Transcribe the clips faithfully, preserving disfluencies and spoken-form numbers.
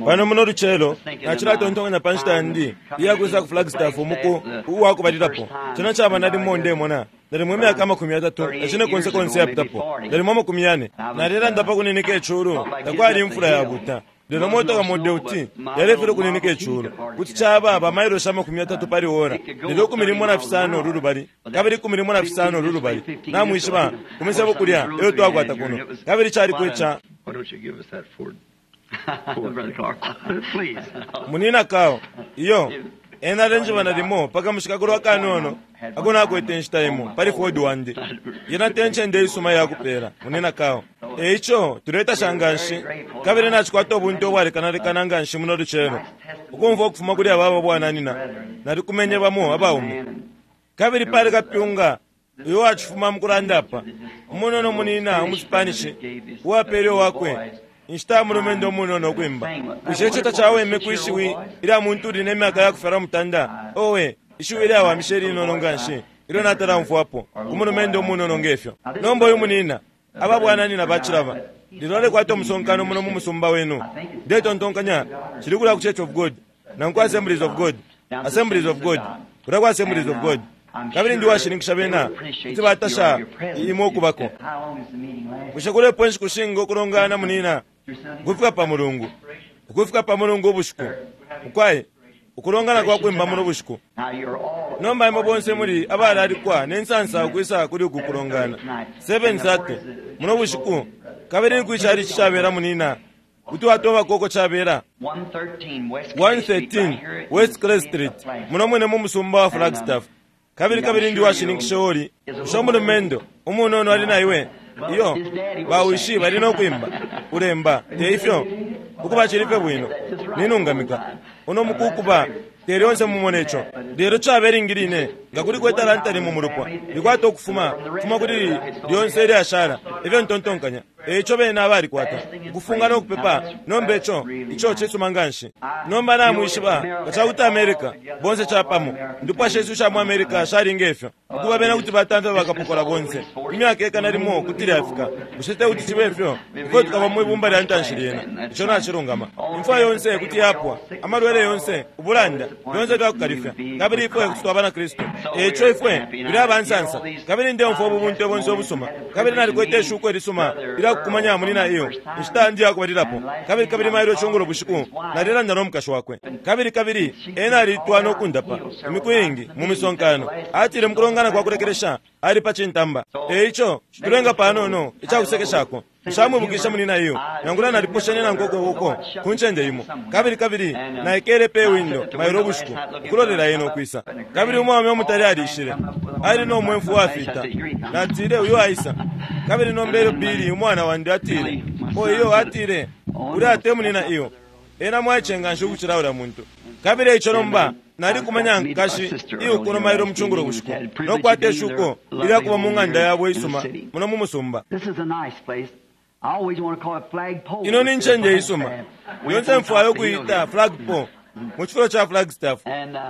Pano muno lucelo nacilatontonkanya pa nshita yandi iyakwisa ku Flagstaff umuku uwakubalilapo. Cena caba nalimo ndemona nalimo imyaka amakumi yatatu na cine konse konse yapitapo, nalimo amakumi yane. Nalelanda pa kuninika iculu, takwali imfula yabuta, lelo motoka Model T yalefele ukuninika iculu. Kuti caba ba mailoshi amakumi yatatu pali ora, lelo ikumi limo na fisano ulu lubali kabili ikumi limo na fisano ulu lubali. Namwishiba kumisebo kulya eyo twakwata kuno, kabili cali kweca. Why don't you give us that Ford? Ford. Please. Munina kao iyo ena alenjiba nalimo paka mushikakulo akanono ako nakwete inshita imo pali Ford wandi. Yena te ncende isuma yakupela munina kao. Eico tuletasha nganshi kabili nacikwata ubunte ubwalekanalekana nganshi muno lucelo ukumva ukufuma kuli aba ababwananina. Nalikumenye bamo abaume kabili pali kapyunga uyo wacifuma mukulanda apa, umunono munina umuSpanish uwapele wakwe inshita mulumendo umunono ukwimba. Bushe ico tacaweme kwishiwi ilya muntu uli ne myaka yakufyalwa mutanda? Owe, ishiwi ilyawamishe linono nganshi ilyo natalamfwapo ku mulumendo umunono ngefyo. Nomba uyu munina ababwananina bacilaba lelo alekwata umusonkano muno mu musumba wenu. Ndetontonkanya cili kulya ku Church of God nangu Assemblies of God, Assemblies of God, kulya ku Assemblies of God. Kabili ndi washininkisha bena kuti batasha imwe ukubako. Bushe kulepo inshiku shinga ukulongana munina? Ukufika pa Mulungu, ukufika pa Mulungu ubushiku mukwai, ukulongana kwa kwimba muno bushiku. Nomba imwe bonse muli abalalikwa ne nsansa ukwisa kuli uku kulongana seven thirty muno bushiku. Kabili nikwi chabela munina kuti watoba koko chabela one thirteen West Clay Street muno mwene mu musumba wa Flagstaff. Kabili kabili ndi washininkisha oli usho mulumendo umunono ali naiwe iyo bawishi bali nokwimba ulemba te ifyo ukuba chilife bwino ninungamika uno mukukuba te lyonse mumone ico lelo chabelingiline nga kuli kwetalanta limo mulupwa likwata ukufuma fuma kuli lyonse lyashala ifyo ntontonkanya eco bena abalikwata ukufunga nokupepa. Nomba ico ico cisuma nganshi. Nomba namwishiba nga cakuti America bonse capamo ndupwa shesu sha mu America shalinga ifyo ukuba bena kuti batamfya bakapokola bonse imyaka ekana limo kuti lyafika. Bushe te kuti cibe ifyo ifwe tukaba mwibumba lya ntanshi lyena? Ico nacilungama. Imfwa yonse kuti yapwa, amalwele yonse, ubulanda lyonse lyakukalifya, kabili ifwe kuti twaba na Kristu. Eco ifwe tuli abansansa kabili ndemfwa ububunte bonse obusuma kabili nalikwete ishuko ilisuma ilyakukumanya munina iyo inshita ndi yakubalilapo. Kabili kabili mailo icungulo bushiku nalilanda nomukashi wakwe kabili kabili ena alitwa nokundapa imiku iingi mu misonkano. Atile mukulongana kwa kulekelesha ali pa cintamba. Eico tulenga panono icakusekeshako nshamwibukisha munina iyo nangula naliposhene nankoko uko ku ncende imo. Kabili kabili naikele pe windo mailo bushiku ukulolela ena ukwisa. Kabili umwaume umutali alishile ali nomwemfu wafita. Natile uyo aisa. Kabili nombele Bili umwana wandi atile o iyo atile uli ate munina iyo ena mwaicenga nshi ukucila ula muntu. Kabili eico nomba nalikumanya nkashi iyo kuno mailo mucungulo bushiku nokwata ishuko ilyakuba mu ng'anda yabo isuma muno mu musumba. Ino ni ncende isuma yonse mfwayo okuyita flagpole mu cifulo ca Flagstaff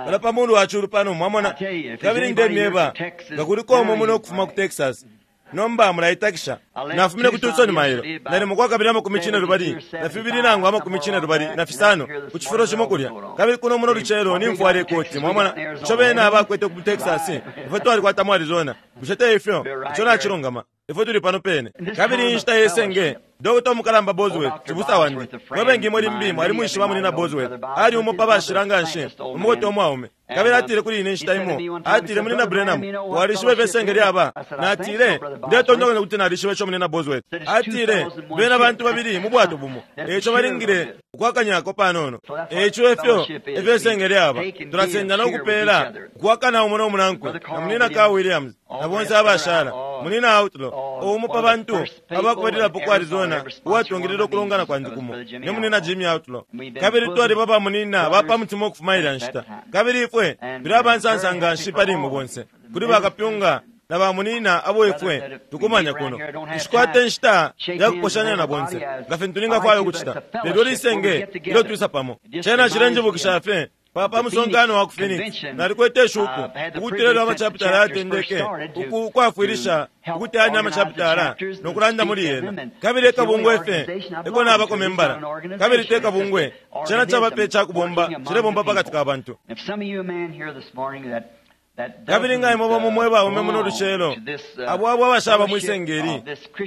pala pa mulu wa culu pano mwamona. Kabili ndemyeba nga kuliko umo muno okufuma ku Texas. Nomba mulaitakisha nafumine ku Tucson mailo nalimo kwa kabili amakumi cine lubali na fibili nangu amakumi cine lubali na fisano ku cifulo cimo kulya. Kabili kuno muno lucelo nimfwala ikoti mwamona ico bena abakwete ku Texas ifwe twalikwata mu Arizona. Bushe te ifyo? Ico nacilungama. Ifwe tuli pano pene. Kabili inshita yesenge Doctor Mukalamba Bosworth cibusa wandi mwebengi mweli mbi alimwishiba munina Bosworth ali umo pa bashila nganshi umukote umwaume. Kabili atile kuli ine inshita imo atile munina Branham walishiba ifesenge lyaba. Natile ndetontonkanya kuti nalishiba ico munina Bosworth. Atile bena bantu babili mu bwato bumo eico balingile ukwakanyako panono. Eico efyo ifesenge lyaba tulasenda nokupela ukwakana umo nomunankwe na munina Carl Williams na bonse abashala munina Outlaw umo pa bantu abakubalilapo ku Arizona uwatungilila ukulongana kwandi kumo ne munina Jimmy Outlaw. Kabili twaliba ba munina bapa mutima okufuma ilya nshita. Kabili ifwe tuli abansansa nganshi pali imwe bonse kuli bakapyunga na ba munina abo ifwe tukumanya kuno. Nshikwata inshita yakuposhanya na bonse nga fintu ningafwaya ukucita lelo lisenge ilyo twisa pamo. Cena cilenjibukisha fye Pa pa musonkano wa ku Phoenix, nalikwete shuko ukutila lwa machapitala yatendeke ukwafwilisha ukuteyanya amachapitala nokulanda muli yena. Kabili ekabungwe efe eko nabako membala, kabili te kabungwe cena cabape cakubomba cilebomba pakati ka bantu. Kabili nga imwe bamo mwe baume muno lucelo abo abo abashaba mwisengeli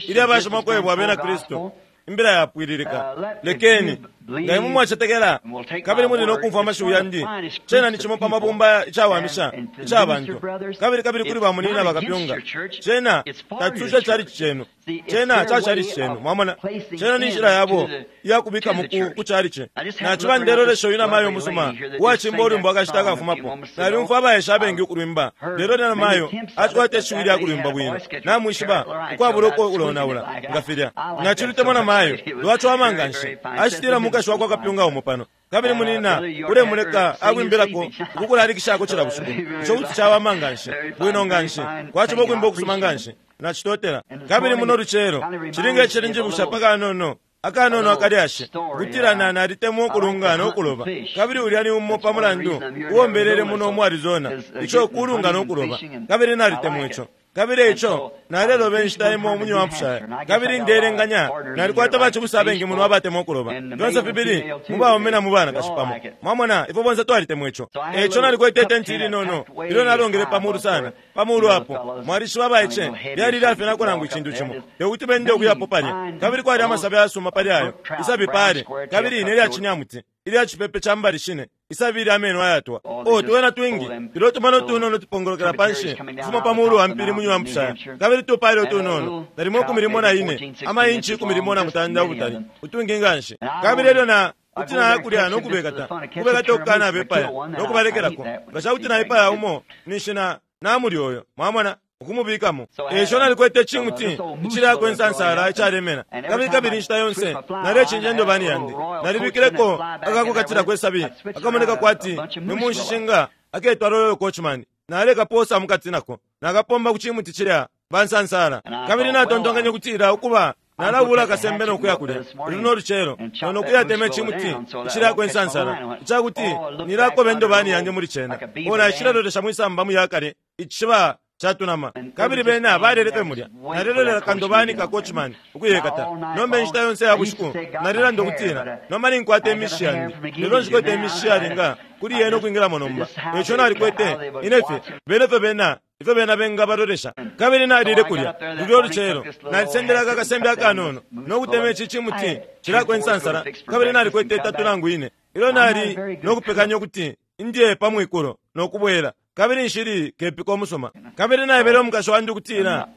ili abashima kwebwa abena Kristu imbila yapwililika, lekeni nga imwe mwacetekela kabili muli nokumfwa amashiwi yandi, cena ni cimo pa mabumba icawamisha ica bantu, kabili kabili kuli bamunina bakapyunga, cena tacisusha chalichi chenu, cena cachalichi chenu. Mwamona, cena ni nshila yabo iyakubika ku chalichi. Naciba ndelolesha uyu namayo musuma uwacimba ulwimbo akashita akafumapo. Nalyumfwa abaesha abengi ukulwimba, lelo namayo acikwata ishiwi lya kulwimba bwino, namwishiba ukwabula ukulonaula nga filya. Nacilutemwa namayo lwacwama nganshi, acitila mukashi wakwa kapyunga umo pano, kabili munina ulemuleka akwimbilako ukukulalikishako cila bushiku. Ico kuti cawama nganshi, bwino nganshi, kwaciba ukwimba ukusuma nganshi. Nacitotela. Kabili muno lucelo cilinga icilinjibusha pakanono akanono akalyashi kutila na nalitemwa ukulunga nokuloba, kabili ulya ni umo pa mulandu uwombelele muno mu Arizona, ico kulunga nokuloba, kabili nalitemwa ico. Kabili ico naleloba inshita imo mu New Hampshire, kabili ndelenganya nalikwata bacibusa abengi muno abatemwa ukuloba, fyonse fibili mu baume na mu banakashi pamo. Mwamona, ifwe bonse twalitemwa ico. Eco nalikwete itenti ilinono ilyo nalongele pamulu sana, pamulu apo mwalishiba abaice lyali lyafyenako nangu icintu cimo tekuti bende ukuyapo palya, kabili kwali amasabi ayasuma pali ayo isabi pale, kabili ine lyacinyamuti ilya cipepe ca mbali shine isabi ilya ameno ayatwa. O tuwena twingi tulo tumano tunono tupongolokela panshi kufuma pamulu wa mpili mu New Hampshire, kabili tupale utunono nalimo ikumi limo na ine amainchi ikumi limo na mutanda ubutali utwingi nganshi. Kabili elyo na kuti nayakulya nokubekata kubekata okukana abepaya nokubalekelako, nga cakuti naipaya umo ninshi na namuli oyo, mwamona, ukumubikamo. Eco nalikwete cimuti icilako insansala icalemena, kabili kabili inshita yonse nalecinja indobani yandi, nalibikileko akakukatila kwesabi akamoneka kwati ni munshishinga aketwa Royal Coachman, nalekaposa mukati nako nakapomba ku cimuti cilya bansansala. Kabili natontonkanya kutila ukuba nalabula akasembe nokuya kulya luno lucelo nonokuyatema icimuti icilako insansala icakuti nilakoba indobani yandi muli cena. O nacilelolesha mwisamba muyakale icishiba catunama, kabili bena balelefe mulya. Nalelolera kandobani ka coachman ukuyekata nomba inshita yonse ya bushiku nalilanda ukutila nomba ninkwata imishi yandi, lelo nshikwete imishi yalinga kuli yena ukwingilamo nomba. Eco nalikwete inefe benefe bena ifyo bena bengabalolesha. Kabili nalile kulya lulyo lucelo nalisendelako akasembe akanono nokutema ici cimuti cilako insansala, kabili nalikwete itatu nangu ine ilyo nali nokupekanya ukuti indiye pamwikulo nokubwela, kabili nshili kepika umusuma. Kabili naebele umukashi wandi ukutila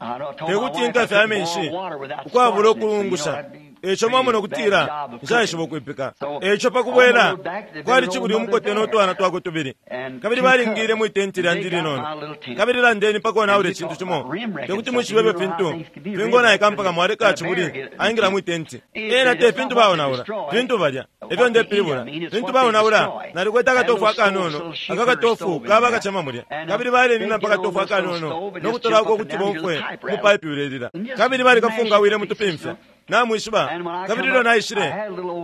tekuti nkafye amenshi ukwabula ukulungusha, eco mwamona ukutila nshaishiba ukwipika. Eco pakubwela kwali cibuli umukote notwana twakwe tubili, kabili balingile mwitenti lyandi linono. Kabili landeni pakonaula icintu cimo, tekuti mwishibe fintu fingonaika mpaka mwaleka cibuli aingila mwitenti. Ena te fintu baonaula, fintu balya efyo ndepilibula fintu baonaula. Nalikwete akatofu akanono akakatofu kaba kacema mulya, kabili balenina mpaka tofu akanono nokutolako ukuti bomfwe mupaipi ulelila, kabili balikafungawile mutupimfya namwishiba. Kabili ilyo naishile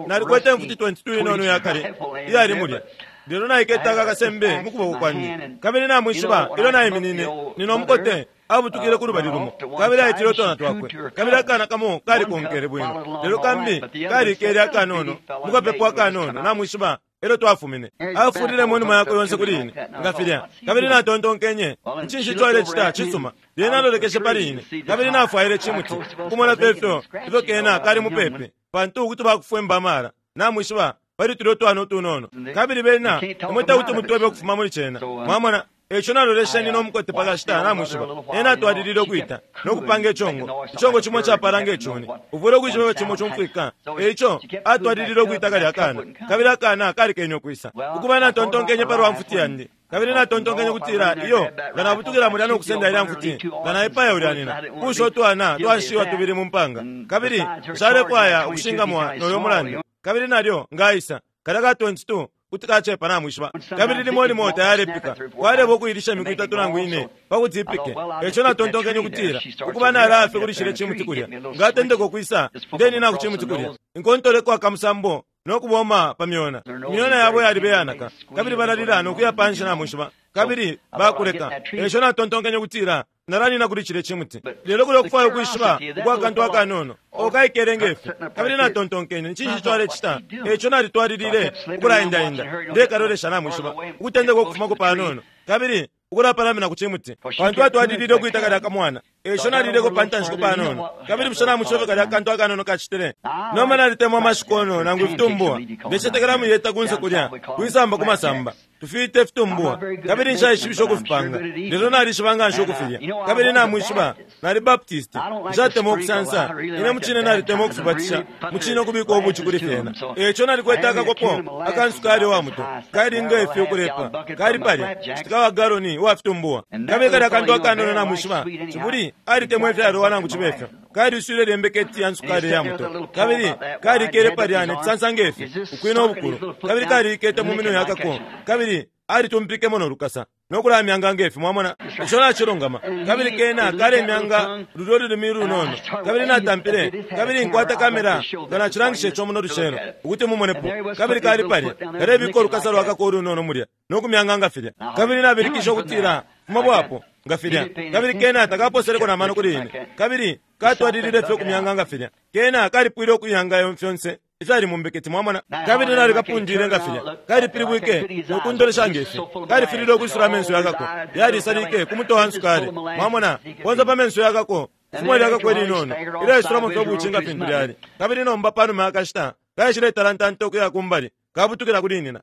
nalikwete mfuti twenty-two inono yakale iyali mulya, lelo naikete akasembe mukuboko kwandi. Kabili namwishiba ilyo naiminine nino mukote abutukile ku lubali lumo, kabili aitile utwana twakwe, kabili akana kamo kalikonkele bwino, lelo kambi kalikele akanono mukapepo akanono namwishiba. Elyo twafumine afulile inuma yakwe yonse kuli ine nga filya, kabili natontonkenye ncinshi ico alecita cisuma. Lyena alolekeshe pali ine, kabili nafwaile cimuti ukumona fefyo ifyo kena kali mupepi, pantu ukuti bakufwemba amala namwishiba pali tulya utwana utunono, kabili bena imwe tekuti mutwebe ukufuma muli cena, mwamona. Eco nalolesheni nomukote pakashita namwishiba. Ena atwalilile ukwita nokupanga icongo, icongo cimo capala ngecuni uvule ukwishiba cimo cumfwika. Eco atwalilile ukwita kalya akana, kabili akana kalikene ukwisa. Ukuba natontonkenye palwa mfuti yandi, kabili natontonkenye kutila iyo nga nabutukila mulya nokusenda ilya mfuti nga naipaya ulya nina kusha utwana twanshiwa tubili mu mpanga, kabili nshalefwaya ukushingamwa noyo mulandu. Kabili nalyo ngaisa kalya ka twenty-two kuti kacepa namwishiba. Kabili limo limo tayalepika kwaleba ukuilisha imiku itatu nangu ine pakuti ipike. Eco natontonkenye ukutila ukuba nalafe kulishile cimuti kulya ngatendeka ukwisa ndenina ku cimuti kulya inkontoleko akamusambo no kuboma pa myona. Imyona yabo yalibe yanaka, kabili balalila no kuya panshi na mwishiba, kabili bakuleka. Esho natontonkenye ukutila nalanina kuli chile chimuti. Lelo kuli okufwaya ukwishiba ukwa kantu akanono okaikele ngefi. Kabili natontonkenye nchinshi twalechita. Echo nalitwalilile ukulaendaenda ndekalolesha namwishiba ukutendeka ukufumako panono, kabili ukulapalamina ku chimuti, pantu atwalilile ukuita kalya kamwana. Esho nalileko pantanshiko panono, kabili bushe namwishiba kalya kantu akanono kachitile. Noma nalitemwa amashikono nangu ifitumbuwa, ndecetekela muyeta kunse kulya kwisamba kumasamba tufite fitumbuwa, kabili nshaishibisha ukufipanga, lelo nalishiba nga nshi ukufilya. Kabili namwishiba nali Baptist, nshatemwa ukusansa ine muchine nalitemwa ukufibatisha muchine ukubika ubuchi kuli fyena. Echo nalikwete akakopo akansukali wa muto kali ngefi ukulepa kali palya citika wa galoni wa fitumbuwa. Kabili kalya kantu akanono namwishiba chibuli alitemwa ifyalowa nangu chibefyo kali uswile lyembeketi ya nsukali ya muto, kabili kalikele palya netisansa ngefi ukwina ubukulu, kabili kalikete mu minwe yakako, kabili alitumpikemo no lukasa nokulamyanga ngefi. Mwamona ico nachilungama. Kabili kena kalemyanga lulyo lulimi lunono. Kabili natampile, kabili nkwata kamera nga nachilangisha ico muno lucelo ukuti mumonepo. Kabili kali palya kalebika olukasa lwakako olunono mulya nokumyanga nga filya. Kabili nabilikisha ukutila fuma bwapo nga filya. Kabili kena takaposeleko na mano kuli ine, kabili katwalilile fye okumyanga nga filya. Kena kalipwile okuyanga fyonse ifyali mumbeketi. Mwamona. Kabili nalikapundile nga filya, kalipilibwike nokundolesha ngefi, kalifilile okwisula amenso yakako, yalisalike kumutowa nsukali. Mwamona bonse pa menso yakako ifumo lyakako elinono ilaisulamo fye obuchi nga fintu lyali. Kabili nomba panuma yakashita kaishile talantanta okuya kumbali kabutukila kuli nina.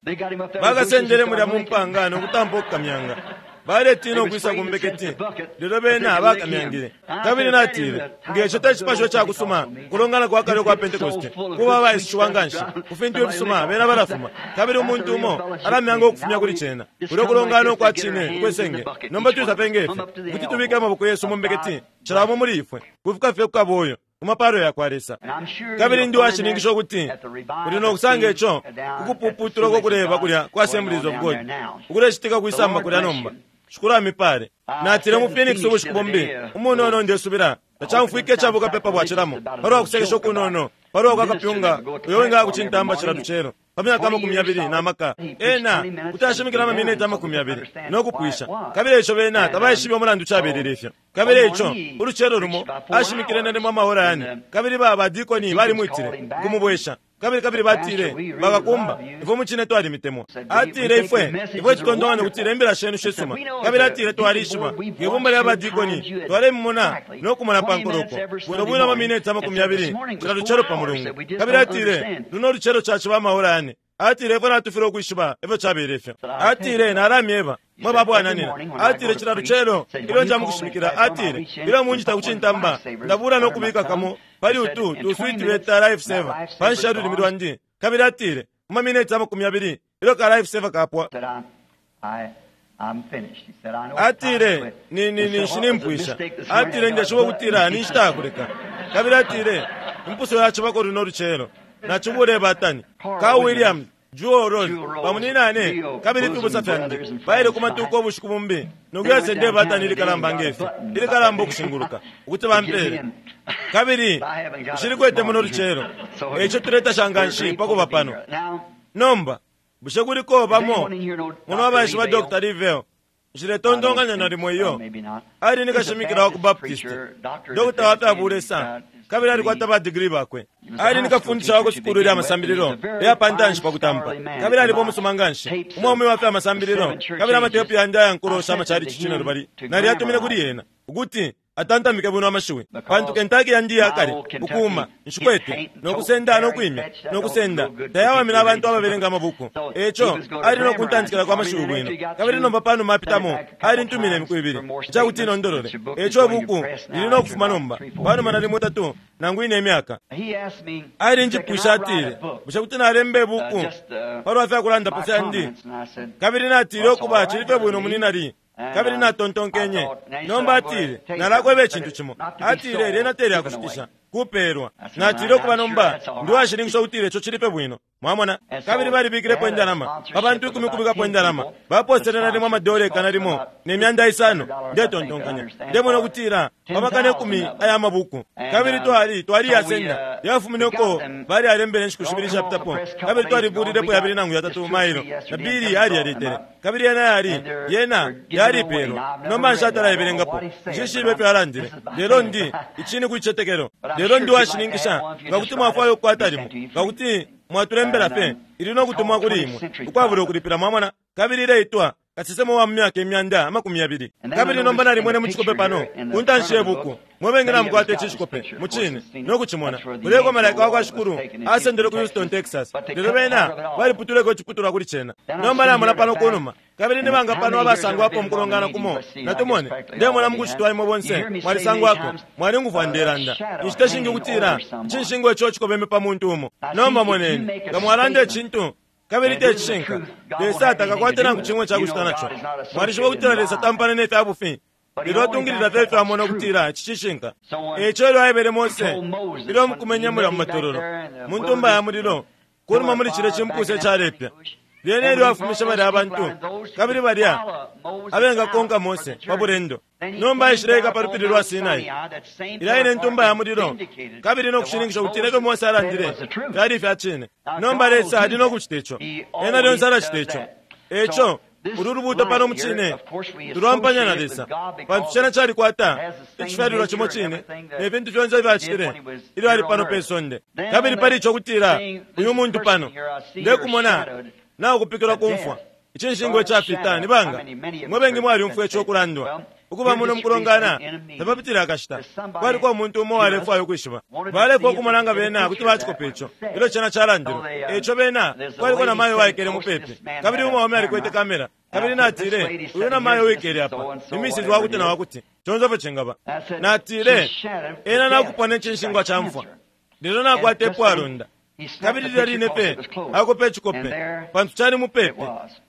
Bakasendele mulya mumpanga nokutampa okukamyanga, baletina okwisa kumbeketi, lelo bena bakamyangile. Kabili natile ngecho tecipasho cakusuma kulongana kwa kale kwa Pentekoste kuba baishiwa nganshi ku fintu ifisuma bena balafuma. Kabili umuntu umo alamyanga okufumya kuli cena kulyo kulongana okwa chine ukwesenge. Nomba tuisape ngefi kuti tubike amaboko yesu mumbeketi chilamo muli ifwe kufika fye kukaboyo mumapalo yakwa Lesa. Kabili ndi washininkisha ukuti uli nokusanga ico ukupuputula kokuleba kulya kwa Assemblies of God ukulechitika kwisamba kulya nomba. Shukuru amipale. Natile mu Phoenix ubushiku bumbi umunono ndesubila tachamfwike chabuka pepa bwachilamo palwa kusekesha okunono palwa kwakapyunga uyo winga kuchintamba chila lucelo pa myaka amakumi yabili na maka ena kuti ashimikila amamineti amakumi yabili nokupwisha. Kabili ico bena tabaishibe umulandu chabelele ifyo. Kabili ico ulucelo lumo ashimikile nalimo amahora yane, kabili ba badikoni balimwitile kumubwesha. Kabili kabili batile bakakumba ifwe muchine twalimitemwa. Atile ifwe ifwe tutondongane kutile imbila shenu shisuma. Kabili atile twalishiba ngebumba lya badikoni twalemumona nokumona pankoloko bwino bwino amamineti amakumi yabili chila lucelo pa mulungu. Kabili atile luno lucelo chachiba amahora yane. Atile ifwe natufile okwishiba ifyo chabele ifyo. Atile nalamyeba mwe babwananina. Atile chila lucelo ilyo njamukushimikila. Atile ilyo munjita kuchintamba ndabula nokubika kamo pali utu tuswiti beta life saver pansha lulimi lwandi. Kabili atile mumamineti amakumi abili ilyo ka life saver kapwa. Atile ni ni ni nshinimpwisha. Atile ndeshiba ukutila ninshita kuleka. Kabili atile impuso yachibako luno lucelo nachibule batani ka William Jewel Rose pamuninane kabili fibusa fyandi baile kumatuko obushiku bumbi nokuyasende batani ilikalamba ngefi ilikalamba okushinguluka ukuti bampele. Kabili nshilikwete muno lucelo echo tuletasha nganshi pakuba pano. Nomba bushe kuliko bamo muno abaishiba Doctor Livell nshiletondonganya nalimo iyo ali nikashimikila wa ku Baptist Doctor wafyabulesa kabili alikwata ba degree bakwe. Ali nikafundisha wako sukulu lya masambililo ya pantanshi pakutampa. Kabili alipo musuma nganshi umwaume wafya amasambililo kabili amatepu yandi ayankulosha amachali chichino lubali nali atumile kuli yena ukuti atantamike bwino amashiwi pantu Kentucky yandi yakale ukuma nshikwete nokusenda nokwimya nokusenda tayawamina abantu ababelenga amabuku. Echo ali nokuntantikila kwa mashiwi bwino. Kabili nomba pano mapitamo ali ntumile imiku ibili icakuti inondolole. Echo buku lili nokufuma nomba panuma nalimo tatu nangu ine imyaka. Ali njipwisha atile bushe kuti nalemba ibuku palwa fyakulandapo fyandi. Kabili natile okuba chilife bwino muninali. Kabili natontonkenye nomba atile nalakweba echintu chimo. Atile lyena teli akushitisha. Kupelwa. Natile ukuba nomba ndi washininkisha ukutila ico cilipe bwino. Mwamona? Kabili balibikilepo indalama pa bantu ikumi kubikapo indalama baposele nalimo amadola ikana limo ne myanda isano. Ndetontonkanya ndemona ukutila pa makana ikumi aya mabuku. Kabili twali twaliyasenda yafumine uko bali alembele inshiku shibili ishapitapo, kabili twalibulilepo yabili nangu yatatu mailo na bili aliyaletele, kabili yena yali yena yalipelwa. Nomba nshatalayebelengapo, nshishibe ifyo alandile, lelo ndi ichini kuichetekelo. Lelo ndi washininkisha nga kuti mwafwayo ukukwata limo, nga kuti mwatulembela fe ili no kutumwa kuli imwe ukwabula ukulipila. Mwamona? Kabili ileitwa Kasesema wa myaka imyanda amakumi yabili. Kabili nomba nalimwene mu cikope pano ku ntanshi ye buku. Mwe namukwata ici cikope mucine no kucimona. Kuleko malaika wa kwa Shikulu asendele ku Houston, Texas, lelo bena baliputuleko iciputulwa kuli cena. Nomba namona pano kunuma, kabili nibanga pano abasangwapo mukulongana kumo natumone. Ndemona mukucitwa imwe bonse mwalisangwako, mwalingufwa ndelanda inshita shingi ukutila icinshingwa ico cikobeme pa muntu umo. Nomba moneni nga mwalanda icintu kabili te cishinka, Lesa atakakwate nangu chimwe chakuchita nacho. Mwalishiba ukutila Lesa tampane ne fya bufi, lelo atungilila fye ifyo amona ukutila ici cishinka. Eico ilyo aebele Mose ilyo mukumenya mulya mu matololo mu ntumba ya mulilo kunuma muli cilya cimpusa icalepya, lyene ilyo afumishe balya abantu kabili balya abengakonka Mose pa bulendo, nomba aishileka pa lupili lwa Sinai ilya ine ntumba ya mulilo, kabili no kushininkisha ukutila ifyo Mose alandile fyali ifya cine. Nomba Lesa ali no kucita ico, ena lyonse alacita ico. Eco ulu lubuto pano mucine tulwampanya na Lesa, pantu cena calikwata icifyalilwa cimo cine ne fintu fyonse ifyacitile ilyo ali pano pe sonde. Kabili pali ico kutila uyu muntu pano ndekumona nakupikilwa kumfwa icinshingwa icafita ni banga mwe bengi mwalyumfwa ico kulandwa ukuba muno mukulongana tapapitile akashita. Kwaliko umuntu umo walefwayo ukwishiba, balefwa ukumona nga bena kuti bacikopa ico ilyo cena calandilwe. Eco bena kwaliko na mayo waikele mupepi, kabili umwaume alikwete kamera. Kabili natile uyu na mayo wikele apa ni misisi wakuti na wakuti conse fyo cingaba. Natile ena nakupona icinshingwa ca mfwa, lelo nakwata epwalonda. Kabili lilya line pe akopa icikope pantu cali mupepi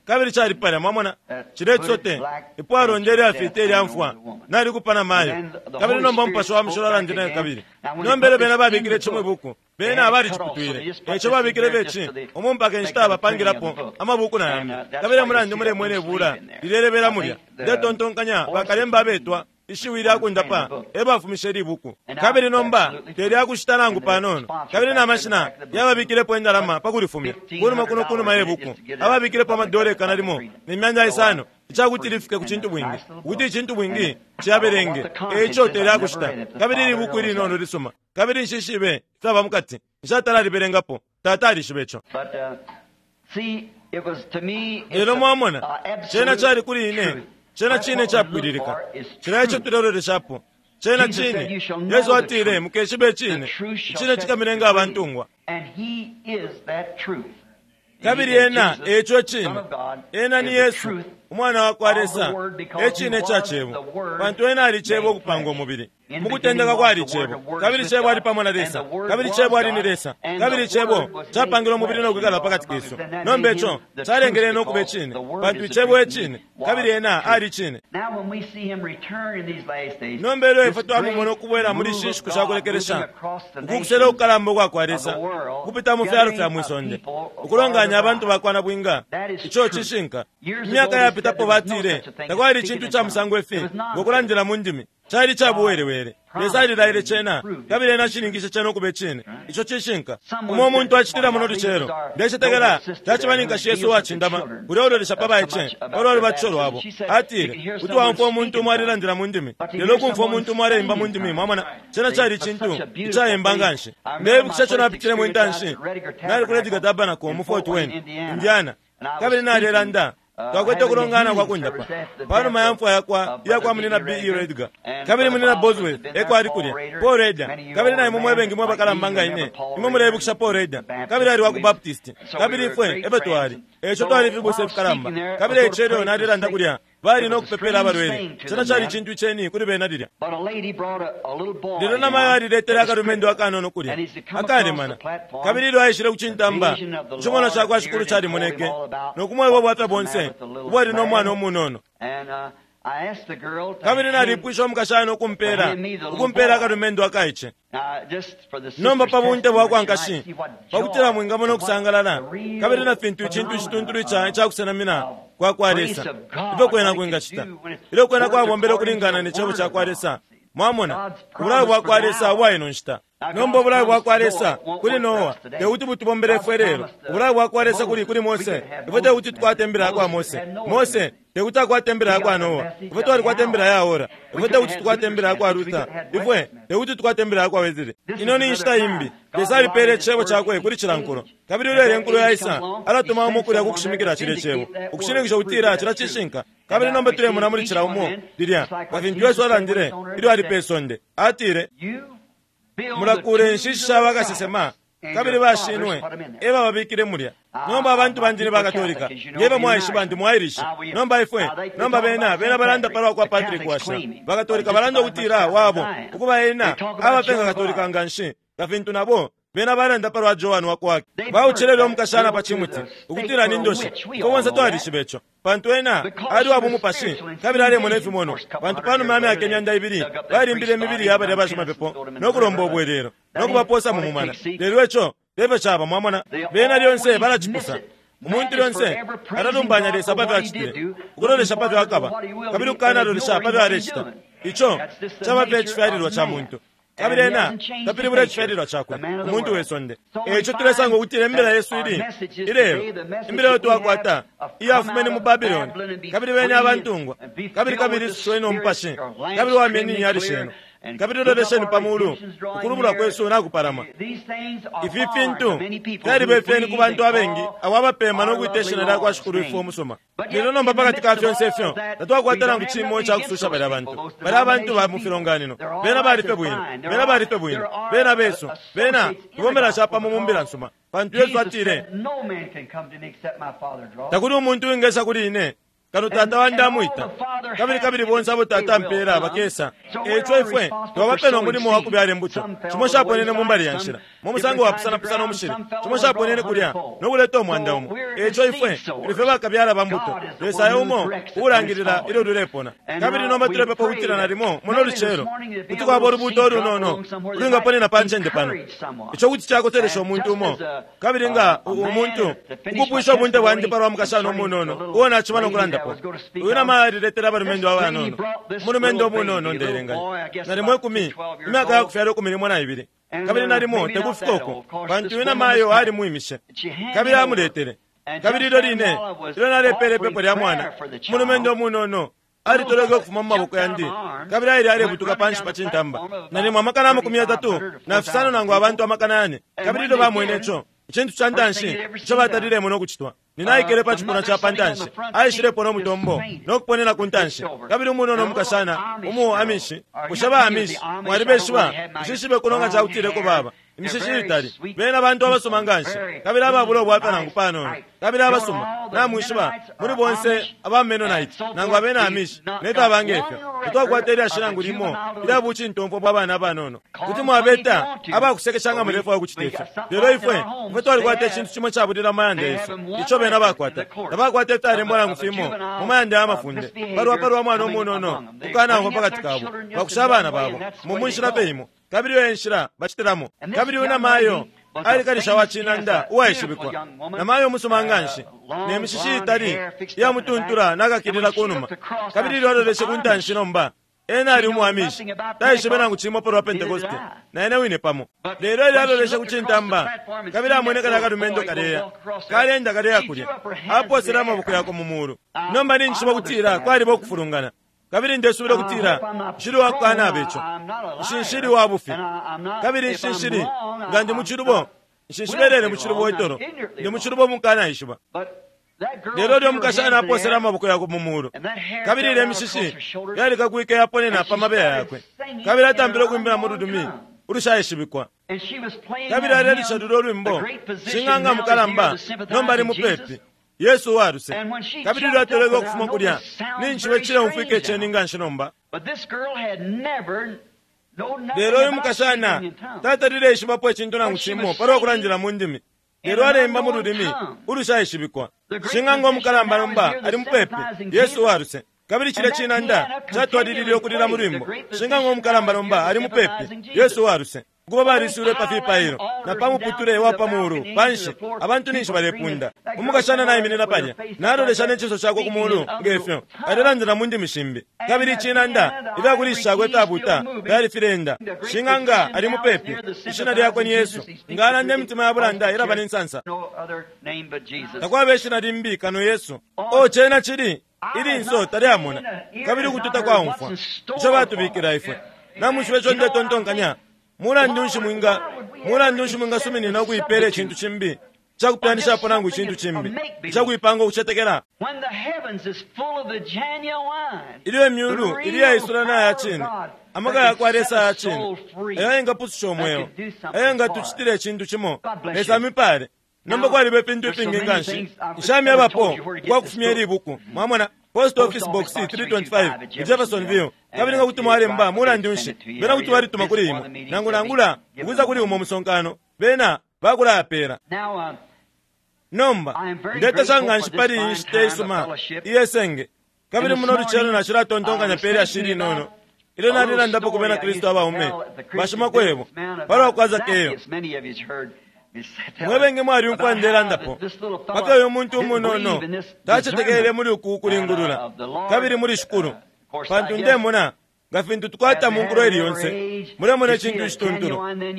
kabili cali palya. Mwamona cile cisote ipwalonda ilyafita ilya mfwa nalikupa na mayo. Kabili nomba Mupashi wa Mushilo alandile kabili nomba elyo bena babikile cimwe ibuku, bena baliciputwile. Eco babikile beci umu mpaka inshita bapangilapo amabuku na yambi. Kabili mulandu mulemwene ibula lilelebela mulya. Ndetontonkanya bakalemba abetwa ishiwi lyakundapa ebafumishe libuku. Kabili nomba telyakushita nangu panono. Kabili na mashina yababikilepo indalama pakulifumya kunuma kuno kunuma yebuku ababikilepo amadola ikana limo ne myanda isano icakuti lifike ku cintu bwingi, ukuti icintu bwingi ciyaberenge. Eco telyakushita. Kabili libuku ilinono lisuma, kabili nshishibe ifyaba mukati, nshatalalibelengapo. Tata alishibe ico. Lelo mwamona cena cali kuli ine cena cine capwililika, cila ico tuleloleshapo cena cine. Yesu atile mukeshibe icine, icine cikamilenga abantungwa. Kabili ena eco icine, ena ni Yesu umwana wa kwa Lesa, ecine ca cebo, pantu ena ali cebo ukupanga umubili. Mukutendeka kwali cebo, kabili cebo ali pamo na Lesa, kabili cebo ali ni Lesa, kabili cebo capangile umubili no kwikala pakati kesu. Nomba ico calengele no kuba icine, pantu icebo ecine, kabili ena ali icine. Nomba ilyo ifwe twamumona ukubwela muli ishi nshiku shakulekelesha, ukukusela ukukalamba ukwa kwa Lesa kupita mu fyalo fya mwisonde ukulonganya abantu bakwa bwinga, ico cishinka. Imyaka yapitapo batile takwali icintu ca musango ifi ngokulandila mu ndimi, cali cabuwelewele. Lesa alilaile cena, kabili ena ashininkishe cena ukuba icine. Ico cishinka. Umo umuntu acitila muno lucelo, ndecetekela caciba ni nkashi Yesu uwacindama kulya ulolesha pa baice palwa lubatisho lwabo. Atile kuti waumfwa umuntu umo alilandila mu ndimi, lelo ukumfwa umuntu umo aleimba mu ndimi. Mwamona cena cali icintu icayemba nganshi. Ndeibukisha ico napitilemo intanshi nali ku Rediger Tabernacle mu Fort Wayne, Indiana, kabili nalelanda. Twakwete ukulongana kwa kundapa panuma ya mfwa yakwa iyakwa munina B E Rediger, kabili munina Bosworth eko ali kulya Paul Rediger, kabili naimwe mwebengi mwe bakalamba nga ine imwe muleibukisha Paul Rediger, kabili ali wa ku Baptist, kabili ifwe efe twali eco twali ifibusa ifikalamba. Kabili eco elyo nalilanda kulya bali no kupepela abalwele, cena cali icintu iceni kuli bena lilya. Lelo namayo aliletele akalumendo akanono kulya akalemana, kabili ilyo aishile kucintamba icimono cakwa Shikulu calimoneke no kumweba ubwafya bonse ubwali no mwana umunono. Kabili nalipwisha umukashana ukumpela ukumpela akalumendo akaice. Nomba pa bunte bwa kwa nkashi, pakutila mwingamona ukusangalala kabili na fintu icintu icituntulu ica icakusenamina kwa kwa Lesa, ifyo kwena kwingacita ilyo kwena kwabombele ukulingana ne cebo ca kwa Lesa. Mwamona ubulayo bwa kwa Lesa ubwa ino nshita. Nomba ubulayo bwa kwa Lesa kuli Noa tekuti butubombele ifwe lelo. Ubulayo bwa kwa Lesa kuli kuli Mose, ifwe tekuti tukwate imbila ya kwa Mose. Mose tekuti akwate imbila ya kwa Noa, ifwe twalikwata imbila ya ora. Ifwe tekuti tukwate imbila ya kwa Luther, ifwe tekuti tukwate imbila ya kwa Wesley. Ino ni nshita imbi. Lesa alipele icebo cakwe kuli cila nkulo, kabili ulele nkulo yaisa alatuma umo kulya kukushimikila cile cebo, ukushininkisha kutila cila cishinka. Kabili nomba tulemona muli cila umo lilya nga fintu Yesu alandile ilyo ali pe sonde, atile, mulakule inshishi sha bakasesema kabili bashinwe eba babikile mulya. Nomba abantu bandi ni bakatolika, ngeba mwaishiba ndi mwairishi. Nomba ifwe nomba bena bena balanda palwa kwa Patrick Washira. Bakatolika balanda ukutila wabo ukuba ena abapenga katolika nganshi nga fintu nabo bena balanda palwa Joan wa kwake. Bauchelele omukashana pa chimuti ukutila ni ndoshi. Ifwe bonse twalishiba ico, pantu ena ali wa bumupashi kabili alemona ifimono. Pantu panuma ya myaka imyanda ibili balimbile imibili ya balya bashimapepo nokulomba obwelelo nokubaposa mu mumana. Lelo ico tefyo caba, mwamona. Bena lyonse balacipusa. Umuntu lyonse alalumbanya Lesa pafyo acitile, ukulolesha pafyo akaba, kabili ukukanalolesha pafyo alecita. Ico caba fye icifyalilwa ca muntu, kabili ena tapilibula icifyalilwa cakwe, umuntu we sonde. Eico tulesanga ukutila imbila yesu ili ilelo, imbila yo twakwata iyafumene mu Babiloni, kabili bene abantungwa, kabili kabili isusweni umupashi, kabili wamyeni inyali shenu, kabili lolesheni pa mulu, ukulubula kwesu nakupalama. Ifi fintu fyaliba ifyeni ku bantu abengi abo abapema nokwita ishina lya kwa Shikulu ifwe umusuma. Lelo nomba pakati ka fyonse ifyo tatwakwata nangu cimo icakususha balya bantu. Balya abantu ba mu filonganino bena balife bwino, bena balife bwino, bena besu, bena tubombela capamo mu mbila nsuma. Pantu Yesu atile, takuli umuntu wingesa kuli ine kano Tata wandi amwita, kabili kabili bonse abo Tata ampela bakesa. Eico ifwe twabapela umulimo wa kubyala imbuto. Cimo caponene mu mbali ya nshila, mu musango wapusanapusana umushili, cimo caponene kulya nokuleta umwanda umo. Eico ifwe tulife bakabyala ba mbuto. Lesa e umo uulangilila ilyo lulepona. Kabili nomba tulepepa ukutila nalimo muno lucelo kuti kwaba ulubuto olunono ulwingaponena pa ncende pano, ico kuti cakoselesha umuntu umo, kabili nga umuntu ukupwisha ubunte bwandi palwa mukashana umunono uo naciba nokulandapo. Uyu nama aliletela abalumendo abanono, umulumendo umunono ndeelenganya nalimo ikumi, imyaka yakufyala ikumi limo na ibili, kabili nalimo tekufika uko, pantu uyu namayo alimwimishe kabili amuletele. Kabili ilyo line ilyo nalepele ipepo lya mwana, umulumendo umunono alitoleke ukufuma mu maboko yandi, kabili aile alebutuka panshi pa cintamba, nalimo amakana amakumi yatatu na fisano nangu abantu amakana yane. Kabili ilyo bamwene ico icintu ca ntanshi ico batalilemo nokucitwa, ninaikele pa cipuna ca pantanshi, aishilepo nomutombo nokuponena ku ntanshi. Kabili umunono umukashana umu Amishi, bushe ba Amishi mwalibeshiba? Nshishibe kuno nga cakutileko baba imishishi itali, bena bantu abasuma nganshi kabili ababula ubwafya nangu panono, kabili abasuma. Namwishiba muli bonse aba Mennonite nangu abena Amishi nefyo abange ifyo, tetwakwata ilyashi nangu limo ilya bucintomfwa bwa bana abanono. Kuti mwabeta abakusekesha nga mulefwaya ukucita ifyo, lelo ifwe ifwe twalikwata icintu cimo cabulila mu mayanda yesu ico bena bakwata. Tabakwata ifyalembwa nangu fimo mu mayanda ya mafunde palwa palwa mwana umunono ukukanaumfwa pakati kabo, bakusha abana babo mu munshila fye imo, kabili iyo enshila bacitilamo. Kabili uyu namayo alikalisha wa cinanda uwaishibikwa, namayo umusuma nganshi, ne mishishi itali iyamutuntula nakakilila kunuma. Kabili ilyo aloleshe ku ntanshi nomba, ena ali umuamishi, taishibe nangu cimo palwa Pentekoste, na ene wine pamo. Lelo ilyo aloleshe ku cintamba, kabili amwene kalya kalumendo kaleya kalenda kaleya kulya, aposele amaboko yakwe mu mulu. Nomba ninjishiba kutila kwaliba ukufulungana, kabili ndesubila kutila nshili wakukana ico, nshinshili wa bufi, kabili nshinshili nga ndi mucilubo, nshinshibelele mucilubo itolo, ndi mucilubo mukanaishiba. Lelo lyo mukashana aposele amaboko yakwe mu mulu, kabili ile mishishi yalikakwike yaponena pa mabeya yakwe, kabili atampile ukwimbila mu lulimi ulushaishibikwa. Kabili alelisha lulyo lwimbo, shing'anga mukalamba nomba ali mupepi, Yesu waluse. Kabili ilyo atoleke ukufuma kulya, ninjibe cileumfwika iceni nganshi nomba. Lelo uyu mukashana tatalile ishibapo icintu nangu cimo palwa kulandila mu ndimi, lelo aleimba mu lulimi ulushaishibikwa. Shing'anga umukalamba nomba ali mupepi, Yesu waluse. Kabili cilya cinanda catwalilile ukulila mu lwimbo. Shing'anga umukalamba nomba ali mupepi, Yesu waluse. Ukuba baliswile pa fipailo na pa muputule wa pa mulu panshi, abantu ninshi balepunda. Umukashana naiminina palya, nalolesha ne cinso cakwe ku mulu ngefyo alelandila mu ndimi shimbi. Kabili icinanda ifyakulisha shakwe ifyabuta fyali filenda. Shing'anga ali mupepi, ishina lyakwe ni Yesu. Nga alanda, imitima ya bulanda ilaba ne nsansa. Takwaba ishina limbi kano Yesu. O cena cili ilinso talyamona, kabili ukututa kwaumfwa ico batubikila ifwe. Namwishiba ico ndetontonkanya? Mulandu nshi mwinga mulandu nshi mwingasuminina ukuipela icintu cimbi cakupyanishapo nangu icintu cimbi icakuipanga ukucetekela, ilyo imyulu ili yaisula na ya cine, amaka yakwa Lesa ya cine ayo yengapususha umweo, ayo yengatucitila icintu cimo? Lesa amipale. Nomba kwaliba ifintu ifingi nganshi nshamyabapo ukwakufumya ili ibuku. Mwamona, Post Office Box three twenty-five, Jeffersonville. Kabili nga kuti mwalemba, mulandu nshi, bena kuti balituma kuli imwe, nangu nangula ukuza kuli umo musonkano, bena bakulayapela. Nomba ndetasha nganshi pali iyi nshita isuma iyesenge. Kabili muno lucelo nacilatontonkanya pe lyashi linono ilyo nalilandapo ku bena Kristu abaume bashimakwebo palwa kwa Zakeyo. Mwebenge mwalyumfwa ndelandapo paka uyu muntu umunono tacetekele muli uku kulingulula kabili muli Shikulu, pantu ndemona nga fintu tukwata mu nkulo ili yonse, mulemona icintu icituntulu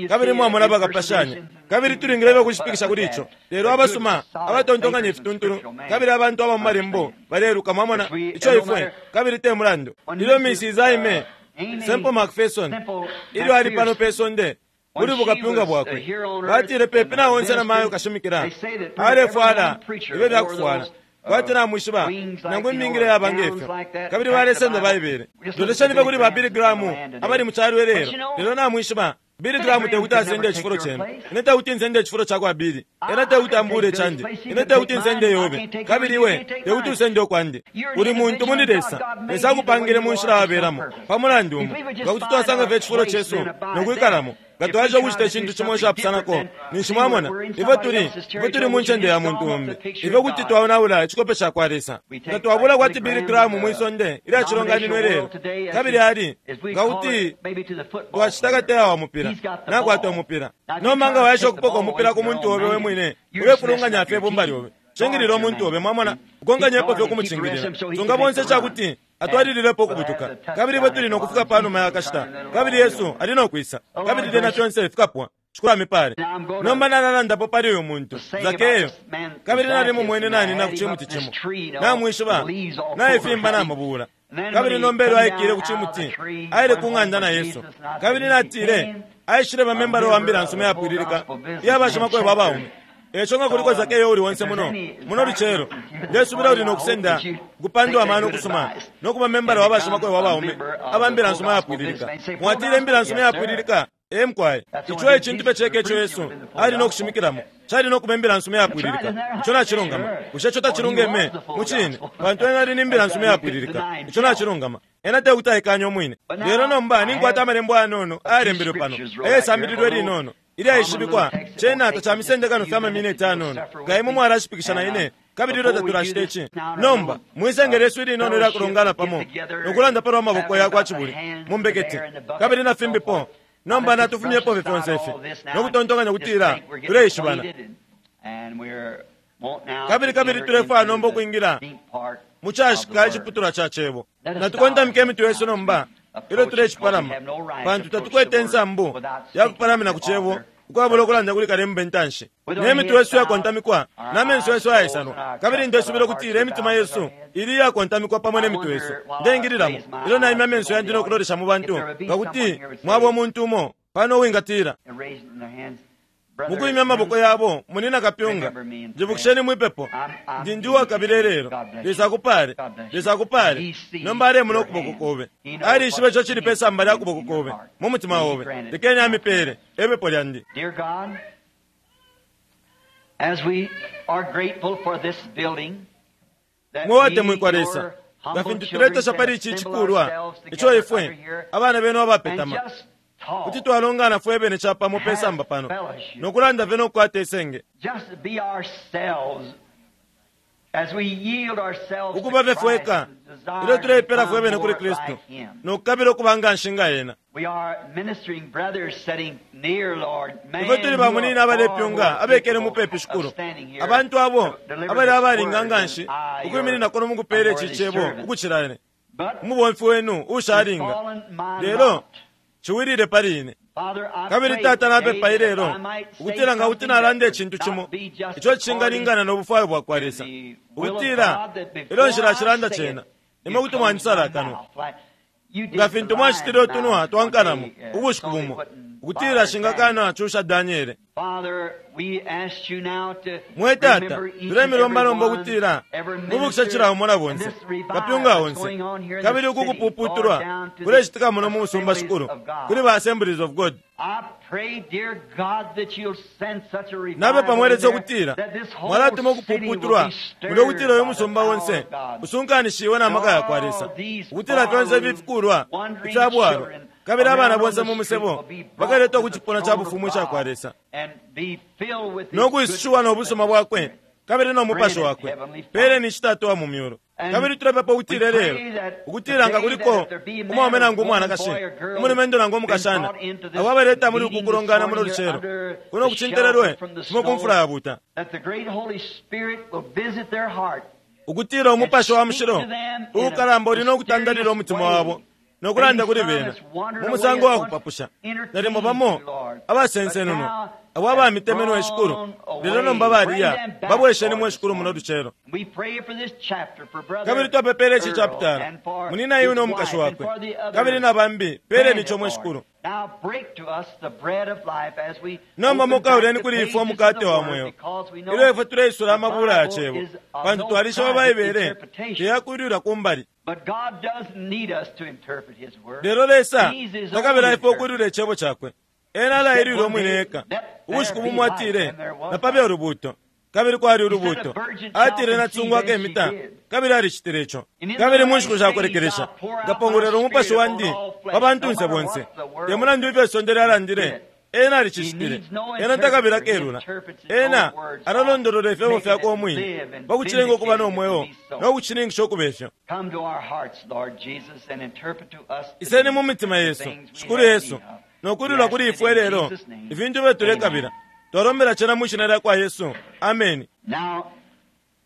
kabili mwamona bakapashanya, kabili tulingile ukushipikisha kuli ico. Lelo abasuma abatontonkanya ifituntulu kabili abantu aba mu malembo baleluka, mwamona ico ifwe, kabili te mulandu. Ilyo Missus Aime Semple McPherson, ilyo ali pano pe sonde muli bukapyunga bwakwe, batile pepi na onse na mayo kashimikila alefwala ibe byakufwala kwati namwishiba nangu imingile yaba ngefyo, kabili balesenda Baibele. Lolesheni fye kuli ba Billy Graham abali mu calo ilelo. Lelo namwishiba, Billy Graham tekuti asende icifulo cenu, ine tekuti nsende icifulo cakwa Billy, ena tekuti ambule candi, ine tekuti nsende yobe, kabili iwe tekuti usende ukwandi. Uli muntu muli Lesa. Lesa akupangile mu nshila wabelamo pa mulandu umo. Nga kuti twasanga fye icifulo cesu nokwikalamo, nga twaja ukucita icintu cimo icapusanako, ninshi mwamona ifwe tuli ifwe tuli mu ncende ya muntu umbi. Ifwe kuti twaonaula icikope ca kwa Lesa nga twabula kwati Billy Graham mwi sonde ilya cilonganino ilelo. Kabili ali nga kuti twacita kateya wa mupira nakwata umupira. Nomba nga waesha ukupoka umupira ku muntu obe we mwine, ulefulunganya fye ibumba lyobe. Cingilila umuntu obe, mwamona, ukonganyepo fye ukumucingilila, sunga bonse cakuti atwalililepo ukubutuka. Kabili ifwe tuli nokufika panuma ya kashita, kabili Yesu ali nokwisa, kabili lyena fyonse fikapwa. Shikulu amipale. Nomba nalalandapo pali uyu muntu Zakeyo, kabili nalimumwene nanina ku cimuti cimo, namwishiba, naifimba namubula. Kabili nomba elyo aikile ku cimuti, aile ku ng'anda na Yesu, kabili natile aishile bamembala wa mbila nsuma yapwililika iya bashimakwebo abaume. Eco nga kuliko Zakeyo uli onse muno muno lucelo, ndesubila uli nokusenda kupandwa amano kusuma nokuba membala wa bashimakwebo abaume aba mbila nsuma yapwililika. Mwatile, imbila nsuma yapwililika? E mkwai, ico ecintu fye ceka ico Yesu ali nokushimikilamo cali nokuba imbila nsuma yapwililika. Ico nacilungama. Bushe ico tacilungeme? Mucine, pantu ena ali ni mbila nsuma yapwililika. Ico nacilungama. Ena tekuti aikanya umwine. Lelo nomba ninkwata amalembo ayanono ayalembelwe pano ayesambililwe linono ilyaishibikwa. Cena tacamisende kano fye amamineti anono nga imwe mwalashipikisha na ine, kabili ilyo tatulacita ici. Nomba mwisenge lyesu ilinono ilyakulongana pamo nokulanda palwa maboko yakwa cibuli mumbekete kabili na fimbipo, nomba natufumyepo fye fyonse ifi nokutontonkanya kutila tuleishibana, kabili kabili tulefwaya nomba ukwingila mucashika iciputulwa ca cebo. Natukontamike imitwe yesu nomba ilyo tulecipalama, pantu tatukwete insambu yakupalamina ku cebo ukwabula ukulanda kuli kalemba intanshi. Ne mitwe yesu yakontamikwa na menso yesu ayaisanwa, kabili ndesubila ukutila imitima yesu ili iyakontamikwa pamo ne mitwe yesu. Ndengililamo ilyo naimya amenso yandi nokulolesha mu bantu, nga kuti mwaba umuntu umo pano uwingatila mukwimya amaboko yabo, "Munina kapyunga, njibukisheni mwipepo. Ndi ndi uwakabila ilelo." Lesa akupale. Lesa akupale. Nomba alemona ukuboko kobe. Alishiba ico cili pe samba lya kuboko kobe mu mutima obe. Lekeni amipele epepo lyandi. Dear God, as we are grateful for this building, that Mwe watemwikwa Lesa, nga fintu tuletasha pali ici cikulwa ico ifwe abana benu abapetama kuti twalongana fwe bene capamo pe samba pano nokulanda fye nokukwata isenge. Just be ourselves. As we yield ourselves to Ukuba fye Christ fweka and desire ilyo to tuleipela become fwe bene kuli more Kristu like Him. no kukabila ukuba nga nshi nga ena. We are ministering brothers sitting near, Lord. Men Ifwe tuli who bamunina are far abalepyunga more abekele capable mupepi of shikulu standing here abantu abo to deliver abali this abalinga word nga than nshi I, ukwiminina your kuno mukupela ici unworthy cebo servant. ukucila ine But umubomfi wenu ushalinga fallen my lelo lot. ciwilile pali ine. Father, I Kabili pray tata today napepa that ilelo I might say ukutila nga kuti something nalanda that icintu would cimo not be just ico cingalingana no bufwayo bwa kwa according Lesa to the will of ukutila God, that before ilyo nshilacilanda I say cena it, imwe you kuti close mwanisala my akanwa mouth like you did nga the fintu lion's mwacitile utunwa mouth twa one nkalamo day, uh, ubushiku so they bumo wouldn't ukutila bother Daniel. shingakana cusha Daniele. Father, we ask you now to Mwe tata remember each and tulemilomba every nomba one, ukutila every mubukisha minister, cila umo na and bonse this revival kapyunga that's onse going on here in kabili the uku city, kupuputulwa Lord, down to the kulecitika muno mu musumba assemblies shikulu of God. kuli ba Assemblies of God. I pray, dear God, that you'll send such a revival Napepa mwe in Lesa there ukutila that this whole mwalatuma city will ukupuputulwa be stirred mulyo ukutila uyu by the musumba power onse of God. usunkanishiwe na maka ya kwa Lesa All these ukutila fyonse barroom, ifikulwa wandering ifya bwalwa children kabili abana around on bonse the mu street musebo will be brought bakaletwa to ku the cipuna ca throne of bufumu ica kwa God Lesa and be filled with His no kwisushiwa no goodness busuma and bwakwe Spirit. kabili no mupashi Grant it, wakwe. Heavenly Father. Peleni citatu wa mu myulu. And Kabili tulepepa we ukutila pray lelo that ukutila nga today kuliko that if there be a man umwaume or nangu woman, umwanakashi boy or girl umulumendo nangu been umukashana brought into this abo abaleta muli meeting uku kulongana this muno morning lucelo here under kuno the kucintelelwe shelter from the kumo ku snow, mfula yabuta that the great Holy Spirit will visit their heart ukutila umupashi wa mushilo uukalamba uli no kutandalila umutima wabo no kulanda kuli bena mu musango wa kupapusha. Nalimo bamo abasensenunwa abo abamitemenwe shikulu lelo nomba baliya babwesheni mwe shikulu muno lucelo. We pray for this chapter for brother Kabili twapepele ici Earl chapitala and for munina iwe his no mukashi wife and wakwe for the other kabili na bambi peleni Grant it, ico mwe Lord. shikulu. Now break to us the bread of life as we Nomba open back mukauleni the kuli ifwe pages of umukate the wa Word mweo because we know ilyo ifwe tuleisula the amabula ya Bible cebo is of pantu no twalishiba private Baibele interpretation. teyakulwila kumbali. But God doesn't need us to interpret His Word. Lelo Lesa He's His own takabila ifwe interpreter. ukulwila icebo cakwe. Ena alailwila umwine eka ubushiku bumo atile napabe ulubuuto kabili kwali ulubuuto atile natsungu akemita kabili alicitile ico. Kabili mu nshiku shakulekelesha nkapongolwela umupashi wandi pa bantunse bonse te mulandu ifyo isonde lyalandile ena alicicitile. Ena takabila kelula ena alalondolola ifyebo fyakwe umwine pakucilenga ukuba no mweo no kucininkisha ukuba ifyo. Come to our hearts, Lord Jesus, and interpret to us Iseni today mu mitima the yesu things we shikulu have Yesu need of. no We kulilwa ask kuli it ifwe in lelo Jesus' name. ifintu ifyo tulekabila twalombela cena mwi shina lya kwa Yesu. Ameni. Now,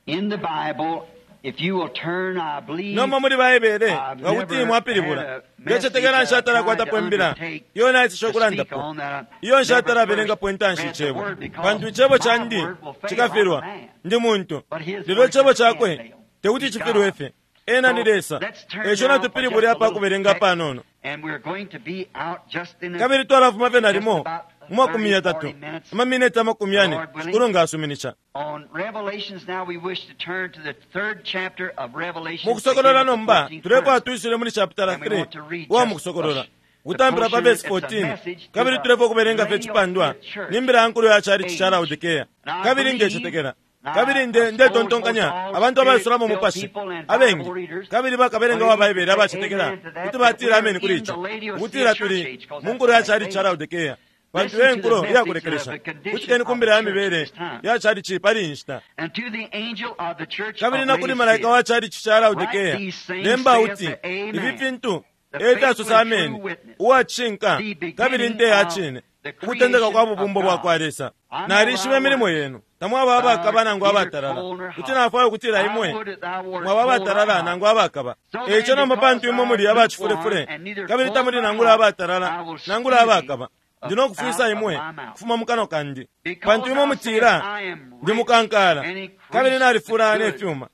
in the Bible, if you will turn, I believe, Nomba muli Baibele I've nga kuti never mwapilibula had a ndecetekela message nshatala that I kwatapo tried to imbila undertake iyo naisisha to speak ukulandapo on that I iyo nshatala never belengapo first intanshi read the icebo word because pantu icebo my candi word will fail cikafilwa like a man. ndi muntu But his lelo word icebo just can't cakwe fail. tekuti He's cifilwe God. fye ena ni So, Lesa. let's turn Eco now for natupilibule just a apa little kubelenga text, panono. and we're going to be out just in a Kabili twalafuma fye nalimo just about mu makumi thirty, yatatu forty minutes. amamineti amakumi yane Lord willing. shikulu nga asuminisha. On Revelations now we wish to turn to the third chapter of Revelation. Mu kusokolola beginning with the nomba fourteenth tulefwaya verse. tuisule muli chapitala And we three want to read uwa just mu kusokolola a- the kutampila pa portion, verse it's a fourteen message to kabili the tulefwaya ukubelenga fye cipandwa Laodicean church ni mbila yankulu ya chalichi cha age. Laodikea. And I Kabili believe, ndecetekela and I kabili nde suppose ndetontonkanya most all abantu abaisulamo spirit-filled umupashi people and abengi Bible readers kabili bakabelenga wa believe Baibele to say abacetekela amen to that, kuti that batila we are ameni kuli in ico the Laodicean ukutila church tuli age, 'cause mu nkulu ya that's the chalichi cha last Laodikea pantu Listen e to the nkulo message iyakulekelesha of the condition kutikeni of ku mbila the ya church mibele this time. ya chalichi pali iyi nshita. And to the angel of the church Kabili of na kuli malaika Laodicea, wa chalichi cha Laodikea write these things, lemba saith uti the Amen, ifi fintu the e faithful fyasosa and true ameni witness, uwacishinka the beginning kabili nte ya of cine the ukutendeka kwa creation of bubumbo bwa God. kwa Lesa. I know Nalishiba thy imilimo works. yenu tamwaba Thou abakaba art nangu neither abatalala cold nor kuti hot. nafwaya ukutila I imwe would that thou wert mwaba cold or abatalala hot. nangu abakaba. So Eico then, nomba because pantu imwe thou muli art abacifulefule lukewarm and neither kabili cold tamuli nor nangula hot, abatalala I will nangula spew thee abakaba ndi no kufwisa out of imwe my mouth. kufuma mu kanwa kandi. Because Pantu imwe thou mutila sayest, I am ndi rich mukankala and increase kabili nalifula with ne goods, fyuma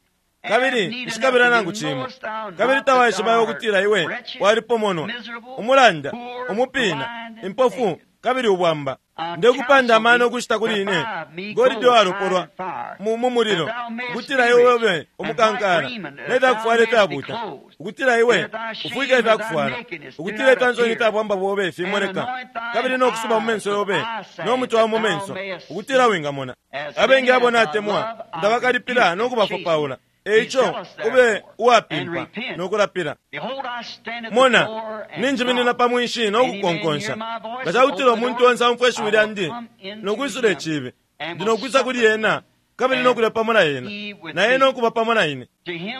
and have kabili need of nshikabila nothing. nangu And cimo knowest thou kabili not that tawaishibayo thou art ukutila iwe wretched, walipomonwa miserable, umulanda poor, umupina blind, and impofu naked? kabili ubwamba. I Ndekupanda counsel amano thee ukushita to kuli ine buy me golide gold walopolwa tried in fire, mu mu mulilo that thou mayest ukutila be iwe rich, ube and white umukankala raiment, ne that thou fyakufwala mayest be ifyabuta clothed, ukutila iwe and that thy shame ufwike of thy ifyakufwala nakedness do ukutila not ifyansoni appear, ifya bwamba bobe and fimoneka anoint thine kabili no kusuba mu eyes menso with yobe eye salve, no muti wa mu that thou menso mayest ukutila see. wingamona. As Abengi many abo as I natemwa love, I ndabakalipila rebuke no and kubafopaula. chasten. Be Eico zealous ube therefore, and uwapimpa repent. no kulapila. Behold, I stand at the Mona door and ninjiminina knock. pa mwinshi no Any man hear kukonkonsha. my voice Nga and cakutila open the umuntu door, onse aumfwa ishiwi I will lyandi come no into kwisula him icibi and ndi will no kwisa sup kuli with him, ena kabili no kulya pamo na ena, na ena ukuba pamo na ine.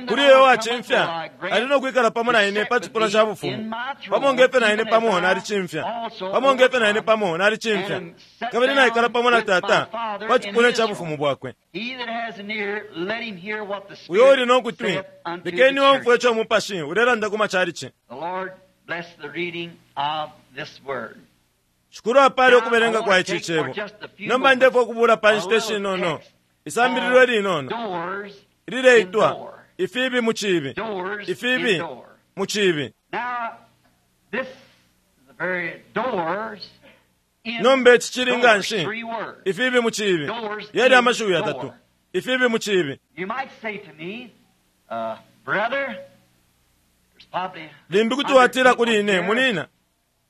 Kuli uyo wacimfya ali no kwikala pamo na ine pa cipuna ca bufumu, pamo nge fyo na ine pamo nalicimfya, pamo nge fyo na ine pamo nalicimfya, kabili naikala pamo na Tata pa cipuna ca bufumu bwakwe. Uyo uli no kutwi, lekeni omfwe ico Mupashi ulelanda ku macalici. Shikulu apale ukubelenga kwa ici cebo. Nomba ndefwa ukubula pa nshita ishinono isambililo linono ilileitwa ifibi mu cibi, ifibi mu cibi. Nomba ici cili nga nshi ifibi mu cibi, yali amashiwi yatatu, ifibi mu cibi. Limbi kuti watila kuli ine, munina,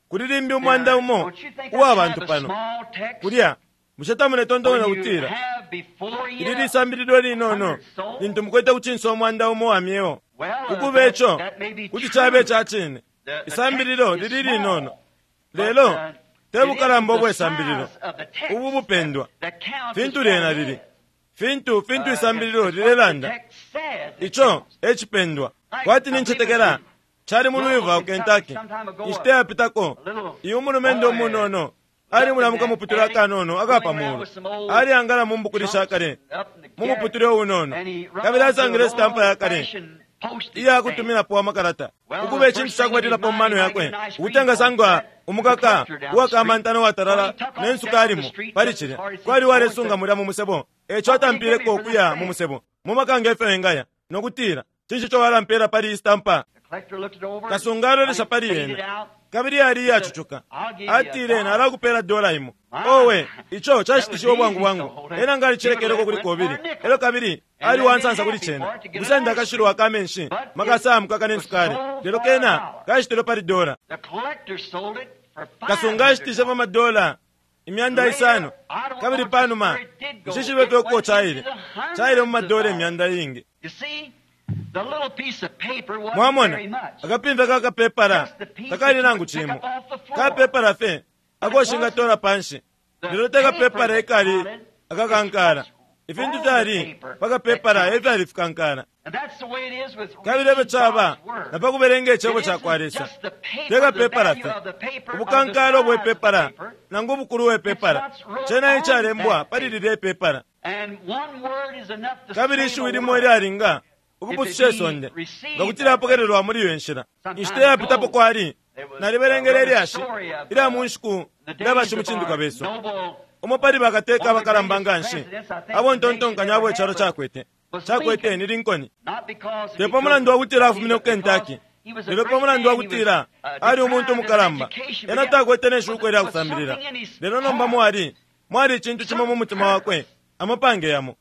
kuli limbi umwanda umo uwa bantu pano kulya bushe tamuletontonya kutila ili lisambililo linono lintu mukwete kucinsa umwanda umo wa myeo? Ukuba ico kuti cabe ca cine, isambililo lili linono, lelo te bukalamba ubwe sambililo ubu bupendwa fintu lyena lili, fintu fintu isambililo lilelanda, ico e cipendwa. Kwati nincetekela cali mu Louisville, Kentucky, inshita yapitako, iyo umulumendo umunono ali mulamuka muputule akanono akapamulu, ali angala mu mbukuli shakale mu muputule unono, kabili asangile sitampa yakale iya kutuminapo amakalata, ukuba icintu cakubalilapo mu mano yakwe ukuti sangwa umukaka uwakamantana watalala ne nsuka alimo pali cilya kwali walesunga mulya mu musebo. Eco atampileko ukuya mu musebo mu makanga efyo engaya nokutila, cinshi ico walampela pali iyi sitampa? Kasunga alolesha pali yena, kabili yali iyacucuka. Atile, nalakupela dola imo. Owe, ico cashitishiwe bwangu bwangu. Ena nga alicilekeleko kuli kobili, elo kabili ali wansansa kuli cena kusenda akashilwa akamenshi makasa mukaka ne nsukali, lelo kena kashitilwe pali dola. Kasunga ashitishe pa madola imyanda isano, kabili panuma nshishibe fye uko caile, caile mu madola imyanda iingi. Mwamona, akapimfya kakapepala takali nangu cimo, kapepala fe akoshinga panshi, lelo tekapepala ekali akakankala. Ifintu fyali pakapepala efyali fikankala. Kabili efyo caba na pakubelenga icebo ca kwa Lesa, tekapepala fe ubukankala obwepepala nangu ubukulu bwepepala, cena icalembwa pali lilya ipepala. Kabili ishiwi limo ilyalinga ukupususha isonde nga kuti lyapokelelwa muli iyo nshila. Inshita yapitapo kwali nalibelengele ilyashi ilya mu nshiku ilya bashimucindikwa besu, umo pali bakateka abakalamba nga nshi abo ntontonkanya abo icalo cakwete cakwete ni Lincoln. Te pa mulandu wa kutila afumine ku Kentucky, lelo pa mulandu wa kutila ali umuntu umukalamba, ena takwete ne shuko ilya kusambilila. Lelo nomba mwali mwali icintu cimo mu mutima wakwe, amapange yamo.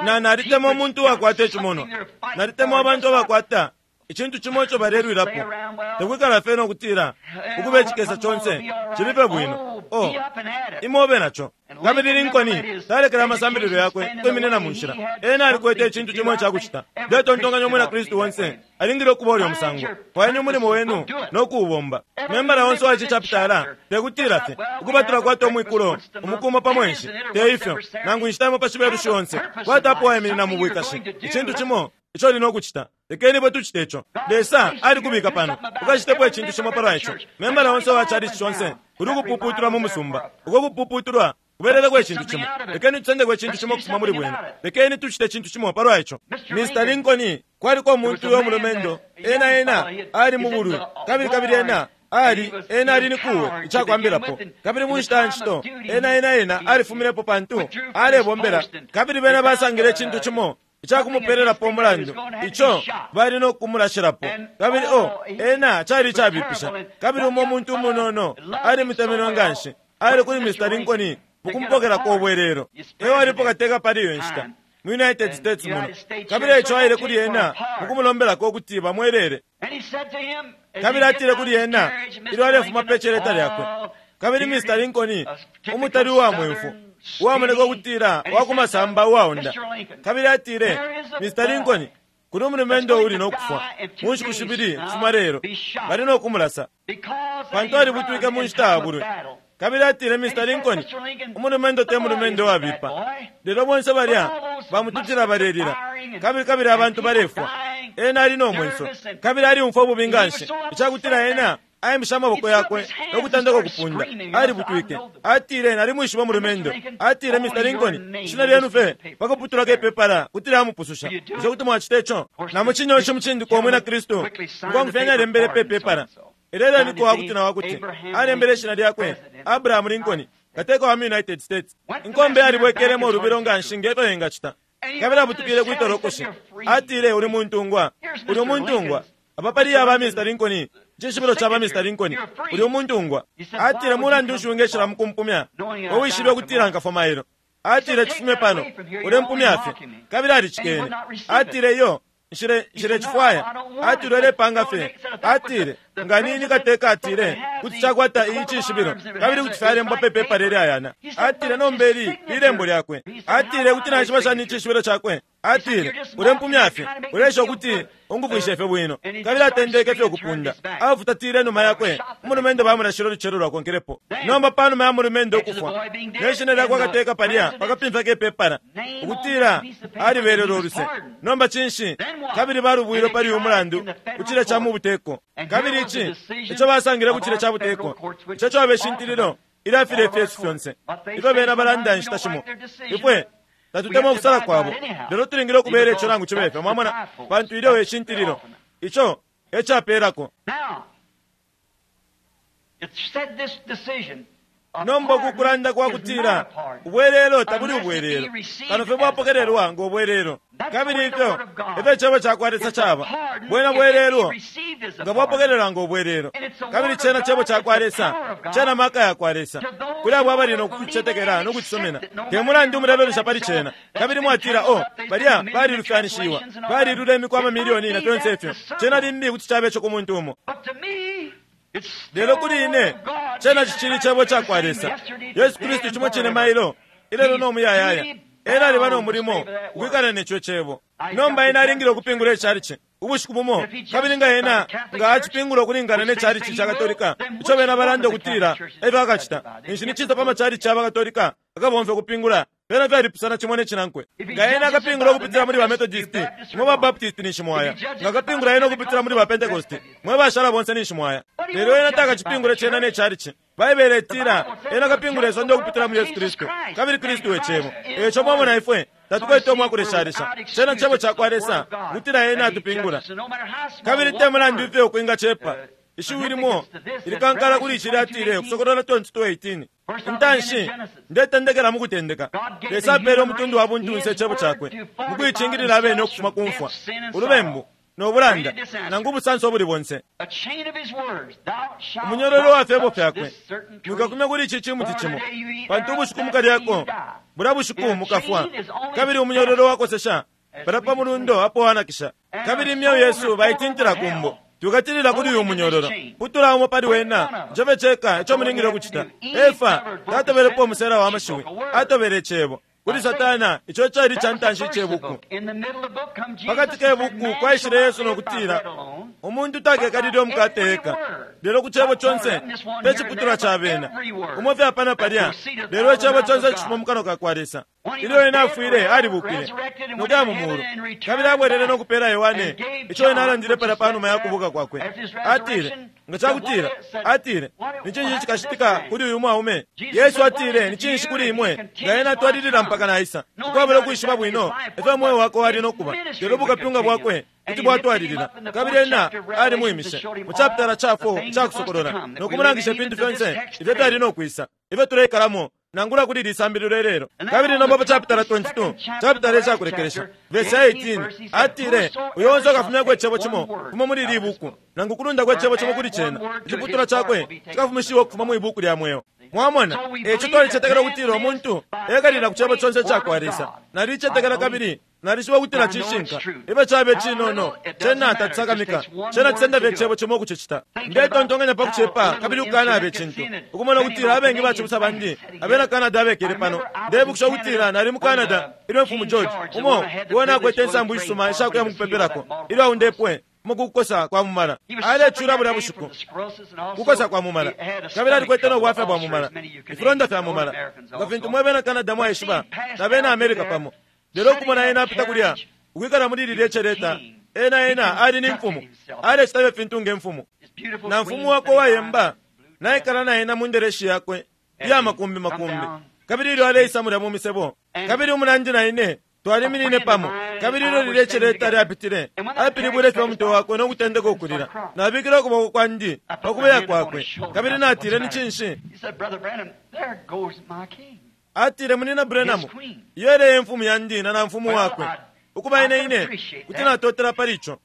Na nalitemwa umuntu uwakwata icimono, nalitemwa abantu abakwata icintu cimo ico balelwilapo, tekwikala fye nokutila ukuba icikesa conse cilipe bwino. O imobe naco. Kabili Lincoln talekele amasambililo yakwe ukwiminina mu nshila. Ena alikwete icintu cimo icakucita. Ndetontonkanya umwina Kristu onse alingile ukuba ulya musango. Fwayeni umulimo wenu no kuubomba. Membala onse wa ici chapitala tekutila fye ukuba tulakwata umwikulo umukumo pa mwenshi, te ifyo nangu inshita imo pa cibelushi onse kwatapo wayiminina mu bwikashi. Icintu cimo ico uli nokucita, lekeni bwe tucite ico. Lesa alikubika pano ukacitepo icintu cimo palwa ico. Membala onse wa chalichi conse kuli ukupuputulwa mu musumba, uko kupuputulwa kubeleleko icintu cimo. Lekeni tusendeko icintu cimo kufuma muli bwena, lekeni tucite icintu cimo palwa ico. Mister Lincoln kwaliko umuntu uyo mulumendo, ena ena ali mu bulwi, kabili kabili ena ali ena ali ni kuwe icakwambilapo, kabili mu nshita ncito ena ena ena alifuminepo pantu alebombela, kabili bena basangile icintu cimo icakumupelelapo umulandu ico bali no kumulashilapo. Kabili o ena cali icabipisha. Kabili umo umuntu umunono ali mutemenwe nga nshi, ali kuli Mister Lincoln mukumpokelako ubwelelo. Ewo alipo kateka pali iyo nshita mu United States muno, kabili ico aile kuli ena mukumulombelako ukuti bamwelele. Kabili atile kuli ena ilyo alefuma pe celeta lyakwe, kabili Mister Lincoln umutali uwa mwemfu uwamoneka ukutila wakumasamba uwaonda, kabili atile, Mister Lincoln, kuli umulumendo uli nokufwa mu nshiku shibili kufuma lelo, bali nokumulasa pantu alibutwike mu nshita ya bulwi Kabili atile, Mister Lincoln, umulumendo te mulumendo wabipa, lelo bonse balya bamututila balelila, kabili kabili abantu balefwa. Ena ali no mwenso kabili aliumfwa ububi nganshi icakutila ena aimisha amaboko yakwe no kutandeka ukupunda. Alibutwike. Atile, nalimwishiba umulumendo. Atile, Mister Lincoln, ishina lyenu fe pakuputulako ipepala kuti lyamupususha. Bushe kuti mwacita ico? Na mucinyoshe mucindikwa umwina Kristu mukwangufyanya alembele pe pepala. Ilelo niko wakuti na wakuti alembele ishina lyakwe Abraham Lincoln, kateka wa United States. Inkombe alibwekelemo ulubilo nganshi ngefyo ingacita. Kabili abutukile kwitolokoshi. Atile, uli muntungwa, uli umuntungwa. Apa pali aba Mister Lincoln, icishibilo ca ba Mister Lincoln, uli umuntungwa. Atile, mulandu nshi wingeshila mukumpumya, uwishibe ukutila nkafwa mailo. Atile, chifume pano, ulempumya fye. Kabili alicikene. Atile, iyo nshile nshile chifwaya. Atile, ulepanga fye. Atile, nga nini kateka atile kuti chakwata iyi cishibilo kabili kuti fyalembwa pe pepa leli ayana. Atile, nombeli lilembo lyakwe. Atile, kuti naishiba shani icishibilo chakwe. Atile, ulempumya fye, ulesha ukuti ungufwishe fye bwino. Kabili atendeke fye ukupunda. Afutatile numa yakwe. Umulumendo bamulashile ulucelo lwakonkelepo. Nomba panuma ya mulumendo ukufwa, neshina lyakwe akateka palya pakapimfya kepepala ukutila alibelele uluse. Nomba cinshi? Kabili balubwile pali uyu mulandu kucile cha mu buteko. Kabili ici ico basangile kucile cha buteko, ico cabeshintililo ilafile ifyesu fyonse ifyo bena balanda inshita shimo. Ifwe tatutemwa ukusala kwabo, lelo tulingile ukubela ico nangu cibe fyo, mwamona, pantu ilyo eshintililo ico ecapelako. Nomba ukukulanda kwa kutila ubwelelo tabuli ubwelelo, kano fye bwapokelelwa ngo bwelelo. Kabili ifyo ifyo icebo cakwa Lesa caba bwena bwelelo nga bwapokelelwa ngo bwelelo. Kabili cena cebo cakwa Lesa, cena maka yakwa Lesa kuli abo abali nokucetekela nokucisomena. Te mulandu mulelolesha pali cena kabili mwatila, oh, balya balilufyanishiwa, balilula imikwa amamilioni na fyonse ifyo. Cena limbi kuti cabe ico ku muntu umo, lelo kuli ine cena cicili cebo cakwa Lesa. Yesu Kristu cimo cine mailo ilelo no muyayaya. Ena aliba no mulimo ukwikala neco cebo. Nomba ena alingile ukupingula icalici ubushiku bumo, kabili nga ena nga acipingula ukulingana ne calici ca Katolika ico bena balanda ukutila efyo akacita, ninshi ni cisa pa macalici aba Katolika akabomfya ukupingula. Bena fyalipusana cimo ne cinankwe. Nga ena akapingula ukupitila muli ba Methodist, mwe ba Baptist ninshi mwaya. Nga akapingula ena ukupitila muli ba Pentecost, mwe bashala bonse ninshi mwaya. Lelo ena takacipingule cena ne calici. Baibele itila ena akapingula isonde ukupitila muli Yesu Kristu, kabili Kristu e cebo. Eco mwamona ifwe tatukwete umwakuleshalesha. Cena cebo cakwa Lesa kutila ena atupingula. Kabili te mulandu ifyo ukwinga cepa ishiwi limo ilikankala kuli ici lyatile Ukusokolola twenty-two eighteen. Intanshi ndetendekela mukutendeka. Lesa apele umutundu wa buntunse icebo cakwe mukuicingilila abene ukufuma ku mfwa, ulubembu no bulanda nangu ubusanso obuli bonse. Umunyororo wa fyebo fyakwe, mwikakumya kuli ici cimuti cimo, pantu ubushiku mukalyako bulya bushiku mukafwa. Kabili umunyororo wakosesha pala pa mulundo apo wanakisha. Kabili imyeo yesu baitintila kumbo. Tukatilila kuli uyu munyororo. Putula umo pali wena, njove ceka ico mulingile ukucita. Efa tatobelepo umusela wa mashiwi, atobele icebo kuli Satana. Ico cali ca ntanshi icebuku. Pakati kebuku kwaishile Yesu nokutila, umuntu takekalile umukate eka, lelo ku cebo conse te ciputulwa ca bena umo fye apana palya, lelo icebo conse cifuma mu kanwa ka kwa Lesa. Ilyo ena afwile alibukile nokuya mu mulu, kabili abwelele nokupela Yohane ico ena alandile palya panuma ya kubuka kwakwe. Atile, nga cakutila, atile, ni cinshi cikacitika kuli uyu mwaume? Yesu atile, ni cinshi kuli imwe nga ena atwalilila mpaka naisa, ukwabula ukwishiba bwino efyo umweo wakwe wali nokuba, lelo bukapyunga bwakwe kuti bwatwalilila. Kabili ena alimwimishe mu chapitala ca four icakusokolola nokumulangisha ifintu fyonse ifyo fyali nokwisa ifyo tuleikalamo nangula kuli lisambililo ilelo. Kabili nomba pa chapitala twenty-two, chapitala icakulekelesha, verse eighteen, atile, uyo onse akafumyako icebo cimo kufuma muli ili buku, nangu kulundako icebo cimo kuli cena, iciputulwa cakwe cikafumishiwa ukufuma mwi buku lya mweo. Mwamona, eco twalicetekela ukutila umuntu ekalila ku cebo conse icakwa Lesa. Nalicetekela kabili nalishiba ukutila cishinka. Ibe cabe cinono, cena tatisakamika, cena cisenda fye icebo cimo ukucicita. Ndetontonkanya pa kucepa kabili ukukanabe icintu, ukumona ukutila abengi bacibusa bandi abena Canada abekele pano. Ndebukisha ukutila nali mu Canada ilyo Mfumu George umo uwo nakwete insambu ishisuma ishakuya mukupepelako ilyo aundepwe. Mukukosa kwa mumala alecula bulya bushiku kukosa kwa mumala kabili alikwete no bwafya bwa mumala ifilonda fya mumala nga fintu mwe bena Canada mwaishiba na bena America pamo. Lelo ukumona ena apita kulya ukwikala muli lilye celeta, ena ena ali ni mfumu, alecita ifintu nge mfumu na mfumu wako wayemba naikala na ena mu ndereshi yakwe iya makumbi makumbi. Kabili ilyo aleisa mulya mu misebo, kabili umunandi na ine twaliminine pamo, kabili ilyo lilye celeta lyapitile apilibwile fye umutwe wakwe no kutendeka ukulila. Nabikile ukuboko kwandi pa kubeya kwakwe, kabili natile, ni cinshi? Atile, Munina Branham, iyo ele imfumu yandi na na mfumu wakwe. Ukuba ine ine kuti natotela pali ico.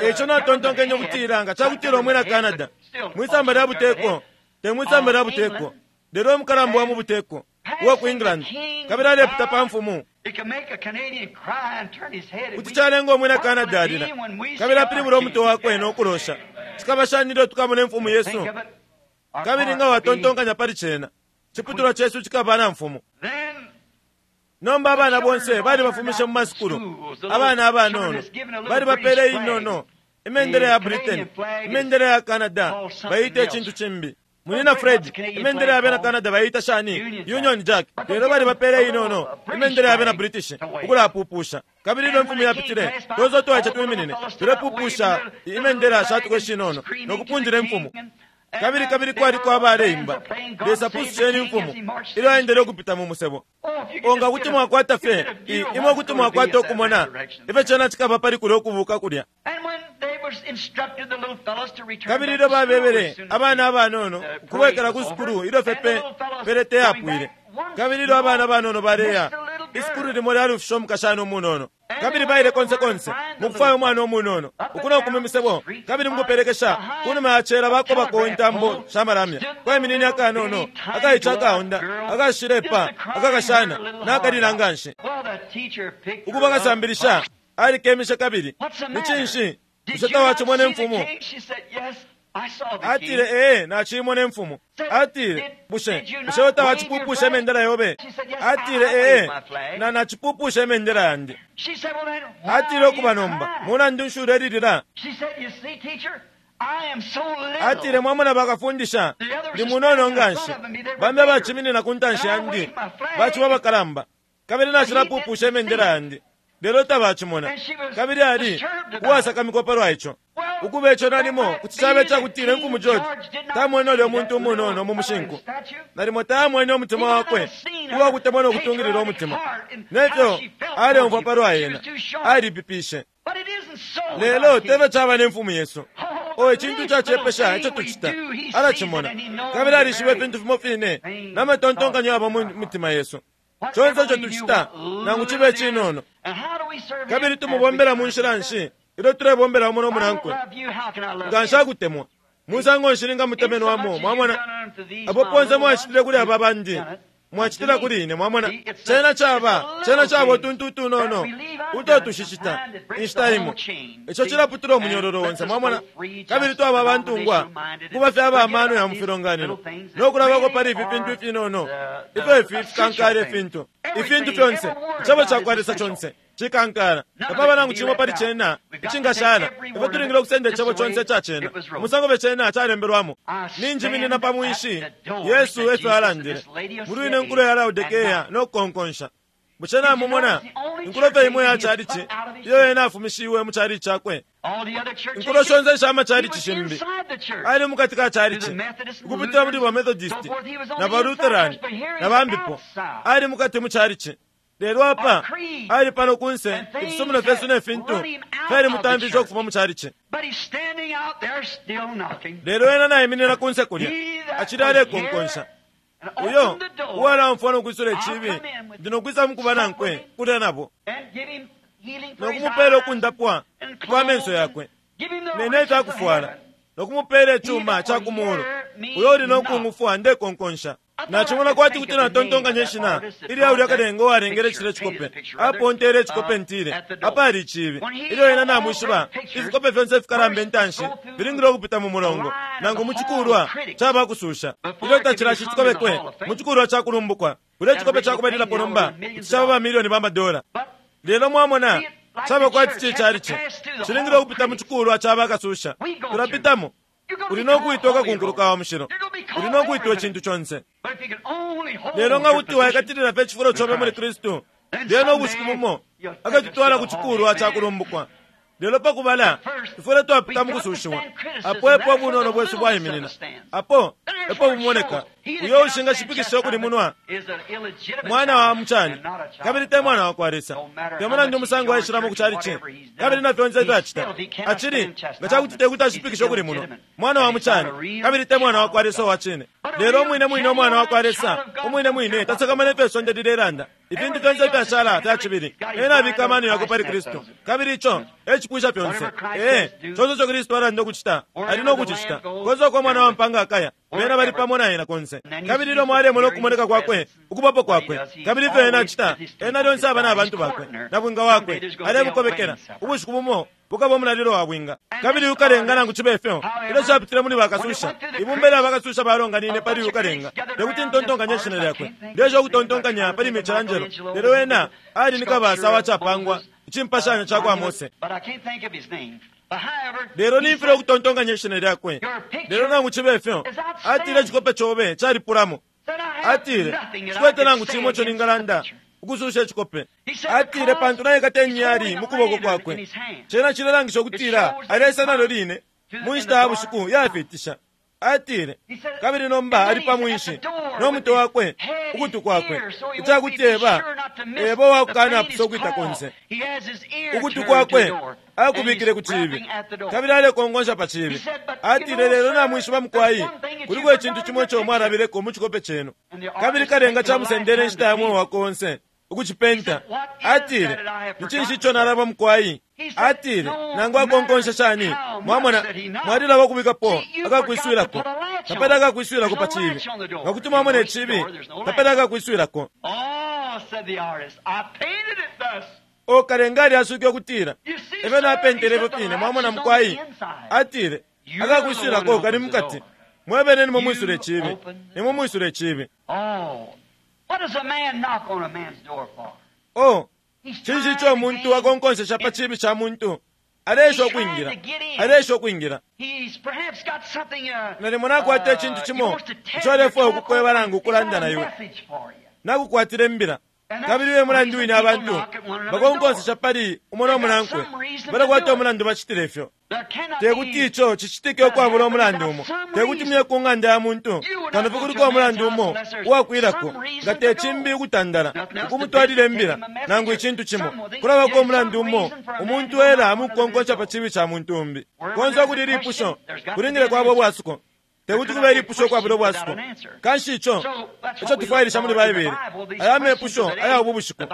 Eco natontonkenye ukutila nga cakutila umwina Canada mwisamba lya buteko, te mwisamba lya buteko, lelo umukalamba wa mu buteko uwa ku England, kabili alepita pa mfumu, kuti calenga umwina Canada alila kabili apilibula umutwe wakwe no kulosha. Cikaba shani ilyo tukamona imfumu Yesu? Kabili nga watontonkanya pali cena, ciputulwa cesu cikaba na mfumu. Nomba abana bonse bali bafumishe mu masukulu, abana abanono bali bapele inono imendele ya Britain, imendele ya Canada bayita icintu cimbi. Munina Fred, imendele ya bena Canada bayita shani? Union Jack. Lelo bali bapele inono imendele ya bena British ukulapupusha. Kabili ilyo imfumu yapitile, tozo twaice twiminine tulepupusha imendele shatuko shinono nokupunjila imfumu. Kabili kabili kwali kwa baleimba, Lesa pususheni imfumu ilyo aendele ukupita mu musebo. Onga kuti mwakwata fe imwe kuti mwakwata ukumona ifyo cena cikaba pali kulya ukubuka kulya. Kabili ilyo babebele abana abanono ukubwekela ku sukulu ilyo fepe pelete yapwile, kabili ilyo abana banono baleya isukulu limo lyalufisha umukashana umunono, kabili baile konse konse mukufwaya umwana umunono ukuno kuma imisebo, kabili mukupelekesha kunuma yacela bakobako intambo shamalamya kweminini akanono akaica akaonda akashilepa akakashana nakalila nganshi. Ukuba kasambilisha alikemishe kabili ni cinshi? Bushe tawacimona imfumu? Atile, ee, nacimona imfumu. Atile, bushe bushe tawacipupusha imendela yobe? Atile, ee, na nacipupusha imendela yandi. Atile, ukuba nomba mulandu nshi ulelilila? Atile, mwamona bakafundisha, ndi munono nganshi, bambi abaciminina ku ntanshi yandi baciba bakalamba, kabili nacilapupusha imendela yandi, lelo tabacimona. Kabili ali uwasakamikwa palwa ico. Ukuba ico nalimo kuti cabe cakutila imfumu George tamwene ulya muntu umunono mu mushinku, nalimo tamwene umutima wakwe uwakutemwa no kutungilila umutima nefyo aleumfwa palwa ena, alipipishe. Lelo tebe caba ne mfumu Yesu. O icintu cacepesha ico tucita, alacimona kabili alishiba ifintu fimo fine n'amatontonkanyo yaba mu mitima Yesu. Conse ico tucita nangu cibe cinono, kabili tumubombela mu nshila nshi ilyo tulebombela umo nomunankwe. Nga nshakutemwa musango nshi ningamutemenwamo? Mwamona apo ponse mwacitile kuli aba bandi, mwacitila kuli ine. Mwamona cena caba cena caba utuntu utunono uto tushicita inshita imo, ico cilaputula umunyororo onse. Mwamona kabili twaba abantungwa kuba fye aba amano ya mu filonganino nokulabako pali ifi fintu ifinono ifyo ifi fikankala ifintu ifintu fyonse icebo cakwa Lesa conse cikankala tapaba nangu cimo pali cena icingashala. Ifyo tulingile ukusenda icebo conse ica cena umusango fye cena calembelwamo. Ninjiminina pa mwinshi Yesu efyo alandile muli ine nkulo ya Laodikea no kukonkonsha. Bushe namumona inkulo fye imwe ya chalichi iyo ena afumishiwe mu chalichi chakwe? Inkulo shonse isha machalichi shimbi ali mukati ka chalichi ukupitila muli ba Methodist na ba Lutheran na bambipo, ali mukati mu chalichi. Lelo apa ali pano kunse ifisumino fyesu ne fintu fyali mutambiza ukufuma mu chalichi. Lelo ena naiminina kunse kulya acili alekonkonsha. Uyo uwalamfwa nokwisula icibi ndi nokwisa mukuba nankwe kulya nabo nokumupela ukundapwa kwa menso yakwe nene ifyakufwala nokumupela icuma ca kumulu. Uyo uli nokungufwa ndekonkonsha. Nachimona kwati kuti natontonkanya ishina ilya ulya kalenga uwalengele cile cikope apontele icikope ntile apali icibi. Ilyo ena namwishiba ifikope fyonse fikalamba intanshi filingile ukupita mu mulongo nangu mu cikulwa caba kususha. Ilyo tacilashi cikobekwe mu cikulwa ca kulumbukwa kulya icikope cakubalilapo nomba kuti caba bamilioni ba madola. Lelo mwamona, caba kwati cicalici cilingile ukupita mu cikulwa ca bakasusha. Tulapitamo. Uli no kwitwa kakunkuluka wa mushilo, uli no kwitwa icintu conse. Lelo nga kuti waikatilila fye icifulo cobe muli Kristu, lyena ubushiku bumo akatutwala ku cikulwa ca kulumbukwa. Lelo pakubala ifwile twapita mu kusushiwa. Apo epo ubunono bwesu bwaiminina, apo epo bumoneka. Uyo ushingashipikisha ukulimunwa mwana wa mucani kabili te mwana wa kwa Lesa. Te mulandu umusango aishilamo ku calici kabili na fyonse ifyo acita, acili nga cakuti te kuti ashipikisha ukulimunwa mwana wa mucani kabili te mwana wa kwa Lesa uwa cine. Lelo umwine mwine umwana wa kwa Lesa umwine mwine tasakamana ifyo isonde lilelanda. Ifintu fyonse ifyashala fya cibili. Ena abika amano yakwe pali Kristu, kabili ico e cipwisha fyonse. Ee, conse ico Kristu alanda ukucita ali no kucicita. Konse uko mwana wa mpanga akaya, bena bali pamo na ena konse. Kabili ilyo mwalemona ukumoneka kwakwe, ukubapo kwakwe, kabili ifyo ena acita, ena lyonse aba na bantu bakwe na bwinga wakwe alebukobekela. Ubushiku bumo bukaba umulalilo wa bwinga, kabili ukalenga nangu cibe ifyo ilyo capitile muli bakasusha. Ibumba lya bakasusha balonganine pali ukalenga. Tekuti ntontonkanye ishina lyakwe, ndesha ukutontonkanya pali Michelangelo, lelo ena ali ni kabasa wacapangwa icimpashanya ca kwa Mose. Lelo nimfile ukutontonkanya ishina lyakwe. Lelo nangu cibe ifyo atile icikope cobe calipulamo. Atile cikwete nangu cimo ico ningalanda ukususha icikope. Atile pantu naikata inyali mu kuboko kwakwe. Cena cilelangisha ukutila alesa nalo line mu nshita ya bushiku yafitisha. Atile kabili nomba ali pa mwinshi no mutwe wakwe ukutu kwakwe, icakuti eba eba uwakukanapusa ukwita konse. Ukutu kwakwe akubikile ku cibi kabili alekongonsha pa cibi. Atile lelo namwishiba mukwai, kuliko icintu cimo ico mwalabileko mu cikope cenu, kabili kalenga camusendele inshita ya mweo wakwe onse ukucipenta. Atile ni cinshi ico nalaba mukwai? Atile nangu akonkonsha shani, mwamona mwalilaba ukubikapo akakwiswilako, tapali akakwiswilako pa cibi. Nga kuti mwamona icibi, tapali akakwiswilako. O kalenga alyasuke ukutila efyo napentele ifyo fine, mwamona mukwai. Atile akakwiswilako kali mukati, mwebene nimwe mwisula icibi, nimwe mwisula icibi. O cinshi ico umuntu akonkonsesha pa cibi ca muntu? Aleesha ukwingila, aleesha ukwingila. Nalimo nakwata icintu cimo ico alefwaya ukukweba nangu ukulanda na iwe, nakukwatila imbila. Kabili uye mulandu wine abantu bakonkonsesha pali umo no munankwe, balakwata umulandu bacitile ifyo. Tekuti ico cicitike ukwabula umulandu umo. Tekuti muye ku ng'anda ya muntu kano fye kuliko umulandu umo uwakwilako, nga te cimbi ukutandala ukumutwalila imbila nangu icintu cimo. Kulabako umulandu umo umuntu ela mukukonkonsha pa cibi ca muntu umbi. Konse ukuli ilipusho kulingile kwaba ubwasuko. Tekuti kube ilipusho ukwabula ubwasuko. Kanshi ico ico tufwailisha muli Baibele, aya mepusho aya ubu bushiku,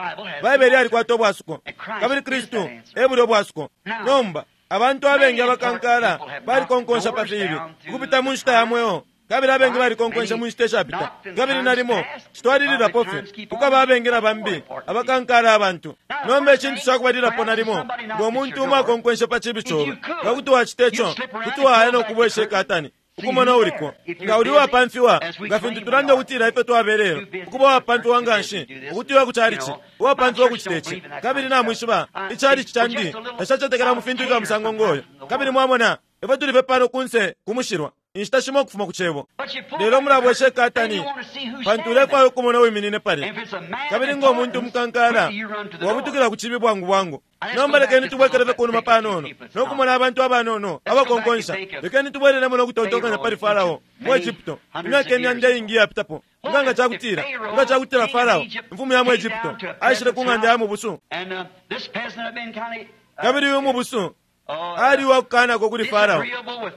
Baibele yalikwata ubwasuko, kabili Kristu e buli ubwasuko. Nomba abantu abengi abakankala balikonkonsha pa fibi ukupita mu nshita ya mweo, kabili abengi balikonkonsha mu nshita ishapita, kabili nalimo citwalililapo fye kukaba abengi na bambi abakankala abantu. Nomba icintu cakubalilapo nalimo ngo muntu umo akonkonsha pa cibi cobe, nga kuti wacita ico kuti waya no kubwesha ikatani ukumona uliko. Nga uli uwapamfiwa, nga fintu tulanda ukutila ifyo twabelelo, ukuba uwapamfiwa nganshi ukuti uya ku calici, uwapamfiwa ukucita ici. Kabili namwishiba icalici candi tacacetekela mu fintu ifya musango ngoyo. Kabili mwamona ifyo tuli fye pano kunse kumushilwa inshita shimo ukufuma ku cebo. Lelo mulabwesha ikatani pantu ulefwaya ukumona uwiminine palya. Kabili ngo muntu umukankala wabutukila ku cibi bwangu bwangu. Nomba lekeni tubwekele fye kunuma panono no kumona abantu abanono abakonkonsha. Lekeni tubwelelemo no kutontonkanya pali Farao mu Egypto imyaka imyanda iingi iyapitapo. Nga nga cakutila nga cakutila Farao imfumu ya mu Egypto aishile ku ng'anda ya mubusu, kabili uyu mubusu ali uwakukanako kuli Farao,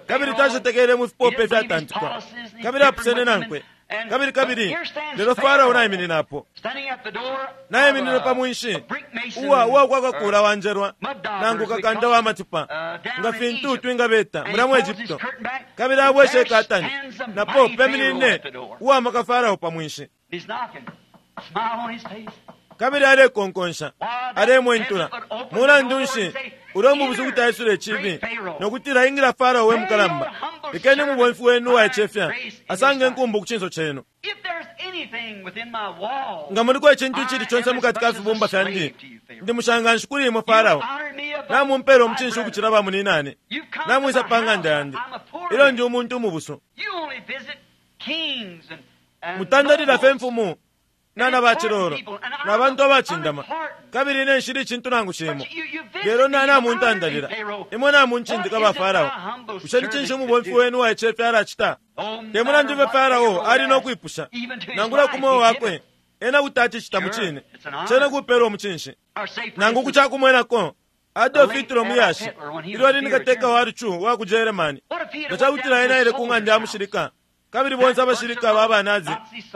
kabili tacetekele mu fipope ifyatantikwa, kabili apusene nankwe, kabili kabili lelo Farao naimininapo, naiminine pa mwinshi uwa uwakwakakula wanjelwa nangu kakanda wa matipa, nga fintu twingabeta mulya mu Egypto, kabili abwesha ikatani, napo peminine uwamaka Farao pa mwinshi, kabili alekonkonsha, alemwentula. Mulandu nshi ulya mubusu kuti aisula icibi nokutila ingila Farao we mukalamba, lekeni mubomfi wenu uwaicefya asange nkumbu ku cinso cenu. Nga muliko icintu icili conse mukati ka fibumba fyandi, ndi mushanganshi kuli imwe Farao. Namumpela umucinshi ukucila bamuninane. Namwisa pa ng'anda yandi ilyo ndi umuntu umubusu. Mutandalila fye mfumu nana bacilolo na bantu abacindama, kabili ine nshili icintu nangu cimo. Lelo nanamuntandalila imwe, namuncindika ba Farao. Bushe ni cinshi umubomfi wenu waicefya alacita? Te mulandu fye Farao ali no kwipusha nangula ku mweo wakwe, ena kuti acicita mucine. Cene kupelwa umucinshi. Nangu ku cakumwenako, Adolf Hitler muyashi ilyo ali ni kateka wa lucu wa ku Germany, nga cakutila ena aile ku ng'anda ya mushilika, kabili bonse abashilika ba banazi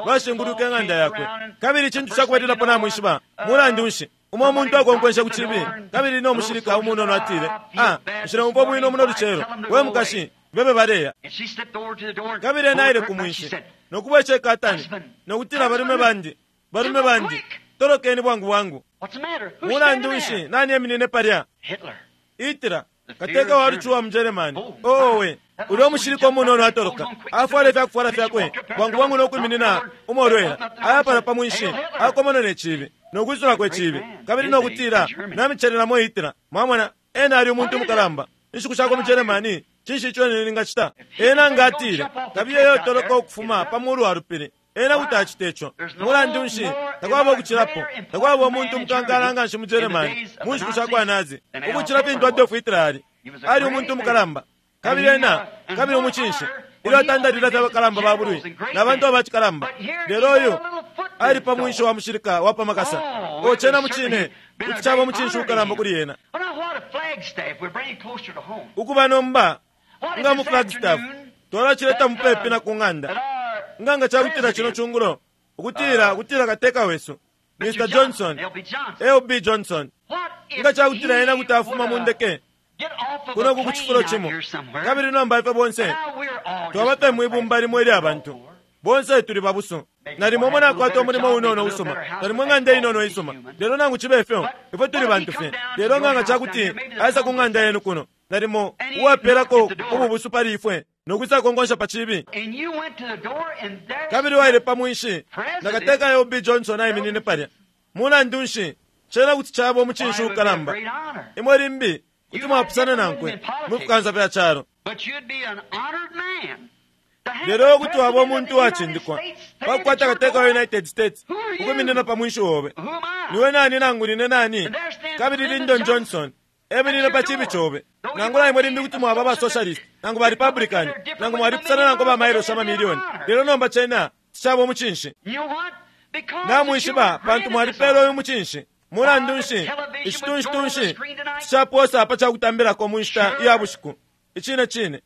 bashinguluka ing'anda yakwe, kabili icintu cakubalilapo namwishiba, mulandu nshi, umo umuntu akonkwensha ku cibi, kabili no mushilika umunono atile, ah, nshileumfwa bwino muno lucelo, we mukashi, bebe baleya. Kabili ena aile ku mwinshi nokubwesha ikatani nokutila, balume bandi, balume bandi, tolokeni bwangu bwangu. Mulandu nshi, nani eminine palya? Hitler, kateka wa lucu wa mu Germany. Owe, ulya umushilika umunono atoloka, afwala ifyakufwala fyakwe bwangu bwangu nokwiminina umolwela, ayapala pa mwinshi, akomona ne cibi nokwisulako icibi, kabili nokutila, namicelelamo Hitler. Mwamona, ena ali umuntu mukalamba inshiku shakwe mu Germany. Cinshi ico ningacita? Ena nga atile, kabiye yotoloka ukufuma pa mulu wa lupili, ena kuti acita ico. Mulandu nshi, takwaba ukucilapo, takwaba umuntu umukankala nganshi mu Germany mu nshiku sha kwa Nazi ukucila fintu Adolf Hitler ali. Ali umuntu mukalamba, kabili ena kabili umucinshi ilyo atandalila fye abakalamba ba bulwi na bantu abacikalamba. Lelo uyu ali pa mwinshi wa mushilika wa pa makasa. Ocena mucine kuti caba umucinshi ukalamba kuli ena ukuba nomba nga mu Flagstaff twalacileta mupepi na ku ng'anda. Nga nga cakutila cino cungulo ukutila ukutila kateka wesu Mister Johnson, L B Johnson, nga cakutila ena kuti afuma mu ndeke kuno ku cifulo cimo, kabili nomba ifwe bonse twaba fye mwibumba limo ilya bantu, bonse tuli babusu. Nalimo mwe nakwata umulimo unono usuma, nalimo ng'anda inono isuma, lelo nangu cibe fyo ifwe tuli bantu fye. Lelo nga nga cakuti aisa ku ng'anda yenu kuno, nalimo uwapelako ububusu pali ifwe nokwisa konkonsha pa cibi, kabili waile pa mwinshi na kateka L B Johnson aiminine palya. Mulandu nshi, cena kuti caba umucinshi ukalamba. Imwe limbi kuti mwapusana nankwe mu fikansa fya calo, lelo kuti waba umuntu uwacindikwa pakukwata kateka wa United States ukwiminina pa mwinshi wobe. Niwe nani nangu nine nani? Kabili Lyndon Johnson eminine pa cibi cobe. Nangula imwe limbi kuti mwaba ba socialist nangu ba Republican nangu mwalipusana nangu ba mailosi amamilioni, lelo nomba cena ticaba umucinshi. Namwishiba pantu mwalipela uyu mucinshi. Mulandu nshi, icitunshi-tunshi ticaposa pa cakutambilako mu nshita iya bushiku. Icine cine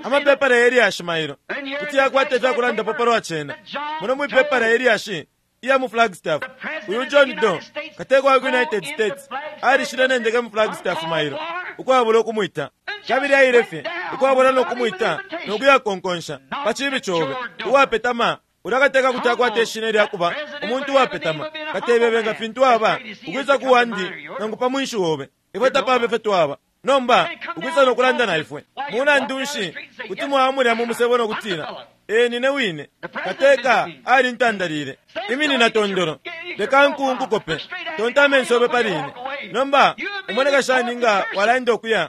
amapepala yelyashi mailo kuti yakwata ifyakulandapo palwa cena. Muno mwipepala yelyashi iya mu Flagstaff, uyu John Doe, kateka wa United States, alishile ne ndeke mu Flagstaff mailo ukwabula ukumwita, kabili aile fye ukwabula nokumwita nokuyakonkonsha pa cibi cobe. Uwapetama ulya kateka kuti akwata ishina ilyakuba umuntu uwapetama, katebebe nga fintu aba ukwisa ku wandi nangu pa mwinshi wobe. Ifwe tapabe fye twaba nomba ukwisa nokulanda na ifwe. Mulandu nshi, kuti mwamulya mu musebo nokutila, ee, nine wine kateka alintandalile, iminina tondolo, leka nkunkukope, tonta amenso obe pali ine. Nomba umoneka shani nga walaenda okuya?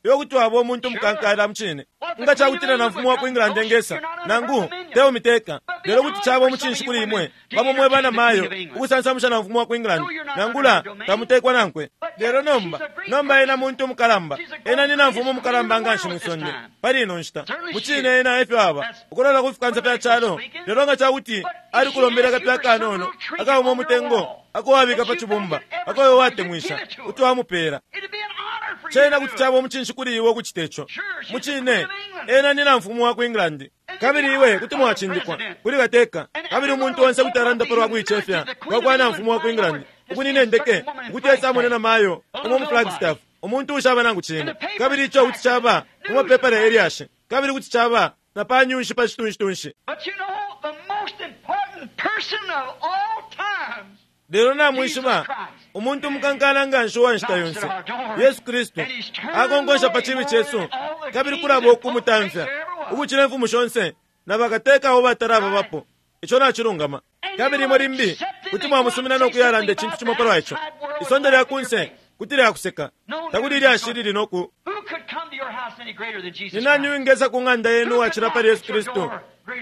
Iwe kuti waba umuntu mukankala mucine. Nga cakutila na mfumu wa ku England engesa nangu teumiteka, lelo kuti caba umucinshi kuli imwe bamo mwe bana mayo ukusansamusha na mfumu wa ku England, nangula tamutekwa nankwe. Lelo nomba nomba ena muntu mukalamba, ena ni na mfumu mukalamba nganshi mwisonde pali ino nshita. Mucine ena efyo aba ukulola ku fikansa fya calo. Lelo nga cakuti ali kulombela kapya kanono akauma umutengo akowabika pa cibumba akoyo watemwisha kuti wamupela, cena kuti caba umucinshi kuli iwe ukucita ico. Mucine ena ni na mfumu wa ku England, kabili iwe kuti mwacindikwa kuli kateka, kabili umuntu onse kuti alanda palwa kuicefya kwa na mfumu wa ku England ukunina ndeke ukuti esamone na mayo umo mu Flagstaff, umuntu ushaba nangu cine. Kabili ico kuti caba mumapepala elyashi, kabili kuti caba na pa nyunshi pa citunshi-tunshi. Lelo namwishiba umuntu mukankala nganshi uwa nshita yonse, Yesu Kristu, akonkonsha pa cibi cesu, kabili kulaba ukumutamfya ukucila imfumu shonse Na bakateka abo batalababapo. Ico nacilungama. Kabili imwe limbi kuti mwamusumina no kuyalanda icintu cimo palwa ico. Isonde lya kunse kuti lyakuseka. Takuli ilyashi lili noku. Who could come to your house any greater than Jesus Ni nani Christ? wingesa ku ng'anda yenu uwacila pali Yesu Kristu?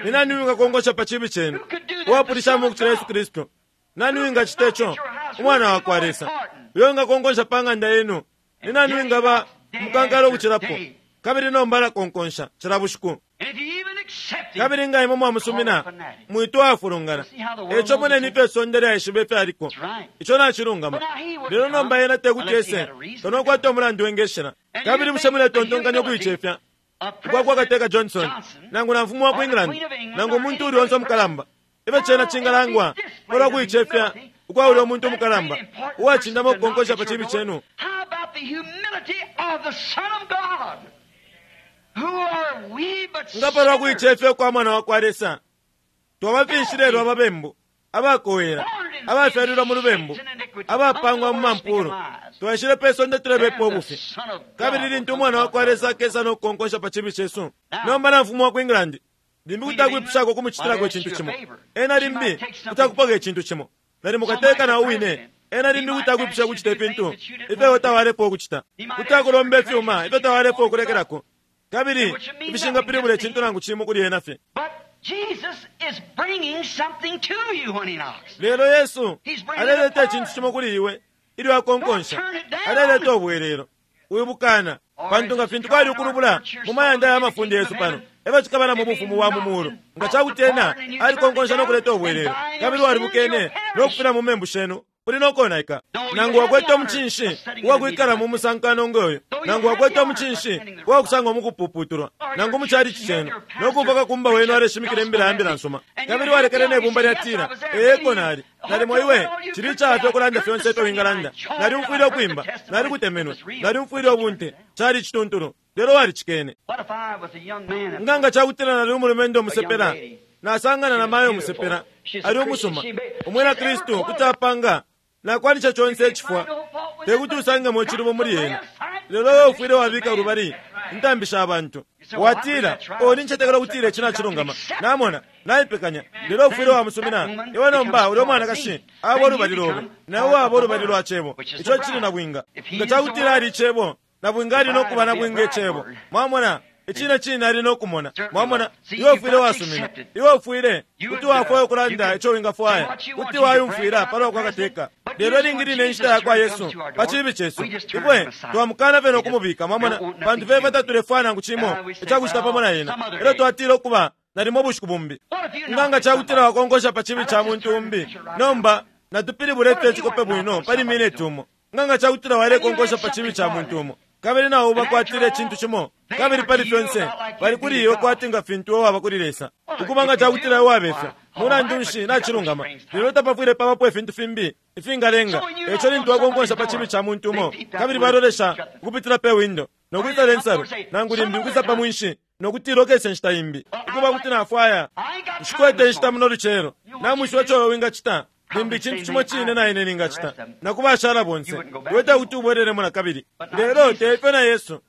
Ni nani wingakongosha pa chibi chenu uwapulishamo ukucila Yesu Kristu? Nani wingacita ico? Umwana wa kwa Lesa uyo wingakongosha pa ng'anda yenu. Ni nani wingaba mukankala ukucilapo? Kabili nomba alakonkonsha cila bushiku. And if you even accept him, Kabili nga imwe mwamusumina mwitwa afulungana. Eco moneni ifyo isonde lyaishiba ifyaliko. Ico nacilungama. Lelo nomba ena tekuti ese tonokwata umulandu wengeshela. Kabili bushe muletontonkanya ukuicefya a ukwa kwa kateka Johnson nangu na mfumu wa ku England nangu umuntu uli onse umukalamba ibe cena cingalangwa palwa kuicefya ukwa uli umuntu umukalamba uwacindama ukukonkosha pa chibi chenu. How about the humility of the Son of God? Who are we but Nga palwa sinners? kuicefya ukwa mwana wa kwa Lesa twabafinshi lelo ababembu abakowela abafyalilwa mu lubembu abapangwa mu mampulu twaishile pe sonde tulebepa ubufi. Kabili lintu umwana wa kwa Lesa akesa no kukonkosha pa chibi chesu. Nomba na mfumu wa ku England limbi kuti akwipushako kumucitilako icintu cimo. Ena limbi kuti akupoka icintu cimo. Nalimo kateka na uwine. Ena limbi kuti akwipusha kucita ifintu ifyo tawalepo ukucita. Kuti akulomba ifyuma ifyo tawalepo ukulekelako. Kabili ifishingapilibula icintu nangu cimo kuli ena fye. But Jesus is bringing something to you when he knocks. Lelo Yesu aleleta icintu cimo kuli iwe ilyo akonkonsha. Aleleta ubwelelo. Wibukana pantu nga fintu kwali ukulubula mu mayanda ya mafunde yesu pano efyo cikaba na mu bufumu bwa mu mulu. Nga cakuti ena alikonkonsha no kuleta ubwelelo kabili walibukene no kufina mu membu shenu uli nokonaika. Nangu wakwete omucinshi uwakwikala mu musankano ngoyo, nangu wakwete omucinshi uwakusangwa mukupuputulwa, nangu muchalichi chenu nokumva kakumba wenu aleshimikila imbila ya mbila nsuma, kabili walekele nebumba lyatila eeko nali nalimo iwe chili chafye okulanda fyonse ifyo wingalanda. Naliumfwile ukwimba, nalikutemenwe, naliumfwile ubunte, chali chituntulu, lelo walicikene. What if I was a young man and Nga nga chakutila nali umulumendo umusepela nasangana na mayo umusepela ali umusuma umwina Kristu kuti apanga nakwanisha chonse icifwa tekuti usangemo icilubo muli ena. Lelo wewe ufwile wabika ulubali intambi sha bantu watila oni ncetekela kutila ici nacilungama namona naipekanya. Lelo ufwile wamusumina iwe nomba uli umwanakashi aba ulubali lobe nawe waba ulubali lwa cebo ico cili na bwinga. Nga cakutila ali icebo na bwinga ali nokuba na bwinga icebo. Mwamona icine cine ali nokumona. Mwamona iwe ufwile wasumina, iwe ufwile kuti wafwaya ukulanda ico wingafwaya, kuti wayumfwila palwa kwa kateka. Lelo ilingi line inshita ya kwa Yesu pa chibi chesu ifwe twamukana fye nokumubika. Mwamona pantu fye tatulefwaya nangu cimo icakucita pamo na ena. Elyo twatila ukuba nalimo ubushiku bumbi. Nga nga cakutila wakonkosha pa chibi cha muntu umbi, nomba natupilibule fye icikope bwino pali mineti umo. Nga nga cakutila walekonkosha pa chibi cha muntu umo kabili nawo bakwatile icintu cimo, kabili pali fyonse bali kuli iwe kwati nga fintu iwe waba kuli Lesa. Ukuba nga cakutila iwe wabefya mulandu nshi nacilungama, lelo tapafwile pabapo ifintu fimbi ifingalenga. Eco lintu wakonkonsha pa chibi cha muntu umo kabili balolesha ukupitila pe windo nokwisa lensalu nangu limbi ukwisa pa mwinshi nokutila okese nshita imbi. Ukuba kuti nafwaya nshikwete inshita muno lucelo namwishiwa ico iwe wingacita limbi icintu cimo cine na ine ningacita nakubashala bonse iwe tekuti ubwelelemo na kabili. Lelo teifyo na Yesu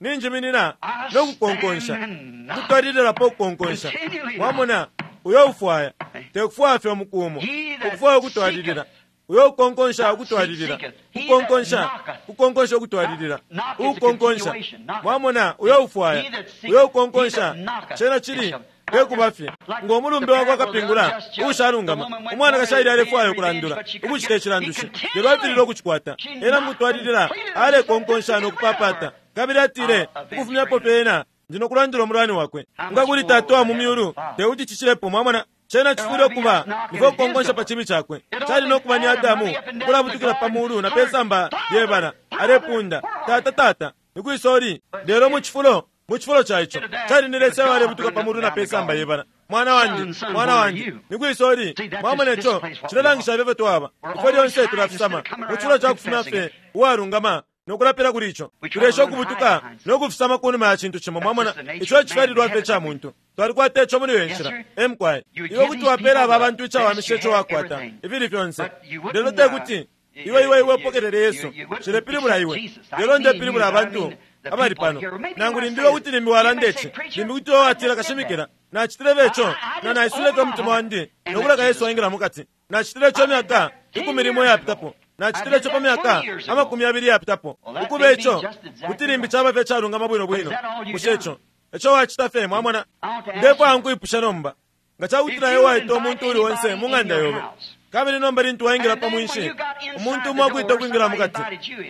ninjiminina nokukonkonsha kutwalililapo ukukonkonsha. Mwamona uyo ufwaya tekufwaya fye umuku umo, ukufwaya ukutwalilila. Uyo ukonkonsha ukutwalilila, kukonkonsha, kukonkonsha ukutwalilila, ukukonkonsha. Mwamona uyo ufwaya, uyo ukonkonsha cena chili tekuba fye ngo mulumbe wakwa kapingula uushalungama. Umwanakashi aile alefwaya ukulandula ukucita icilandushi, lelo afilile ukucikwata. Ena mukutwalilila alekonkonsha nokupapata, kabili atile ukufumyapo fye ena ndi nokulandula umulwani wakwe. Nga kuli tata wa mu myulu tekuti cicilepo. Mwamona cena cifwile ukuba nifyo kukonkonsha pa chibi chakwe. Cali nokuba ni Adamu ukulabutukila pa mulu na pe samba lyebala alepunda tata tata nikwisoli. Lelo mu cifulo mu cifulo ca ico cali ni Lesa walebutuka pa mulu na pe samba yebala mwana wandi mwana wandi nikwisoli. Mwamona ico cilelangisha ifyo twaba ifwe lyonse tulafisama mu cifulo ca kufumya fye uwalungama nokulapila kuli ico. Tulesha ukubutuka nokufisama kunuma ya cintu cimo. Mwamona ico cifyalilwa fye ca muntu twalikwata ico muli iyo nshila emukwaye. Iwe kuti wapela aba bantu icawamisha ico wakwata ifili fyonse, lelo tekuti iwe iwe iwe upokelele Yesu. Cilepilibula iwe, lelo ndepilibula abantu Abali pano nangu limbi kuti limbi walanda ici, limbi kuti watila kashimikila nacitile beco na naisuleko umutima wandi nokuleka Yesu aingila mukati. Nacitile ico myaka ikumi limo yapitapo, nacitile ico pa myaka amakumi abili yapitapo. Ukuba ico kuti limbi caba fye calungama bwino bwino. Bushe ico eco wacita fye? Mwamona, ndefwaya nkuipusha nomba nga cakutila iwe waita umuntu uli onse mu ng'anda yobe, kabili nomba lintu waingila pa mwinshi umuntu umo akwita ukwingila mukati,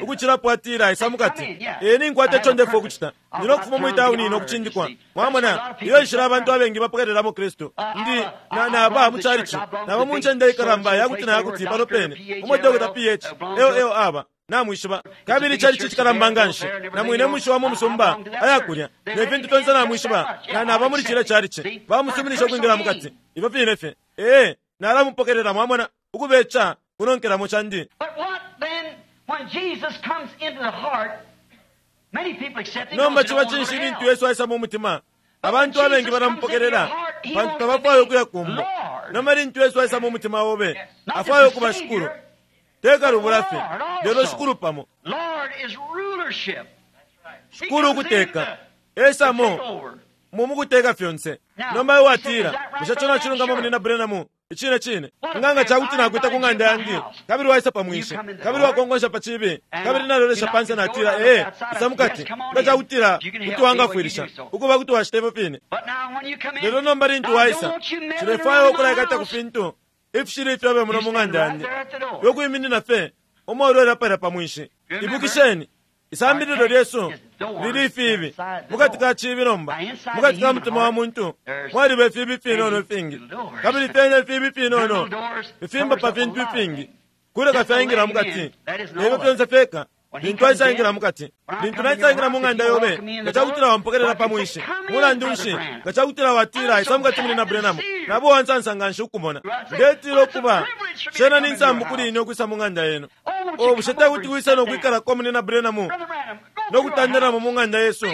ukucilapo atila isa mukati. Ee, ninkwata ico ndefwaya ukucita, ndi nokufuma mwi tauni nokucindikwa. Mwamona, iyo nshila abantu abengi bapokelelamo Kristu. Ndi na naba mu chalichi, naba mu ncende ikalamba yakuti na yakuti pano pene umo Doctor P H L L aba namwishiba, kabili chalichi chikalamba nganshi na mwine mushi wa mu musumba ayakulya ne fintu fyonse namwishiba, na naba muli chile chalichi bamusuminisha ukwingila mukati ifyo fine fye. Ee, nalamupokelela. Mwamona, ukubecha kunonkelamo chandi. Nomba chiba chinshi lintu Yesu aisa mu mutima? Abantu abengi balamupokelela pantu tabafwayo ukuya kumbo. Nomba lintu Yesu aisa mu mutima obe, afwayo ukuba shikulu, tekalubula fye, lelo shikulu pamo. Shikulu ukuteka esamo mumukuteka fyonse. Nomba iwe watila, bushe ico nacilungama munina Branham? Icine cine nganga cakuti nakwita ku ng'anda yandi, kabili waisa pa mwinshi, kabili wakongonsha pa cibi, kabili nalolesha panse natila ee, isa mukati, nga cakutila kuti wangafwilisha ukuba kuti wacita ifyo fine. Lelo nomba lintu waisa, cilefwaya ukulaikata ku fintu ifishili ifyobe muno mu ng'anda yandi, yokwiminina fye umolwela palya pa mwinshi. Ibukisheni, isambililo lyesu lili ifibi mukati ka cibi. Nomba mukati ka mutima wa muntu mwaliba ifibi finono ifingi, kabili fyene ifibi finono ifimba pa fintu ifingi kuleka fyaingila mukati. Lelo fyonse fyeka lintu aisaingila mukati. Lintu naisaingila mu ng'anda yobe, nga cakutila wampokelela pa mwinshi, mulandu nshi, nga cakutila watila isa mukati muli na Branham, nabo wansansa nganshi ukumona. Ndetila ukuba shena ni nsambu kuli ine ukwisa mu ng'anda yenu. O, bushe tekuti wisa nokwikalako muli na Branham nokutandelamo mu ng'anda yesu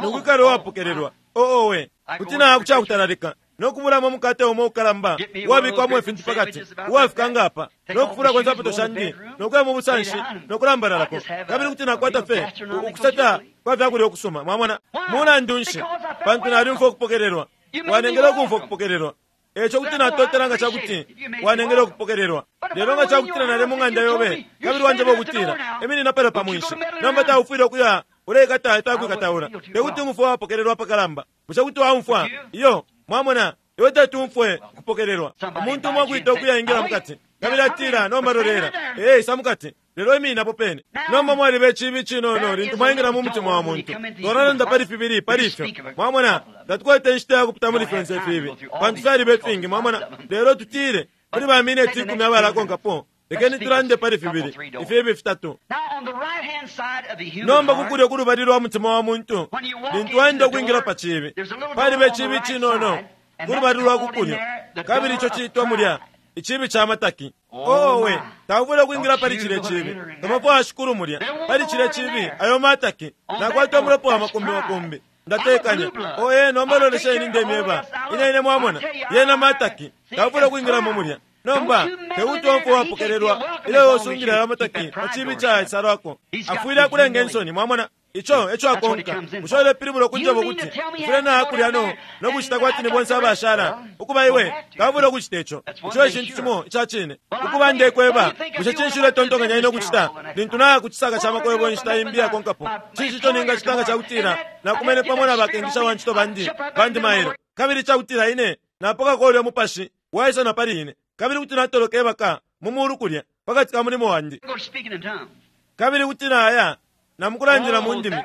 nokwikala uwapokelelwa? Oowe, kuti nakucakutalalika nokubulamo umukate umo ukalamba uwabikwamo ifintu pakati uwafika ngapa, nokufulako insapato shandi nokuya mu busanshi nokulambalalako, kabili kuti nakwata fye ukusata kwa fyakulya ukusuma. Mwamona, mulandu nshi? Pantu nalyumfwa ukupokelelwa, wanengele ukumfwa ukupokelelwa. Eco kuti natotela nga cakuti wanengele ukupokelelwa. Lelo nga cakutila nali mu ng'anda yobe kabili wanjeba ukutila iminina pala pa mwinshi, nomba taufwile ukuya uleikata ifyakwikataula, tekuti umfwe wapokelelwa apakalamba. Bushe kuti waumfwa? Iyo. Mwamona, iwe tetumfwe kupokelelwa. Umuntu umo akwita ukuya ingila mukati, kabili atila nomba lolela, ee, isa mukati, lelo imininapo pene. Nomba mwaliba icibi cinono lintu mwaingila mu mutima wa muntu. Twalalanda pali fibili pali ifyo. Mwamona, tatukwete inshita yakupita muli fyonse ifibi pantu fyaliba ifingi. Mwamona, lelo tutile kuli ba mineti ikumi abalakonkapo, lekeni tulande pali fibili ifibi fitatu. Nomba kukulya kulubali lwa mutima wa muntu, lintu waenda ukwingila pa cibi, paliba icibi cinono kulubali lwa kukulya, kabili ico ciitwa mulya icibi ca mataki. Owe, taufwile ukwingila pali cile cibi, tamafwaya shikulu mulya pali cile cibi ayo mataki. Nakwata umulopo wa makumbi makumbi ndatekanya. Oye, nomba lolesheni ndemyeba ine ine. Mwamona, yena mataki, taufwile ukwingilamo mulya. Nomba tekuti omfwe wapokelelwa ilyo yosungila ayo mataki pa cibi caisalwako, afwile akulenga insoni. Mwamona, ico eco akonka. Bushe ulepilibula ukunjeba ukuti ufwile naakulya no nokucita kwati ni bonse abashala? Ukuba iwe taufwile ukucita ico. Ico ecintu cimo ica cine. Ukuba ndekweba, bushe cinshi uletontonkanya ine ukucita lintu naya ku cisaka ca makwebo inshita imbi yakonkapo? Cinshi ico ningacita nga cakutila nakumene pamo na bakengisha wa ncito bandi bandi mailo, kabili cakutila ine napokako ulya mupashi waisa na pali ine, kabili kuti natoloka ebaka mu mulu kulya pakati ka mulimo wandi, kabili kuti naya namukulandila mu ndimi?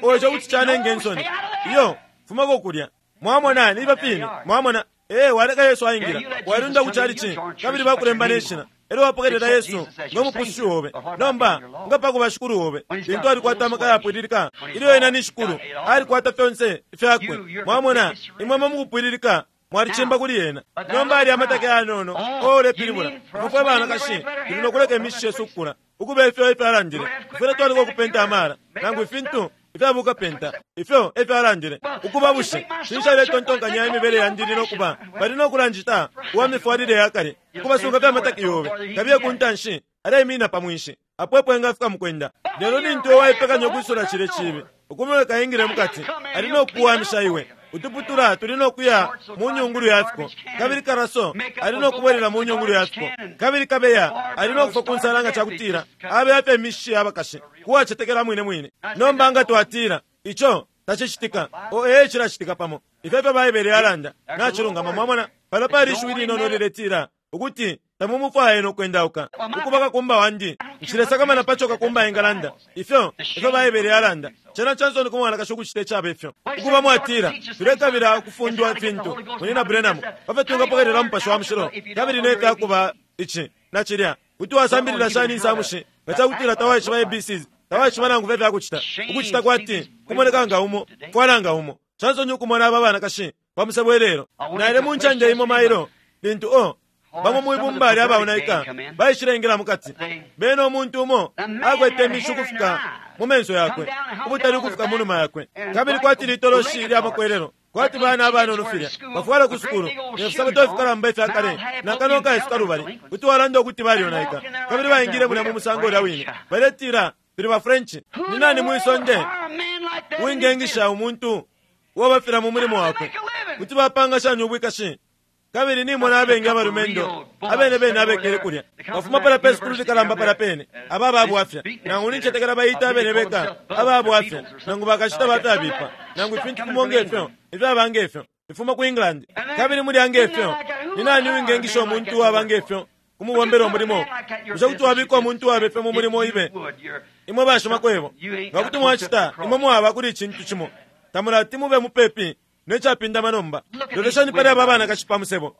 Oco kuti canenga insoni. Iyo, fumako kulya. Mwamona, niba fine. Mwamona, ee, waleka Yesu aingila, walunda ku chalichi, kabili bakulemba neshina, elyo wapokelela Yesu ngo mupusushi obe. Nomba nga pakuba shikulu obe, lintu alikwata amaka yapwililika, ilyo ena ni shikulu, alikwata fyonse ifyakwe. Mwamona, imwe mukupwililika mwalicimba kuli yena. Nomba ali amataki ayanono. O, ulepilibula ifwe banakashi tuli nokuleka imishishi yesu ukukula ukuba ifyo ifyalandile? Ifwile twaliko ukupenta amala nangu ifintu ifyabuka penta ifyo efyalandile. Ukuba bushe cinshi aletontonkanya imibele yandi nokuba bali nokulanjita uwa mifwalile yakale? Ukubasunga fya mataki yobe, kabiye ku ntanshi aleiminina pa mwinshi apo epo engafika mukwenda. Lelo lintu waipekanya ukwisula cile cibi, Ukumuleka ingile mukati, ali no kuwamisha iwe. Utuputula tuli no kuya mu nyungulu ya fiko, kabili karaso ali no kubwelela mu nyungulu ya fiko, kabili kabeya ali no kufa ku nsala nga cakutila abeya fye imishi abakashi kuwacetekela mwine mwine. Nomba nga twatila ico tacicitika, o ee cilacitika pamo. Ifyo fyo Baibele yalanda nacilungama. Mwamona pano pali ishiwi linono liletila ukuti tamumufwaye no kwendauka. Ukuba kakumba wandi, nshilesakamana paco kakumba engalanda. Ifyo ifyo Baibele yalanda cena chansoni ku mwanakashi ukucita icaba ifyo. Ukuba mwatila tulekabila ukufundwa ifintu munina Branham pafyo twingapokelela Mupashi wa Mushilo kabili nefyakuba ici na cilya. Kuti wasambilila shani insamushi nga cakutila tawaishiba A B Cs, tawaishiba nangu fye fyakucita? Ukucita kwati kumoneka nga umo, fwala nga umo. Chansoni ukumona aba banakashi pamusebo ilelo. Naile mu ncende imo mailo lintu o bamo mwibumba lya baonaika baishilengela mukati. Bena umuntu umo akwete imishu ukufika mu menso yakwe, ubutali ukufika mu numa yakwe, kabili kwati litoloshi lya makwelelo, kwati bana abanono filya bafwala ku sukulu ne fisabato ifikalamba ifya kale na kanwa kaisuka lubali. Kuti walanda ukuti balionaika, kabili baingile mulya mu musango ulya wine. Baletila tuli ba French. Ni nani mwisonde wingengisha umuntu uwabafila mu mulimo wakwe? Kuti bapanga shani ubwikashi? Kabili nimona abengi abalumendo abene bene abekele kulya bafuma pala pe sukulu likalamba pala pene aba babwafya nangu nincetekela bayita abene beka ababwafya nangu bakashita batabipa nangu ifintu kumonga ifyo ifyabanga ifyo ifuma ku England. Kabili mulya ngefyo ni nani wingengisha umuntu uwaba ngefyo kumubombela umulimo? Bushe kuti wabika umuntu uwaba ifyo mu mulimo ibe? Imwe bashima kwebo nga kuti mwacita, imwe mwaba kuli icintu cimo tamulati mube mupepi necapindama nomba. Loleshani pali aba banakashi pa musebo,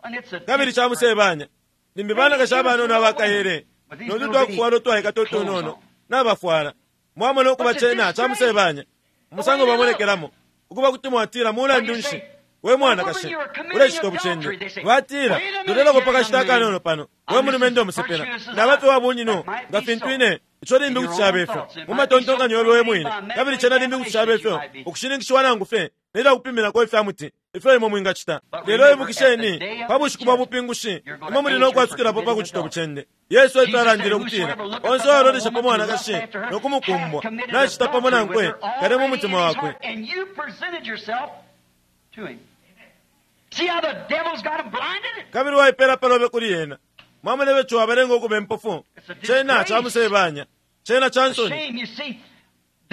kabili camusebanya. Limbi banakashi abanono abakayele notu twakufwala utwaikata utunono nabafwala. Mwamona ukuba cena camusebanya umusango bamonekelamo. Ukuba kuti mwatila mulandu nshi we mwanakashi ulecita obucende? Batila tulelako pakashita akanono pano, we mulumendo omusepela nabafe wa bunyino nga fintu ine. Ico limbi kuti caba ifyo mu matontonkanyo yobe we mwine, kabili cena limbi kuti caba ifyo ukushininkishiwa nangu fye nelyo kupiminako ifya muti ifyo imwe mwingacita. Lelo ibukisheni, pa bushiku bwa bupingushi imwe muli no kwasukilapo pa kucita obucende. Yesu efyo alandile ukutila onse uwalolesha pa mwanakashi no kumukumbwa nacita pamo nankwe kale mu mutima wakwe. Kabili waipela palobe kuli yena. Mwamona becho wabalenga ukuba impofu. Cena camusebanya, cena cansoni.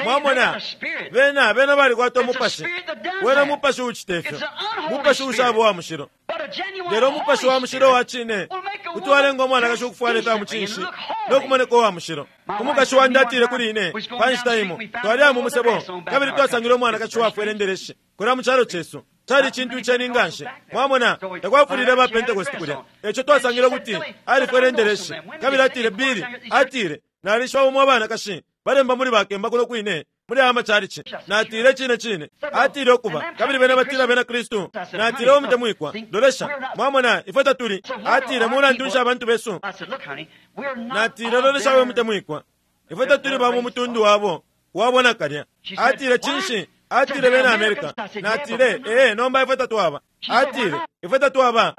Mwamona bena bena balikwata umupashi. Wena mupashi ucita ifyo, mupashi ushaba wa mushilo. Lelo umupashi wa mushilo wa cine kuti walenga umwanakashi ukufwala ifya mucinshi no kumoneka uwa mushilo. Umukashi wandi atile kuli ine pa nshita imo, twali mu musebo kabili twasangile umwanakashi wafwele endereshi kulya mu calo cesu. Cali icintu iceni nganshi. Mwamona takwafulile ba Pentecost kulya. Eco twasangile ukuti alifwele endereshi. Kabili atile Bili atile nalishiba umo abanakashi balemba muli bakemba kuno kwine muli aya macalici. Natile cine cine atile ukuba kabili bena batila bena Kristu. Natile umutemwikwa lolesha, mwamona ifwe tatuli. Atile mulandu nshi abantu besu? Natile lolesha we mutemwikwa, ifwe tatuli ba mu mutundu wabo wabona kalya. Atile cinshi? Atile bena America. Natile ee nomba ifwe tatwaba. Atile ifwe tatwaba.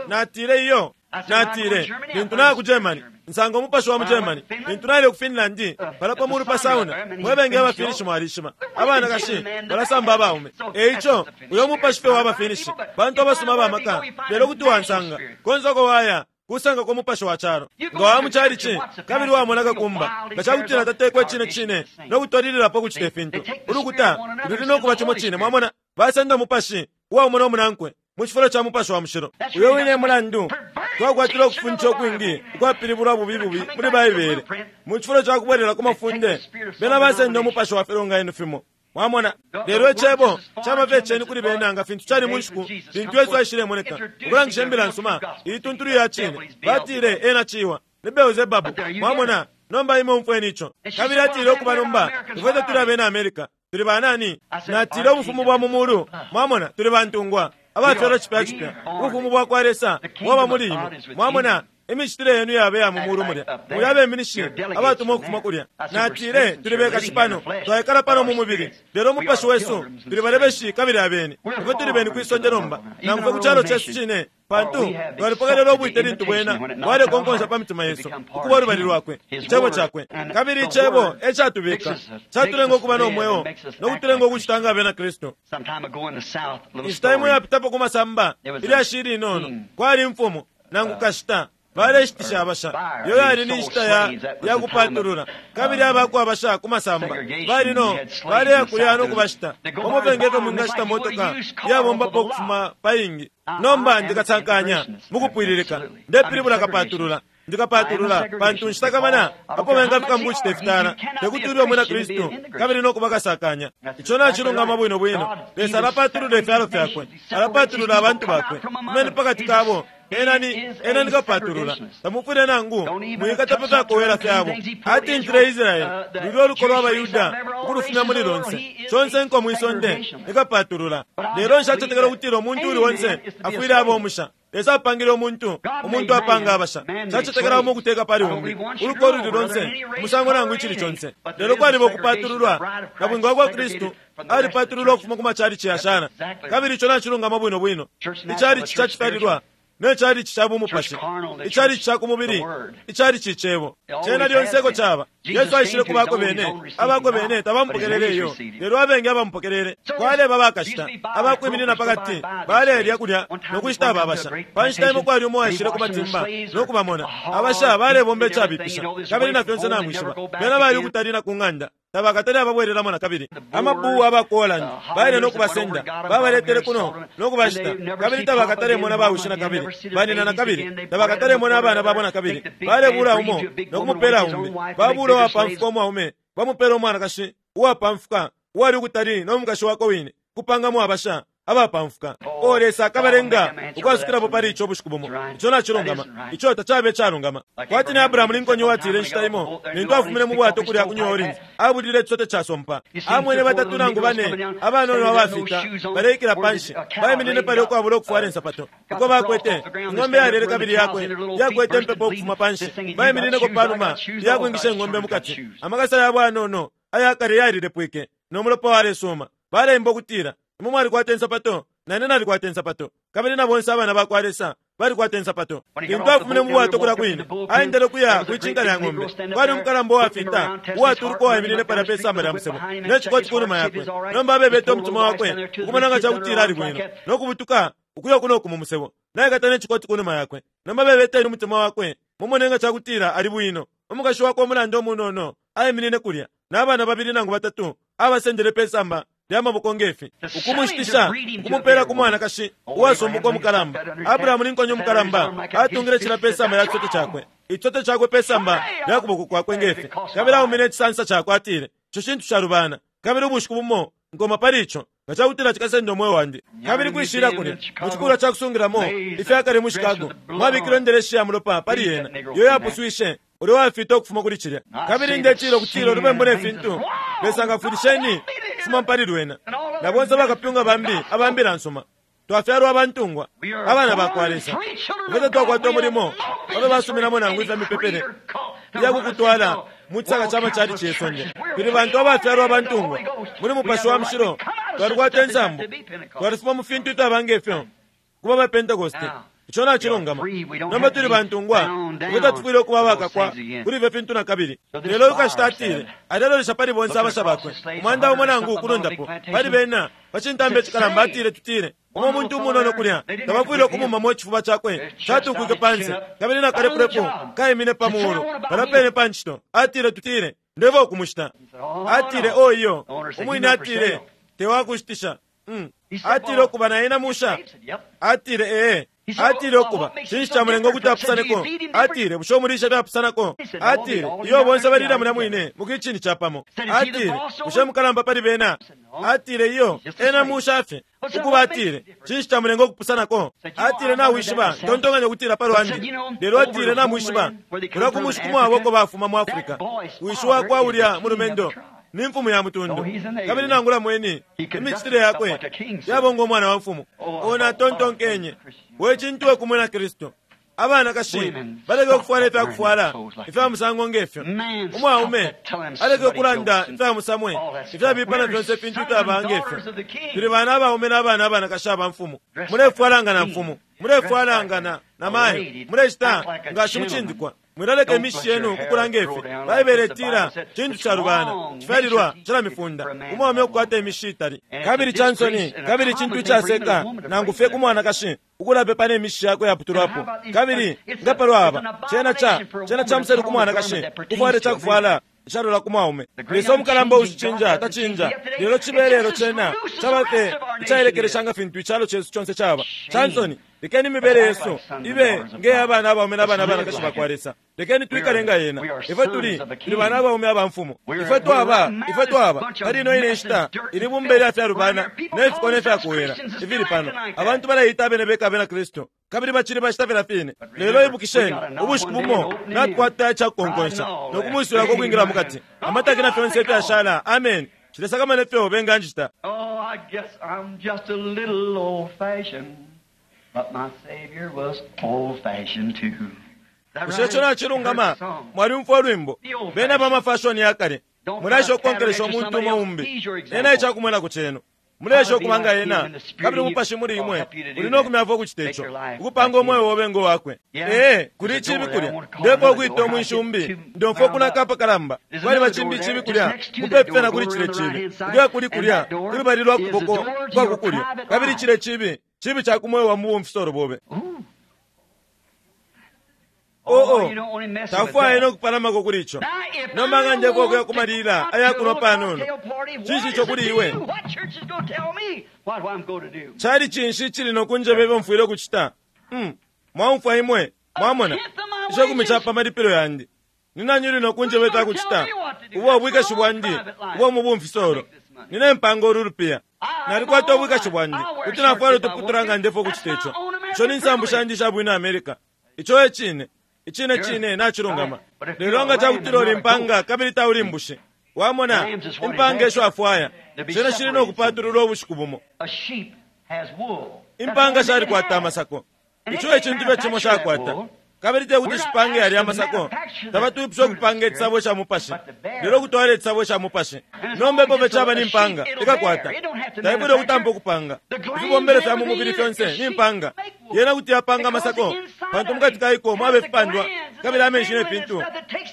Natile iyo. Natile lintu naya ku Germany nsanga umupashi wa mu Germany. Lintu naile ku Finland pala pa mulu pa sauna mwebenge abafinishi mwalishima abanakashi balasamba abaume. Eico uyo mupashi fe wabafinishi bantu abasuma abamaka. Lelo kuti wansanga konse uko waya kusanga kwa mupashi wa calo. Nga wa mucalici kabili wamona kakumba nga cakutila tatekwe cine cine no kutwalililapo kucita ifintu. Ulukuta luli no kuba cimo cine. Mwamona basenda umupashi uwaumona umunankwe mu cifulo ca mupashi wa mushilo. Uyo wine mulandu twakwatila ukufuncha ukwingi ukwapilibulwa bubi bubi muli Baibele. Mu cifulo ca kubwelela ku mafunde bena basenda umupashi wa filonganino fimo. Mwamona lelo icebo caba ceni kuli bena nga fintu cali mu nshiku lintu Yesu aishilemoneka ukulangisha imbila nsuma ituntulu ya cine. Batile ena ciwa ni Beelzebabu. Mwamona nomba imwe umfweni ico. Kabili atile ukuba nomba ifwe tatuli abena America, tuli banani? Natile ubufumu bwa mu mulu. Mwamona tuli bantungwa abafyalwa cipya cipya. Ubufumu bwa kwa Lesa bwaba muli imwe. Mwamona Imicitile yenu yabe ya mu mulu mulya. Muli abeminishi abatumwa ukufuma kulya. Natile tuli bekashi pano, twaikala pano mu mubili, lelo umupashi wesu tuli balebeshi kabili abeni. Ifwe tuli beni kwisonde nomba, nangu fye ku calo cesu cine, pantu twalipokelela ubwite lintu bwena bwalekonkonsha pa mitima yesu ukuba ulubali lwakwe, icebo cakwe. Kabili icebo e catubika, catulenga ukuba no mweo no kutulenga ukucita nga abena Kristu. Inshita imo yapitapo ku masamba, ilyashi ilinono, kwali imfumu nangu kashita baleshitisha abasha. Iyo yali ni nshita ya, ya kupatulula, kabili abako abasha ku masamba bali no baleya kulya no kubashita pamo fye ngefyo mwingashita motoka iyabombapo ukufuma pa ingi. Nomba ndikasankanya mukupwililika, ndepilibula kapatulula, ndikapatulula pantu nshitakamana apo bengafika mukucita ifitala tekuti ube umwina Kristu kabili no kuba kasakanya. Ico nacilungama bwino bwino. Lesa alapatulula ifyalo fyakwe, alapatulula abantu bakwe, kumene pakati kabo ena ni ena nikapatulula. Tamufwile nangu mwikata pa fyakowela fyabo. Atintile Israeli lulyo oluko lwa Bayuda ukulufumya muli lonse conse nko mwisonde nikapatulula. Lelo nshacetekela ukutila umuntu uli onse afwile aba omusha. Lesa apangile umuntu, umuntu apanga abasha. Nshacetekela umo ukuteka pali umbi uluko oluli lonse umusango nangu icili conse. Lelo kwaliba ukupatululwa. Nabwinga wa kwa Kristu alipatululwa ukufuma ku macalici yashana, kabili ico nacilungama bwino bwino. Icalici cacifyalilwa ne calici ca bumupashi, icalici ca ku mubili, icalici icebo cena lyonse eko caba. Yesu aishile ku bakwe bene, abakwe bene tabamupokelele iyo, lelo abengi abamupokelele. Kwaleba bakashita abakwiminina pakati, balelya kulya no kushita ababasha. Pa nshita imo kwali umo aishile ku matimba no kubamona abasha balebomba icabipisha, kabili na fyonse namwishiba bena bali ukutali na ku ng'anda, tabakatali ababwelelamo na kabili. Amabuwu aba ku Holland baile no kubasenda, babaletele kuno no kubashita, kabili tabakatalemona bawishi na kabili, banina na kabili, tabakatalemona abana babo na kabili. Balebula umo no kumupela umbi, babula uwapamfuka umwaume bamupela umwanakashi uwapamfuka uwali ukutali no mukashi wakwe wine, kupangamo abasha abapamfuka. O Lesa akabalenga ukwasukilapo pali ico bushiku bumo. Ico nacilungama, ico tacabe icalungama. Kwati ni Abrahamu Lincoln uwatile inshita imo lintu afumine mu bwato kulya ku New Orleans, abulile icisote casompa. Amwene batatu nangu bane abanono abafita baleikila panshi, baiminine palya ukwabula ukufwala insapato uko bakwete ing'ombe yalele kabili yakwe yakwete impepo ukufuma panshi. Baiminineko panuma yakwingisha ing'ombe mukati, amakasa yabo anono ayakale yalilepwike no mulopa walesuma. Baleimba ukutila, imwe mwalikwata insapato, nane nalikwata insapato, kabili na bonse abana bakwa Lesa balikwata insapato. Lintu afumine mu bwato kulya kwine, aendele kuya kwicinka lya ng'ombe. Kwali umukalamba uwafita uwatuluka uwaiminine palya pe samba lya musebo ne cikoti ku numa yakwe. Nomba abebete umutima wakwe ukumona nga cakutila ali bwino no kubutuka ukuya kuno ku mu musebo, naikata ne cikoti ku numa yakwe. Nomba abebete umutima wakwe mumone nga cakutila ali bwino. Umukashi wakwe umulanda umunono aiminine kulya n'abana babili nangu batatu abasendele pe samba lya maboko ngefi, ukumushitisha ukumupela ku mwanakashi uwasumbuka umukalamba. Abrahamu Lincoln umukalamba atungile cila pe samba lya cisote cakwe, icisote cakwe pe samba lya kuboko kwakwe ngefi, kabili aumine icisansa cakwe atile, ico cintu calubana, kabili ubushiku bumo nkoma pali ico nga cakutila cikasenda umweo wandi. Kabili kwishila kulya mu cikulwa ca kusungilamo ifyakale mu Chicago mwabikilwe indeleshi ya mulopa pali yena iyo yapuswishe ulyo wafita ukufuma kuli cilya. Kabili ndetila ukutila ulubembu ne fintu Lesa ngafwilisheni kufuma pali lwena na bonse bakapyunga bambi abambila nsuma. Twafyalwa abantungwa abana bakwa Lesa, ifwe twakwata umulimo babe basuminamo nangu ifya mipepele iyakukutwala mu cisaka ca macalici yesonde. Tuli bantu abafyalwa abantungwa muli mupashi wa mushilo, twalikwata insambu, twalifuma mu fintu ifyaba ngefyo kuba ba Pentekoste. Ico nacilungama. Nomba tuli bantungwa, ifwe tatufwile ukuba abakakwa kuli ifyo fintu na kabili. Lelo ukashita atile alelolesha pali bonse abasha bakwe, umwanda umo nangu ukulundapo pali bena pa cintambi icikalamba. Atile tutile umo umuntu umunono kulya tabafwile ukumumamo icifuba cakwe catukwike panse, kabili na kalepulepu kaimine pa muulu palya pene pa ncito. Atile tutile ndeva ukumushita. Atile o iyo umwine atile tewakushitisha. Mm. Atile ukuba na ena musha. Atile ee. Atile ukuba cinshi camulenga ukuti apusaneko? Atile bushe umulisha fyapusanako? Atile iyo bonse balila mulya mwine mu kicini capamo. Atile bushe mukalamba pali bena? Atile iyo ena musha fye. Ukuba atile cinshi camulenga ukupusanako? Atile nawishiba ntontonganya ukutila pa lwandi, lelo atile namwishiba kulya ku mushi kumwabo uko bafuma mu Afrika, wishi wakwa ulya mulumendo ni mfumu ya mutundu, kabili nangula mweni imicitile yakwe yabonga umwana wa mfumu. Ona tontonkenye we cintu we kumwena Kristu. Abanakashi baleke ukufwala ifyakufwala ifya musango ngefyo. Umwaume aleke ukulanda ifya musamwe ifyabipa na fyonse ifintu ifyaba ngefyo. Tuli bana abaume n'abana abanakashi aba mfumu. Mulefwala nga na mfumu, mulefwala nga na na mayo, mulecita nga shimucindikwa. Mwilaleka imishi yenu kukula ngefi. Baibele itila cintu calubana cifyalilwa calamifunda umwaume ukukwata imishi itali, kabili cansoni, kabili cintu icaseka nangu fye ku mwanakashi ukulapepa ne mishi yakwe yaputulwapo. Kabili nga palwaba cena ca cena ca muselu ku mwanakashi kufwala icakufwala icalola ku mwaume. Lesa umukalamba ushicinja tacinja, lelo cibe lelo cena caba fye icailekelesha nga fintu icalo cesu conse caba. Cansoni, lekeni imibele yesu ibe ngeya abana abaume n'abana abanakashi bakwa Lesa. Lekeni twikale nga yena. Ifwe tuli tuli bana abaume aba mfumu. Ifwe twaba ifwe twaba pali ino ine nshita ili bumba ilya fyalubana ne fiko ne fyakuwela ifili pano. Abantu baleita abene beka abena Kristu, kabili bacili bacita filya fine. Lelo ibukisheni, ubushiku bumo natukwata icakukonkonsha no kumwisulako ukwingila mukati, amataki na fyonse ifyashala. Amen. Cilesakamana ifyo benganjita. Oh, I guess I'm just a little old-fashioned, but my Savior was old-fashioned too. Bushe ico nacilungama? Mwalyumfwa ulwimbo bena ba mafashoni yakale. Mulesha ukukonkelesha umuntu umo umbi, ena icakumwenako cenu. Mulesha ukuba nga ena, kabili umupashi muli imwe uli no kumyafwa ukucita ico, ukupanga umweo obe ngo wakwe. Ee, kuli icibi kulya, ndefwa ukwita umwinshi umbi, ndomfwa ukunaka apakalamba. Kwaliba cimbi icibi kulya, mupepi fye na kuli cile cibi, kulya kuli kulya kulubali lwa kuboko kwa kukulyo, kabili cile cibi cibi ca kumweo wa mubumfisolo bobe. Oo, tafwaye no kupalamako kuli ico. Nomba nga ndefwa ukuya ku malila ayakunwa panono, cinshi ico kuli iwe? Cali cinshi icili no kunjeba ifyo mfwile ukucita? Mm, mwaumfwa imwe, mwamona icekumi ca pa malipilo yandi. Ni nani uli no kunjeba ifya kucita? Ubo ubwikashi bwandi ubwa mu bumfisolo. Nine mpanga ulu lupiya. Nalikwata ubwikashi bwandi, kuti nafwala utuputula nga ndefwa ukucita ico. Ico ni nsambu shandi isha bwina America. Ico e cine, icine cine nacilungama. Lelo nga cakutila uli mpanga kabili tauli mbushi, wamona impanga esho afwaya, cena cili no kupatululwa ubushiku bumo. Impanga shalikwata amasako, ico e cintu fye cimo shakwata, kabili tekuti shipange yalya amasako. Tabatwipusha ukupanga icisabo ca mupashi, lelo kutwala icisabo ca mupashi. Nomba epo fye caba ni mpanga ikakwata, taifwile ukutampa ukupanga ifibombelo fya mu mubili fyonse ni mpanga. Yena kuti yapanga amasako, pantu mukati kaiko mwaba ifipandwa kabili amenshi ne fintu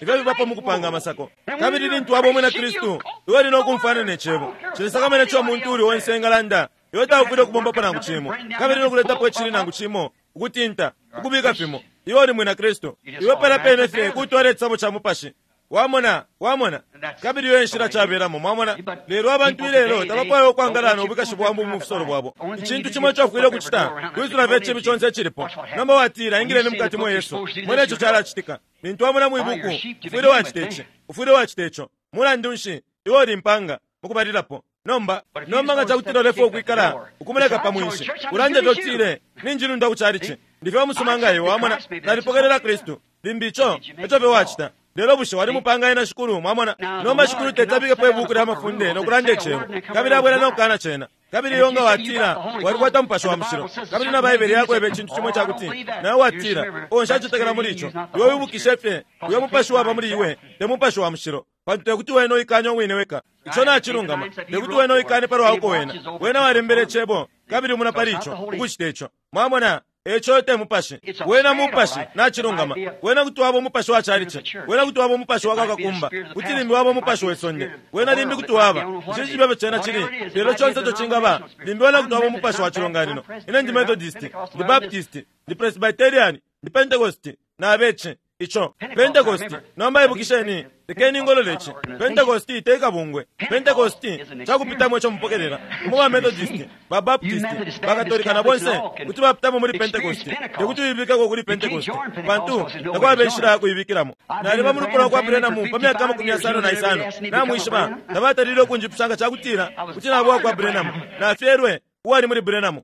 ifyo bibapo mu kupanga amasako. Kabili lintu waba umwina Kristu, iwe uli no kumfwana ne cebo. Cilesakamana ico umuntu uli onse engalanda, iwe taufwile ukubombapo nangu cimo, kabili no kuletapo icili nangu cimo, ukutinta, ukubika fimo. Iwe uli mwina Kristu, iwe pala pene fye kutwala icisabo ca mupashi. Wamona, wamona, kabili iyo enshila cabelamo, mwamona. Lelo abantu ilelo tabafwaya ukwangala no bwikashi bwa mu bumfisolo bwabo. Icintu cimo ico ufwile ukucita kwisula fye icibi conse icilipo. Nomba watila, ingileni mukati mwe Yesu, mwene ico calacitika. Lintu wamona mwibuku, ufwile wacita ici, ufwile wacita ico. Mulandu nshi, iwe uli mpanga mukubalilapo. Nomba nomba nga cakutila ulefwa ukwikala ukumuleka pa mwinshi, ulande fye utile, ninjilunda ku calici, ndifye umusuma nga iwe. Wamona, nalipokelela Kristu. Limbi ico eco fye wacita. Lelo bushe walimupanga ena Shikulu? Mwamona, nomba Shikulu tetabikepo ibuku lya mafunde no kulanda icebo, kabili abwela no kukana cena. Kabili iyo nga watila walikwata mupashi wa mushilo, kabili na Baibele yakweba icintu cimo cakuti nawe watila, o nshacetekela muli ico, iwe wibukishe fye uyo mupashi waba muli iwe te mupashi wa mushilo, pantu tekuti wene uikanye uwine weka. Ico nacilungama. Tekuti wene uikane palwa uko wena wena walembele icebo, kabili umuna pali ico ukucita ico. Mwamona, eco te mupashi wena mupashi nacilungama. Wena kuti waba umupashi wa calici, wena kuti waba umupashi wa kakakumba, kuti limbi waba umupashi we sonde, wena limbi kuti waba ici cibebe cena cili, lelo conse ico cingaba, limbi wena kuti waba umupashi wa cilonganino. Ine ndi Methodist, ndi Baptist, ndi Presbyterian, ndi Pentecost, nabeci ico Pentecost. Nomba ibukisheni, lekeni ngolole ici. Pentecost te kabungwe. Pentecost cakupitamo ico mupokelela. Umo ba Methodist, ba Baptist, ba Katolika na bonse kuti bapitamo muli Pentecost. Tekuti uibikeko kuli Pentecost, pantu takwaba inshila ya kuibikilamo. Naliba mu lupwa lwa Branham pa myaka amakumi yasano na isano. Namwishiba, tabatalile ukunjipusha nga cakutila kuti naba kwa Branham. Nafyelwe uwali muli Branham.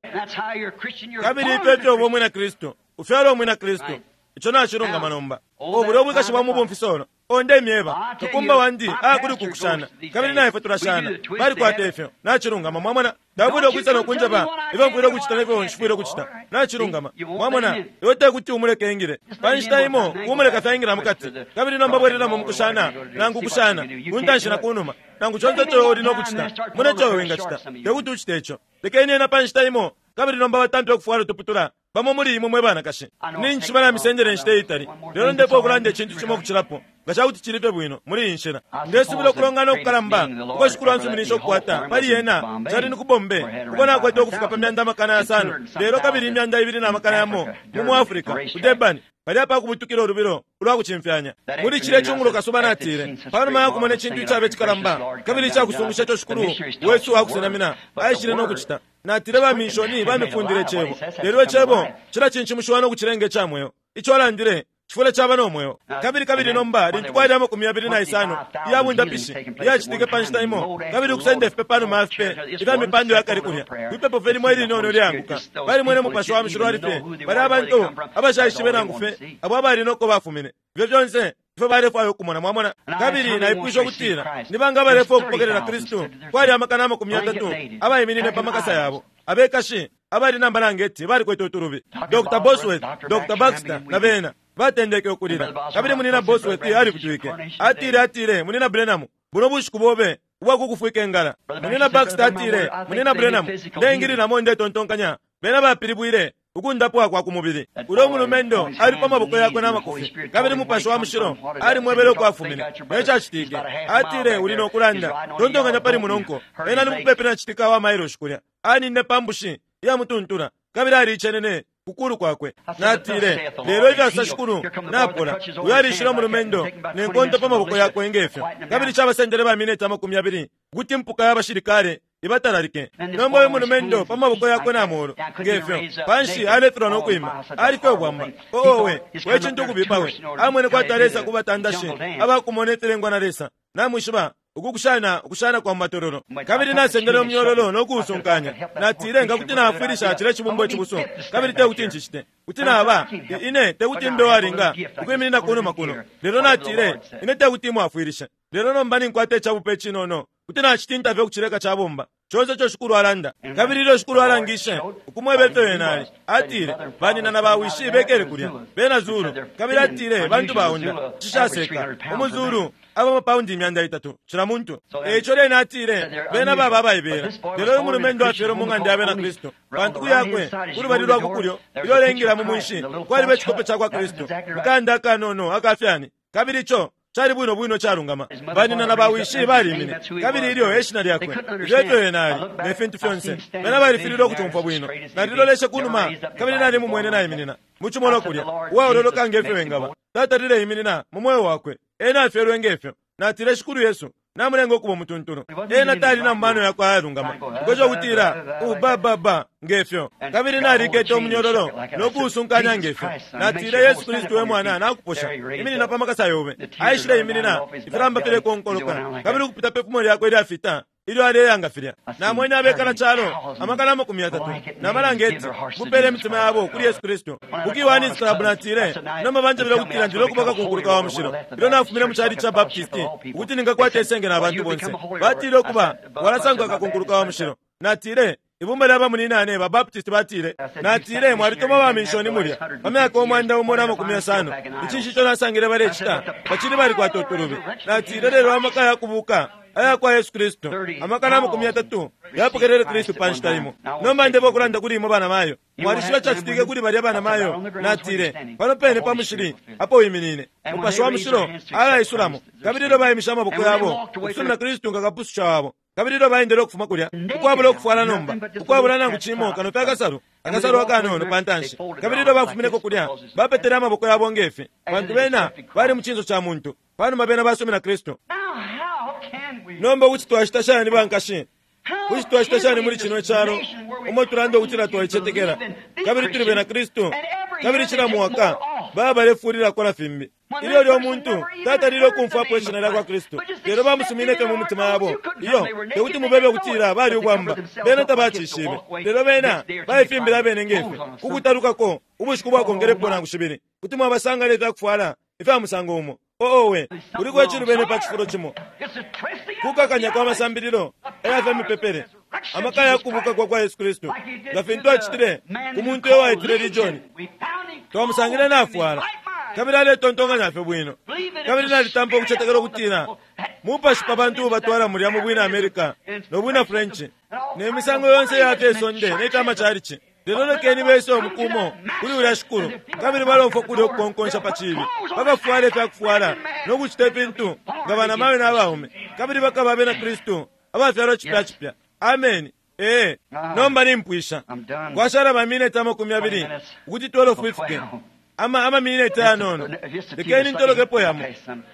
Kabili ifyo ifyo uba umwina Kristu, ufyalwa umwina Kristu. Ico nacilungama nomba. O bulya ubwikashi bwa mubumfisolo. O ndemyeba kakumba wandi akuli kukushana kabili naifwe tulashana balikwata ifyo nachilungama mwamona ndabwile ukwisa nokunjeba ifyo mfwile ukuchita nefyo nshifwile ukuchita nachilungama mwamona iwe tekuti umuleke ingile panshita imo umuleka fyaingila mukati kabili nomba bwelelamo mukushana nangu kushana kuntanshi na kunuma nangu chonse ico uli nokuchita mune ico wingachita tekuti uchite ico lekeni ena panshita imo kabili nomba batampe ukufwala utuputula bamo muli imwe mwe banakashi ninshi balamisendele inshita itali lelo ndepo okulanda icintu cimo okucilapo nga cakuti cilife bwino muli iyi nshila ndesubila okulongana okukalamba uko shikulu ansuminisha okukwata pali yena cali ni ku Bombay uko nakwete ukufika pa myanda amakana yasano lelo kabili imyanda ibili na makana yamo mu mu Africa ku Durban palya pakubutukila ulubilo ulwa kucimfyanya muli cilya icungulo kasuba natile panuma yakumona icintu icabe cikalamba kabili icakusungusha ico shikulu wesu akusenamina aishile nokucita natile bamishoni bamifundile icebo lelo icebo cilacincimushiwa nokucilenga icamweo ico alandile chifule chaba nomweo kabili kabili nomba lintu kwali amakumi yabili na isano iyabundapishi iyacitike panshita imo kabili ukusenda ifipe panuma yafipe ifya mipando yakali kulya kwipepo fe limo ilinono lyanguka balimwene mupashi wa mushilo alife bali abantu abashaishibe nangu fe abo abali noko bafumine ifyo fyonse ifyo balefwaya ukumona mwamona kabili naipwisha ukutila ni banga abalefwaya ukupokelela Kristu kwali amakana amakumi yatatu abayiminine pa makasa yabo abekashi abali namba nangeti balikwete utulubi Doctor Bosworth, Doctor Baxter na bena batendeke ukulila kabili munina Bosworth alifutwike atile atile munina Branham buno bushiku bobe ubwakukufwika engala munina Baxter atile munina Branham ndeingililamo ndetontonkanya bena bapilibwile ukundapwa kwa kumubili ulo mulumendo ali pa maboko yakwe n'amakofi kabili mupashi wa mushilo ali mwebele ukwafumine necacitike atile uli nokulanda tontonkanya pali munonko ena ni mupepi na citika wa mailoshi kulya anine pambushi iyamutuntula kabili aliicenene kukulu kwakwe natile lelo ifyasa shikulu napola uyo alishile umulumendo nenkonto pa maboko yakwe ngefyo kabili cabasendele bamineti amakumi abili kuti mpuka y'abashilikale ibatalalike nomba uyu mulumendo pa maboko yakwe namolo ngefyo panshi alefilwa nokwima alife ubwamba oowe wecintu ukubipawe amwene kwati alesa kubatandashi abakumona ifilengwa na Lesa namwishiba ukukushana ukushana kwa mumatololo kabili nasendele umunyololo nokuusunkanya natile nga kuti naafwilisha cile cibumbo icibuso kabili tekuti ncicite kuti naba ine tekuti mbe walinga ukwiminina kunuma kuno lelo natile ine tekuti imwafwilishe lelo nomba ninkwata icabupe icinono kuti nacitinta fye ukucileka cabomba conse ico shikulu alanda kabili ilyo shikulu alangishe ukumweba ifyo ena ali atile banina na bawishi bekele kulya bena Zulu kabili atile bantu baunda cishaseka umuzulu aba amapaundi imyanda itatu cila muntu eico lyena atile bena baba abaibela lelo uyu mulumendo afyelwe mu ng'anda ya bena Kristu pantu kuyakwe kulubali lwa kukulyo ilyo alengila mu munshi kwaliba icikope ca kwa Kristu mukanda akanono akafyani kabili ico cali bwino bwino calungama banina na bawishi balimine kabili ilyo eshina lyakwe ilyo ifyo ena ali ne fintu fyonse bena balifililwe ukutumfwa bwino naliloleshe kunuma kabili nali mumwene naiminina mucimono kulya uwaololoka ngefyo engaba tatalile iminina mu mweo wakwe ena afyelwe ngefyo natile shikulu Yesu namulenga okuba umutuntulu ena tali na mumano yakwe ayalungama ukwesha ukutila ubababa ngefyo kabili nalikete umunyololo nokuusunkanya ngefyo natile Yesu Kristu we mwana nakuposha iminina pa makasa yobe aishile iminina ifilamba filekonkoloka kabili ukupita pe fumo lyakwe lyafita ilyo aleyanga filya namwene abekala calo amakana amakumi yatatu namalangeti mupele imitima yabo kuli Yesu Kristu kukiwanisi club natile nomba banjabile ukutila ndile okubaka kunkuluka wa mushilo ilyo nafumine mu cali ca Baptisti ukuti ningakwata isenge na bantu bonse batile okuba walasanguka kakunkuluka wa mushilo natile ibumba lya bamuninane ba Baptist batile natile mwalituma bamishoni mulya pa myaka umwanda umo na makumi yasano icinshi ico nasangile balecita bacili balikwata utulubi natile lelo amaka yakubuka aya kwa Yesu Kristu amakana amakumi yatatu yapokelele Kristu panshita imo nomba ndebo okulanda kuli imwe bana mayo mwalishiba cacitike kuli balya bana mayo natile pano pene pa mushili apo wiminine mupashi wa mushilo alaisulamo kabili ilyo baimisha amaboko yabo ukusumina Kristu nga kapususha wabo kabili ilyo baendele ukufuma kulya ukwabula ukufwala nomba ukwabula nangu cimo kano fye akasalu akasalu akanono pantanshi kabili ilyo bafumineko kulya bapetele amaboko yabo ngefi pantu bena bali mu cinso ca muntu panuma bena basumina Kristu nomba kuti twacita shani bankashi kuti twacita shani muli cino calo umo tulanda ukutila twaicetekela kabili tuli bena Kristu kabili cila mwaka baba balefulilako na fimbi ilyo lyo muntu tatalile ukumfwapo ishina lya kwa Kristu lelo bamusumineke mu mitima yabo iyo tekuti mubebe ukutila bali ubwamba bena tabacishibe lelo bena baifimbila abene ngefe kukutalukako ubushiku bwakongelepo nangu shibili kuti mwabasanga leta kufwala Ifya musango umo. Owe, kuliko icilubene pa cifulo cimo. Kukakanya kwa masambililo aya mipepele. Amaka ya kubuka kwa kwa Yesu Kristu. Nga fintu acitile ku muntu uyo waitile Legion. Twamusangile nafwala. Kabili aletontonkanya fye bwino. Kabili nalitampa ukucetekela ukutina mupashi pa bantu batwala mulya mu bwina America no bwina French. Ne misango yonse ya fye sonde ne chama chalichi. Lelo lekeni bese omukumo kuli ulya shikulu. Kabili balomfwa kulya okukonkonsha pa chibi. Bakafwala ifyakufwala no kucita ifintu nga bana mawe n'abaume. Kabili bakaba abena Kristu abafyalwa chipya chipya. Amen. Eh, nomba nimpwisha. Kwashala ba minute amakumi abiri ukuti twelve ifike. Ama ama minute anono. Lekeni ntolokepo yamo.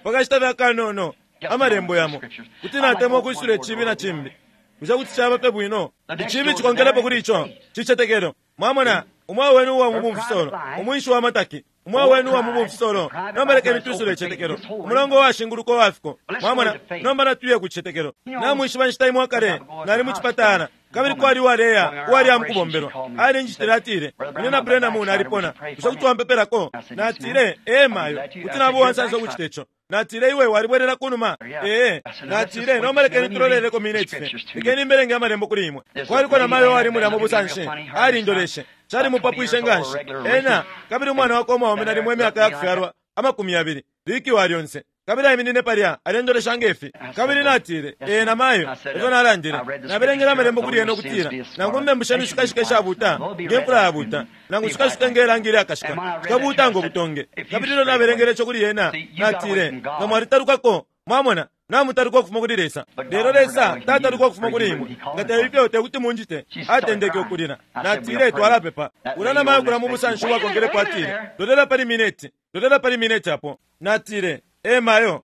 Pakashita fya kanono amarembo yamo. Kuti natemwa kwisula ichibi na chimbi. Bushe kuti chaba pe bwino. Ichibi chikonkelepo kuli icho. Chichetekelo. Mwamona umwa wenu wa mubumfisolo. Umwinshi wa mataki. Umwa wenu wa mubumfisolo. Nomba lekeni tusule ichetekelo. Umulongo wa shinguluko wafiko. Mwamona nomba natuye ku chichetekelo. Namwishiba nshita imwe akale nali mu chipatala. Kabili kwali waleya wali amukubombelwa. Ali njitile atile. Ine na Brenda mu nalipona. Bushe kuti wampepelako? Natile ee mayo. Kuti nabo wansansa ukuchita icho. Natile iwe walibwerera kunuma. Ee, natile nomba lekeni tuloleleko minute fye. Lekeni mbelenge amalembo kuli imwe. Kwaliko na mayo wali mulya mu busanshi. Ali ndoleshe. Chali mupapwishe nganshi. Ena kabili umwana wako omwaume nalimwe emyaka yakufyalwa amakumi abiri. Liki walyonse. Kabili aiminine palya alendolesha ngefi. Kabili natile ee na mayo efyo nalandile. Nabelengela amalembo kuli ena okutila nangu mmembusha mishikashika ishabuta ngemfula yabuta nangu shikashika ngelangi ilyakashika shikabuta ngo butonge. Kabili ilyo nabelengele ico kuli ena natile nga mwalitalukako. Mwamona namutaluka ukufuma kuli Lesa. Lelo Lesa tataluka ukufuma kuli imwe. Nga teifyo tekuti munjite. Atendeke ukulila. Natile twalapepa. Ula na mayo kula mu busanshi bwakonkelepo atile lolela pali mineti. Lolela pali mineti apo. Natile ee mayo.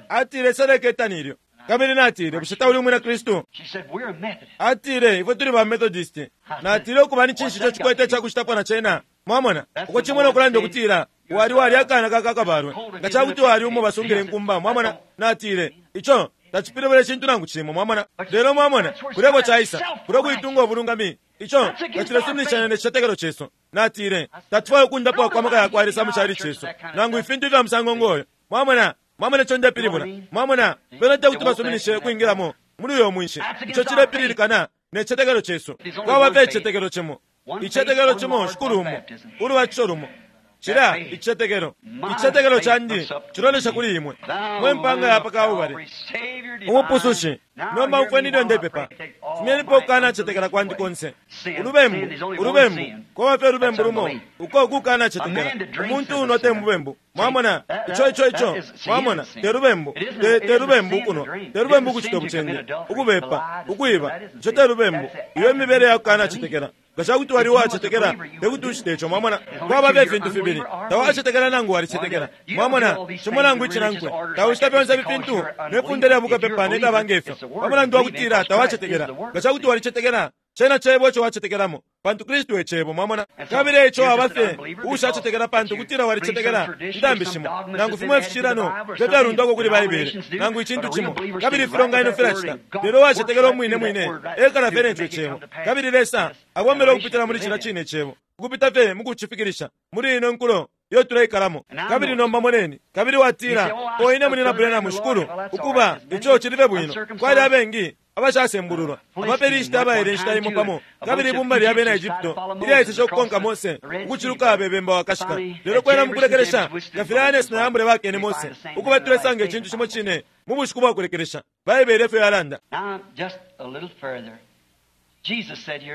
Atile seleke tanilyo. Kabili natile bushe tauli umwina Kristu? Atile ifwe tuli ba Methodist. Natile ukuba ni chinshi ico chikwete chakuchitapo na chena. Mwamona uko chimwe okulanda okutila wali wali akana kakakabalwe nga chakuti wali umo basungile nkumba. Mwamona natile icho tachipilibula chintu nangu chimwe. Mwamona lelo mwamona kuleko chaisa kulo kuitunga obulungami icho tachilesuminishana ne chichetekelo chesu. Natile tatufwayo okundapo kwa maka yakwa Lesa mu chali chesu nangu ifintu vya musango ngoyo. Mwamona mwamona icho ndepilibula. Mwamona bena tekuti basuminishe kwingilamo muli uyo mwinshi. Icho chilepililikana ne chichetekelo chesu. Kwaba fye ichichetekelo chimo. Ichichetekelo chimo shikulu umo ulubatisho lumo. Chila ichichetekelo. Ichichetekelo chandi chilolesha kuli imwe. Mwe mpanga yapa kaubale. Umupusushi nomba umfweni ndepepa. Fumyenipo ukana chetekela kwandi konse. Ulubembu, ulubembu, kwaba fye ulubembu lumo uko kukana chetekela. Umuntu uno te mubembu. Mwamona icho icho icho. Mwamona te lubembu, te te lubembu kuno. Te lubembu kuchita buchende, ukubepa, ukuiba. Icho te lubembu. Iyo mibere yakukana chetekela. Nga wali wachetekela tekuti uchite icho. Mwamona kwaba fye ifintu fibili. Tawachetekela nangu walichetekela. Mwamona chimo nangu ichinankwe. Tauchita fyonse ifintu nefunde lya bukapepa nekabanga ifyo. Pamulandu wakutila tawachetekela. Nga kuti walichetekela chena chebo icho wachetekelamo. Pantu Kristu echebo. Mwamona kabili icho abafe ushachetekela pantu kutila walichetekela ntambi shimo nangu fimwe fishilano fyavyalundwako kuli Baibele nangu ichintu chimo kabili filonganino filachita. Lelo wachetekela omwine mwine ekala fye necho echebo. Kabili Lesa abombela okupitila muli chila chine echebo ukupita fye mukuchifikirisha muli ino nkulo iyo tuleikalamo. Kabili nomba moneni. Kabili watila oine munina Brenda mushikulu ukuba icho chilife bwino. Kwali abengi abashasembululwa abapelishita abaele nshita imo pamo. Kabili ibumba lya bena Egypto ilyaiseshe okukonka Mose ukuchiluka abebemba wakashika. Lelo kwena mukulekelesha nga filya Yanesi na Yambure bakene Mose ukuba tulesanga ichintu chimo chine mu bushiku bwakulekelesha. Baibele efyo yalanda.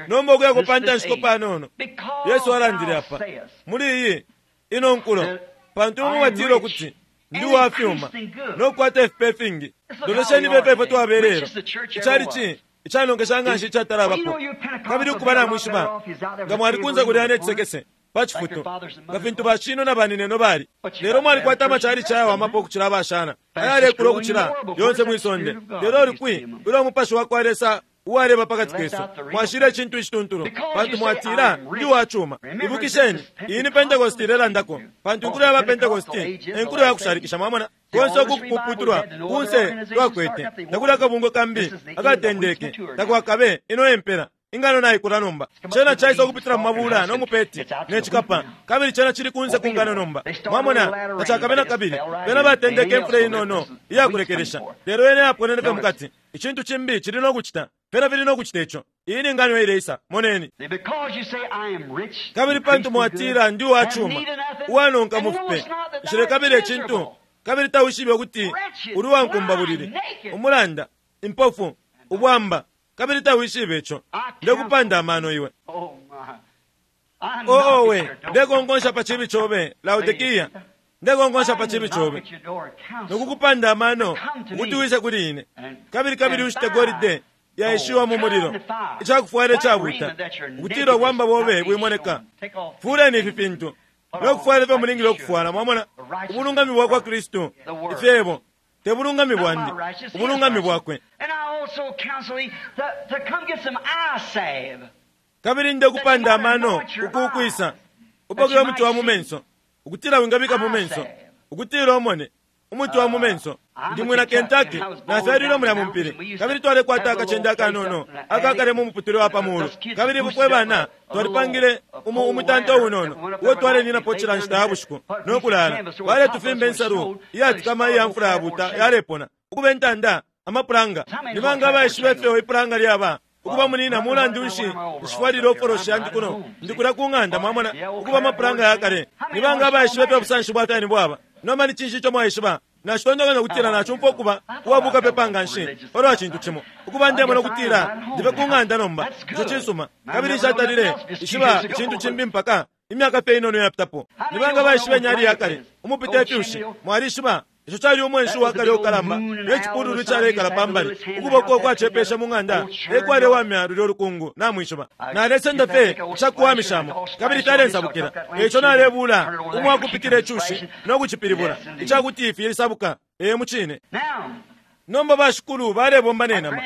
Nomba okuyako pa ntanshiko panono Yesu alandile apa muli iyi ino nkulo pantu imwe mwatile ukuti ndi wafyuma nokukwata ifipe ifingi. Lolesheni pepe ifwe twabelelo ichali ichanongesha nganshi ichatalabapo. Kabili ukuba namwishiba nga mwalikunza kulya nechisekese pa chifuto nga fintu bachino na banineno bali. Lelo mwalikwata amachali chayawamapo okuchila abashana ayalekula okuchila yonse mwisonde. Lelo olikwi ulo omupashi wakwa Lesa uwaleba pakati kesu mwashile ichintu ichituntulu pantu mwatila ndi wachuma. Ibukisheni iyi ni Pentecost ilelandako pantu inkulo yaba Pentecost enkulo yakushalikisha. Mwamona konse okukuputulwa kunse twakwete takuli akabungwe kambi akatendeke takwakabe ino empera. Ingano naikula nomba. Cena caisa ukupitila mu mabula no mupeti ne cikapa, kabili cena cili kunse ku ngano nomba. Mwamona, tacakabe na kabili. Bena batendeke imfula inono iyakulekelesha, lelo yena yaponene fye mukati. Icintu cimbi cili no kucita, fena fili no kucita ico. Iyi ni ngano ileisa. Moneni. Kabili pantu mwatila ndi uwa cuma, uwanonka mu fipe, nshilekabila icintu, kabili tawishibe ukuti uli uwankumbabulili, umulanda, impofu, ubwamba, kabili tawishibe ico. Ndekupanda amano iwe. Oo we, ndekonkonsha pa chibi chobe, Laodikia. Ndekonkonsha pa chibi chobe nokukupanda amano ukuti wise kuli ine, kabili kabili ushite golide yaishiwa mu mulilo, icakufwala icabuta, ukutila ubwamba bobe bwimoneka. Fuleni ifi fintu nokufwala ifyo mulingile ukufwala. Mwamona ubulungami bwa kwa Kristu, ifyebo te bulungami bwandi, ubulungami bwakwe. Kabili ndekupanda amano ukukwisa upokele umuti wa mu menso, ukutila wingabika mu menso, ukutila umone umuti wa mu menso. Ndi mwina Kentucky, nafyalilwe mulya mu mpili, kabili twalekwata akacende akanono akakale mu muputule wa pamulu, kabili ifwe bana twalipangile umu umutanto unono uwo twaleninapo cila nshita ya bushiku no kulala. Baletufimba insalu iyatikama iya mfula yabuta yalepona ukuba intanda amapulanga. Ni banga abaishiba ifyo ipulanga lyaba? Ukuba munina mulandu nshi nshifwalile oforoshi yandi kuno ndikula ku ng'anda. Mwamona, ukuba amapulanga yakale. Ni banga abaishiba ifyo busanshi bwa fyani bwaba? Nomba ni cinshi ico mwaishiba? Nacitontonkanya ukutila nacumfwa ukuba uwabuka pe panga nshi palwa cintu cimo, ukuba ndemona ukutila ndibe ku ng'anda nomba. Ico cisuma. Kabili nshatalile ishiba icintu cimbi mpaka imyaka fye inono yapitapo. Ni banga baishiba inyali yakale umupita ifyushi? Mwalishiba ico cali umwenshi wakale ukalamba ne cipululu icaleikala pambali, ukuboko kwacepesha mu ng'anda ekwalewamya lulya ulukungu. Namwishiba, nalesenda fye icakuwamishamo, kabili fyalensabukila. Eico nalebula umwakupikila icushi no kucipilibula icakuti ifi lisabuka. Ee, mucine. Nomba bashikulu balebomba ne nama.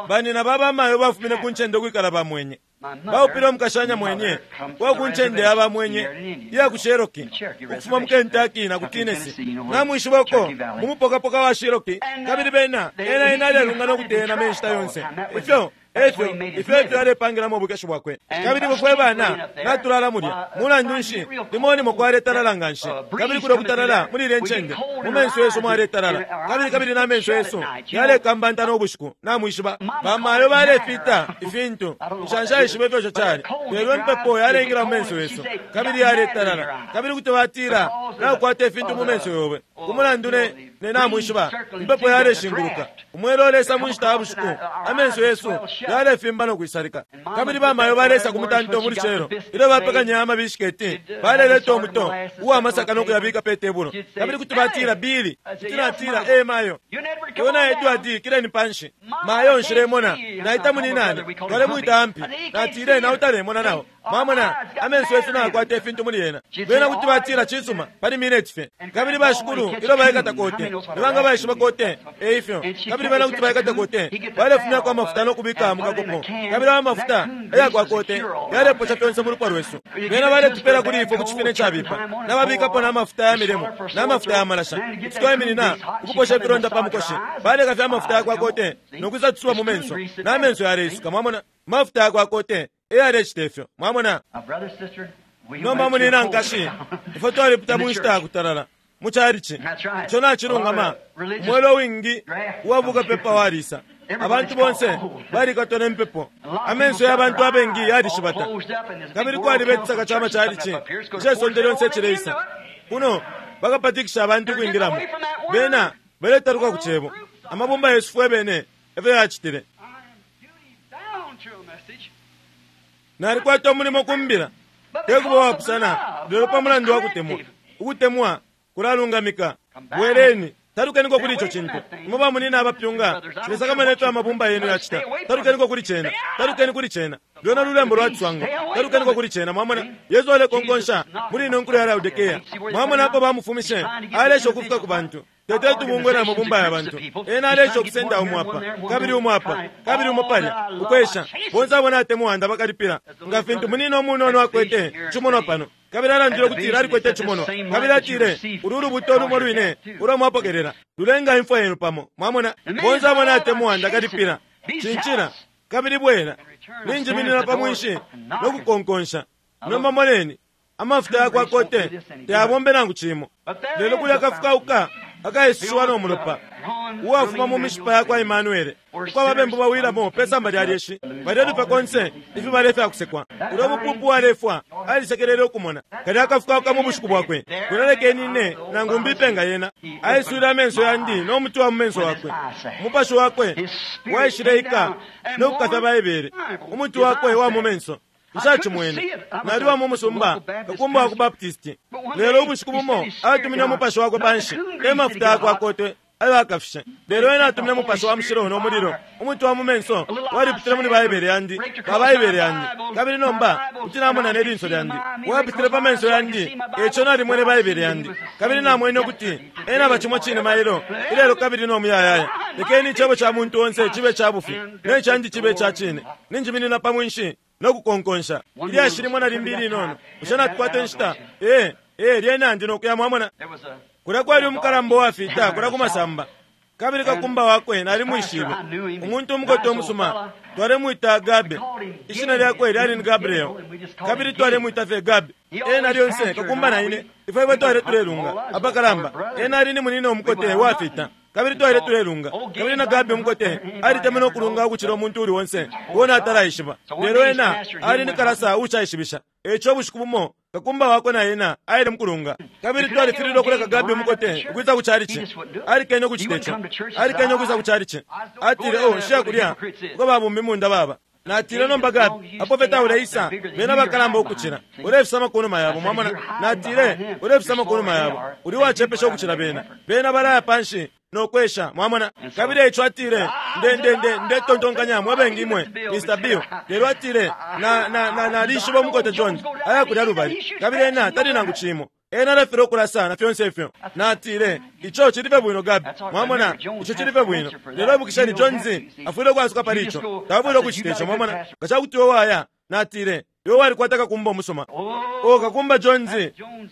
Banina babamayo bafumine ku ncende ukwikala bamwenye. Baupile umukashanya mwenye wa ku ncende ya bamwenye iya ku Cherokee, ukufuma mu Kentucky na ku Tennessee. Namwishiba uko mu mupokapoka wa Cherokee, kabili bena ena ena alelunga no kuteyena menshita yonse. Ifyo efyo ifyo efyo alepangilamo ubukeshi bwakwe. Kabili bufwe bana natulala mulya. Mulandu nshi limonimo kwaletalala nga nshi, kabili kulya kutalala muli ile ncende mu menso yesu mwaletalala, kabili kabili na menso yesu yalekambanta no bushiku. Namwishiba bamayo balefita ifintu nshanshaishiba ifyo ico cali, lelo impepo yalengela mu menso yesu kabili yaletalala, kabili kuti batila nakukwata ifintu mu menso yobe kumulandu ne ne namwishiba impepo yaleshinguluka umwelo olesa mu nshita ya bushiku, amenso yesu yalefimba no kwisalika. Kabili bamayo balesa ku mutanto mu lucelo ilyo bapekanya amabishiketi, baleleta umuto uwa masaka no kuyabika pe tebulo, kabili kuti batila bili, kuti natila e mayo iwe na Edward kileni panshi, mayo nshilemona naita muninane twalemwita ampi, natile nautalemona nao. Mwamona amenso yesu nayakwata ifintu muli yena. Bena kuti batila cisuma pali mineti fye. Kabili bashikulu ilyo baikata kote, nibanga baishiba kote eifyo, kabili bena kuti baikata kote balefumyako amafuta no kubika mu kakopo, kabili ayo mafuta eyakwa kote yaleposha fyonse mu lupwa lwesu. Bena baletupela kuli ifwe ku cifine cabipa, nababikapo n'amafuta ya milimo n'amafuta ya malasha, kuti twaiminina ukuposha ifilonda pa mukoshi. Baleka fye amafuta yakwa kote nokwisa tusuba mu menso, n'amenso yaleisuka. Mwamona mafuta yakwa kote eyalecita ifyo. Mwamona nomba munina nkashi, ifwe twalipita mu nshita yakutalala mu calici. Ico nacilungama. Umwelo wingi uwabuka pepa walisa, abantu bonse balikatwa ne mpepo, amenso ya bantu abengi yalishibata, kabili kwaliba icisaka ca macalici icesonde lyonse icileisa kuno bakapatikisha abantu ukwingilamo. Bena baletaluka ku cebo. Amabumba yesu fwe bene efyo yacitile. Nalikwata umulimo kumbila tekuba wapusana, lelo pa mulandu wa kutemwa. Ukutemwa kulalungamika. Bweleni, talukeniko kuli ico cintu. Imwe bamunina abapyunga, silesakamana ifyo amabumba yenu yacita. Talukeniko kuli cena, talukeni kuli cena. Lwena lulembo lwa ciswango, talukeniko kuli cena. Mwamona Yesu alekonkonsha muli ino nkulo ya Laodikea. Mwamona apo bamufumishe, alesha ukufika ku bantu. Tete tubungwe na mabumba ya bantu. Ena alesha ukusenda umu apa, kabili umu apa, kabili umu palya, ukwesha. Bonse abo natemwa bakalipila. Nga fintu munina umunono akwete cimonwa pano, kabili alandile ukutila alikwete cimonwa, kabili atile ulu lubuto lumo lwine ulo mwapokelela lulenga imfwa yenu pamo. Mwamona bonse abo natemwa ndakalipila. Cincila Kabili bwela ninjiminina pa mwinshi no kukonkonsha. Nomba moneni, amafuta yakwa kote tayabombe nangu cimo, lelo kulya akafukauka akaisushiwa no mulopa uwafuma mu mishipa yakwa Imanuele, uko ababembu bawilamo pe samba lya lyeshi balyelupa konse ifibale fyakusekwa. Ulyo bupupu walefwa alisekelele ukumona kalya akafukauka mu bushiku bwakwe. Kulalekeni ine nangu mbipe nga yena. Aiswile amenso yandi no muti wa mu menso wakwe. Umupashi wakwe waishileika no kukafya Baibele. Umuti wakwe wa mu menso nshacimwene. Naliwa mu musumba kakumba wa ku Baptisti, lelo ubushiku bumo atumine umupashi wakwe panshi, te mafuta yakwe akotwe ayo akafishe, lelo ena atumine umupashi wa mushilo no mulilo. Umuti wa mu menso walipitile muli Baibele yandi, pa Baibele yandi, kabili nomba kuti namona ne linso lyandi. Wapitile pa menso yandi, eco nalimwene Baibele yandi, kabili namwene ukuti ena aba cimo cine mailo, ilelo kabili no muyayaya. Lekeni icebo ca muntu onse cibe ca bufi, ne candi cibe ca cine. Ninjiminina pa mwinshi no kukonkonsha. Ilyashi limo na limbi linono. Bushe natukwata inshita? Ee, ee, lyena ndi nokuya, mwamona. Kulya kwali umukalamba uwafita kulya kumasamba, kabili kakumba wakwe nalimwishibe, umuntu umukote umusuma. Twalemwita Gabe, ishina lyakwe lyali ni Gabriel, kabili twalemwita fye Gabe. Ena lyonse kakumba na ine ifwe ifwe twale tulelunga apakalamba. Ena ali ni munina umukote wafita, kabili twale tulelunga, kabili na Gabe umukote alitemenwe ukulunga ukucila umuntu uli onse uo natalaishiba, lelo ena ali ni kalasa uushaishibisha. Eco bushiku bumo kakumba wakwe na ena aile mukulunga, kabili twalifililwe ukuleka Gabi umukote ukwisa ku chalichi. Alikene ukucita ico, alikene ukwisa ku chalichi. Atile, "Oh, nshiya kulya uko babumbi munda baba." Natile, "Nomba Gabi, apo fye tauleisa, bena bakalamba ukucila, ulefisama kunuma yabo." Mwamona? Natile, "Ulefisama kunuma yabo, uli wacepesha ukucila bena. Bena balaya panshi nokwesha." Mwamona? Kabili eco atile, nde nde nde ndetontonkanya mwe bengi imwe Mister Bill, lelo atile, na na na nalishiba umukote John aya kulya lubali, kabili ena tali nangu cimo, ena alafilwa ukulasa na fyonse ifyo. Natile, "Ico cilife bwino, Gabi." Mwamona, ico cilife bwino, lelo ibukisheni, Jones afwile ukwasuka pali ico, tawafwile ukucita ico. Mwamona? Nga cakuti iwe waya, natile, iwe walikwata kakumba umusuma. O kakumba Jones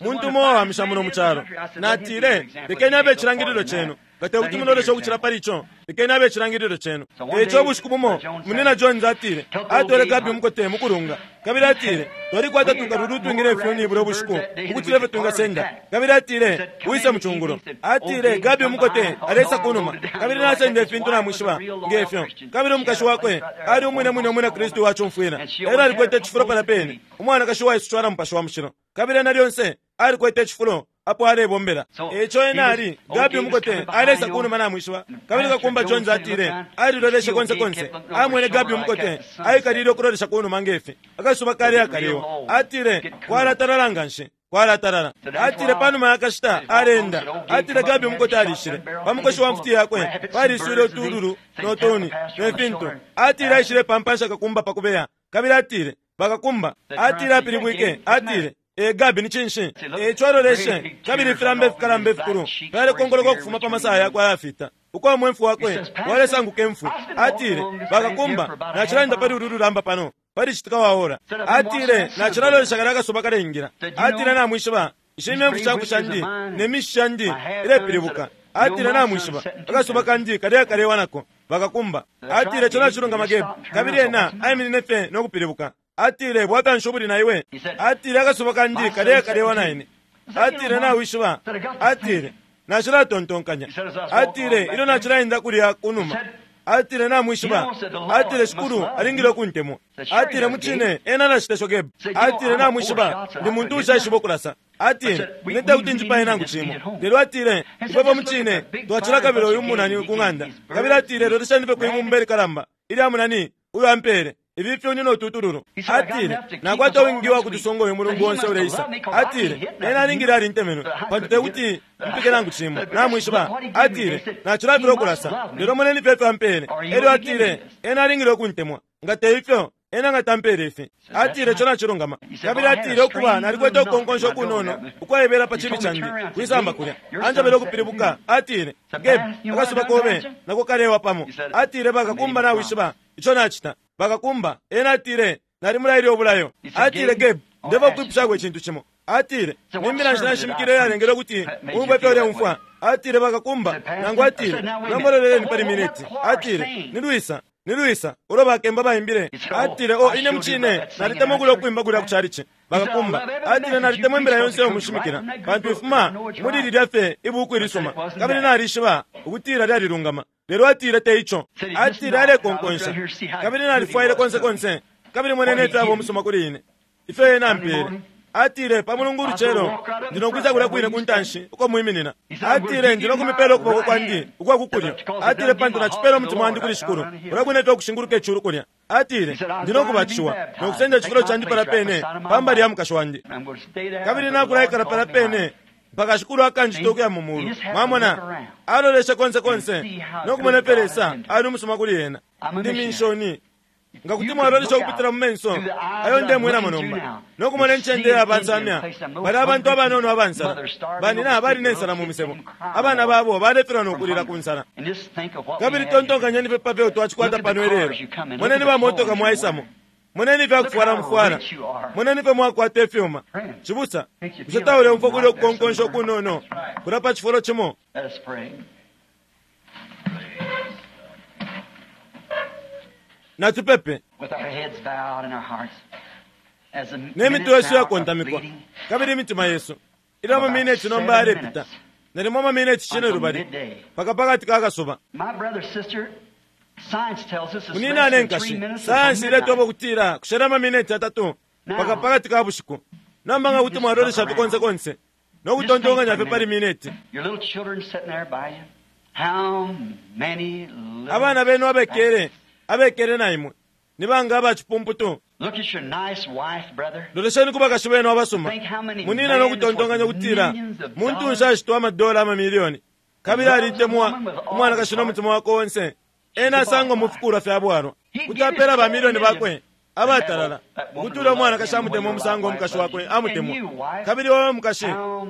muntu umo wawamisha muno mu calo. Natile, "Lekeni abe icilangililo cenu. Nga tekuti muloleshe ukucila pali ico, lekeni abe icilangililo cenu." Eco ubushiku bumo munina Jones atile atwele Gabi umukote mukulunga, kabili atile, "Twalikwata tukalulu utwingile ifyuni bulyo bushiku ukucila ifyo twingasenda." Kabili atile, "Wise mucungulo." Atile, "Gabi umukote alesa kunuma, kabili nasenda ifintu namwishiba ngefyo." Kabili umukashi wakwe ali umwine mwine umwina Kristu wacumfwila, elo alikwete icifulo palya pene, umwanakashi waisucwala mupashi wa mushilo, kabili ena lyonse alikwete icifulo apo alebombela. Eco ena ali Gabi umukote alesa kunuma namwishiba, kabili kakumba Jones atile aliloleshe konse konse, amwene Gabi umukote aikalile ukulolesha kunuma ngefi akasuba kali akalewa. Atile, "Kwalatalala nganshi, kwalatalala." Atile, panuma yakashita alenda, atile Gabi umukote alishile pa mukoshi wa mfuti yakwe paliswile utululu no tuni ne fintu. Atile aishile pampansha kakumba pa kubeya, kabili atile bakakumba, atile apilibwike, atile, "E Gabi, ni cinshi?" Eco aloleshe, kabili ifilambe ifikalamba ifikulu fyalekongoloka ukufuma pa masaya yakwe ayafita, uko umwemfu wakwe walesanguka imfwi. Atile, "Bakakumba, nacilanda pali ulu lulamba pano pali citika waora." Atile, "Nacilalolesha kalya akasuba kaleingira." Atile, "Namwishiba, ishi imyemfu shaku shandi ne mishi shandi ilepilibuka." Atile, "Namwishiba, akasuba kandi kaleya kalewa nako." Bakakumba atile, "Ico nacilungama, Gabi." Kabili ena aiminine fye no kupilibuka. Atile, "Bwata ubuli na iwe?" Atile, "Akasuba kandi kaleya kalewa na ine." Atile, "Nawishiba," atile, "nacilatontonkanya." Atile, "Ilyo nacilaenda kulya kunuma," atile, "namwishiba," atile, "Shikulu alingile ukuntemwa." Atile, "Mucine ena alacita Gabi." Atile, "Namwishiba, ndi muntu ushaishiba ukulasa." Atile, "Ine tekuti njipaye nangu cimo." Lelo atile, "Ifwe mucine twacilakabila uyu munani ku ng'anda." Kabili atile, "Lolesheni fye kwibumba ilikalamba ilya munani uyo ampele, ibi fyuni no tutululu." Atile, "Nakwata wingi wa kutusonga uyu mulungu onse uleisa." Atile, "Ena alingile alintemenwe, pantu tekuti mpike nangu cimo, namwishiba." Atile, "Nacilafilwa ukulasa, lelo moneni fye ifyo ampele." Elyo atile, "Ena alingile ukuntemwa, nga te ifyo ena nga tampele ifi." Atile, "Ico nacilungama." Kabili atile, "Ukuba nalikwete ukukonkonsha ukunono ukwaibela pa chibi candi kwisamba kulya." Anjabele ukupilibuka. Atile, "Gabe, akasuba kobe nako kalewa pamo." Atile, "Bakakumba, nawishiba ico nacita." Bakakumba ena atile, "Nalimulaile ubulayo." Atile, "Gabe, ndeva kukwipushaku icintu cimo." Atile, "Nimbila nshi nashimikile yalengele ukuti umve ifyo uleumfwa?" Atile, "Bakakumba," nangu atile, "Nombololeleni pali miniti." Atile, "Nilwisa Ni lwisa ulo bakemba baimbile? Atile, o ine mucine nalitemwa kulya ukwimba kulya kuchalichi bakakumba. Atile, nalitemwa imbila yonse yomushimikila, pantu ifuma muli lilya fye ibuku ilisuma, kabili nalishiba ukutila lyalilungama. Lelo atile te ico. Atile alekonkonsha, kabili nalifwaile konse konse, kabili monene ifyo aba umusuma kuli ine, ifyo ena ampele. Atile, pa Mulungu ulucelo ndinokwisa kulya kwine ku ntanshi uko mwiminina. Atile, ndinokumipela ukuboko kwandi ukwa kukulyo. Atile, pantu nacipela umutima wandi kuli Shikulu kulya kwine fye ukushinguluka iculu kulya. Atile, ndinokubatishiwa nokusenda icifulo candi pala pene pambali ya mukashi wandi, kabili nakulaikala pala pene mpaka Shikulu akanjita ukuya mu mulu. Mwamona, aloleshe konse konse nokumona ifyo Lesa ali umusuma kuli ena. Ndi minshoni. Nga kuti mwalolesha ukupitila mu menso ayo ndemwenamo nomba nokumona incende ya bansamya, bali abantu abanono abansala, banina bali nensala mu misebo, abana babo balefilwa nokulila ku nsala. Kabili tontonkanyeni fye pa fyo twacikwata pano ilelo. Moneni bamotoka mwaisamo, moneni ifyakufwala mufwala, moneni fye mwakwata ifyuma. Cibusa, bushe tauleumfwa kulya ukukonkonsha ukunono kulya pa cifulo cimo? Natupepe ne mitwe yesu yakontamikwa kabili imitima yesu ili amamineti nomba yalepita nalimo amamineti cine lubali paka pakati ka kasuba. Munina ne nkashi, sayansi iletoba ukutila kushela amamineti atatu paka pakati ka bushiku. Nomba nga kuti mwalolesha fye konse konse no kutontonkanya fye pali mineti, abana benu abekele abekele na imwe ni banga abacipumputu. Lolesheni ku bakashi benu abasuma, munina, no kutontonkanya ukutila muntu nshi ashitwa amadola amamiliyoni kabili alitemwa umwanakashi no mutima wakwe onse, ena asangwa mu fikulwa fya bwalwa. Kuti apela bamiliyoni bakwe abatalala ukuti ulya umwanakashi amutemwa umusango umukashi wakwe amutemwa. Kabili wowe mukashi,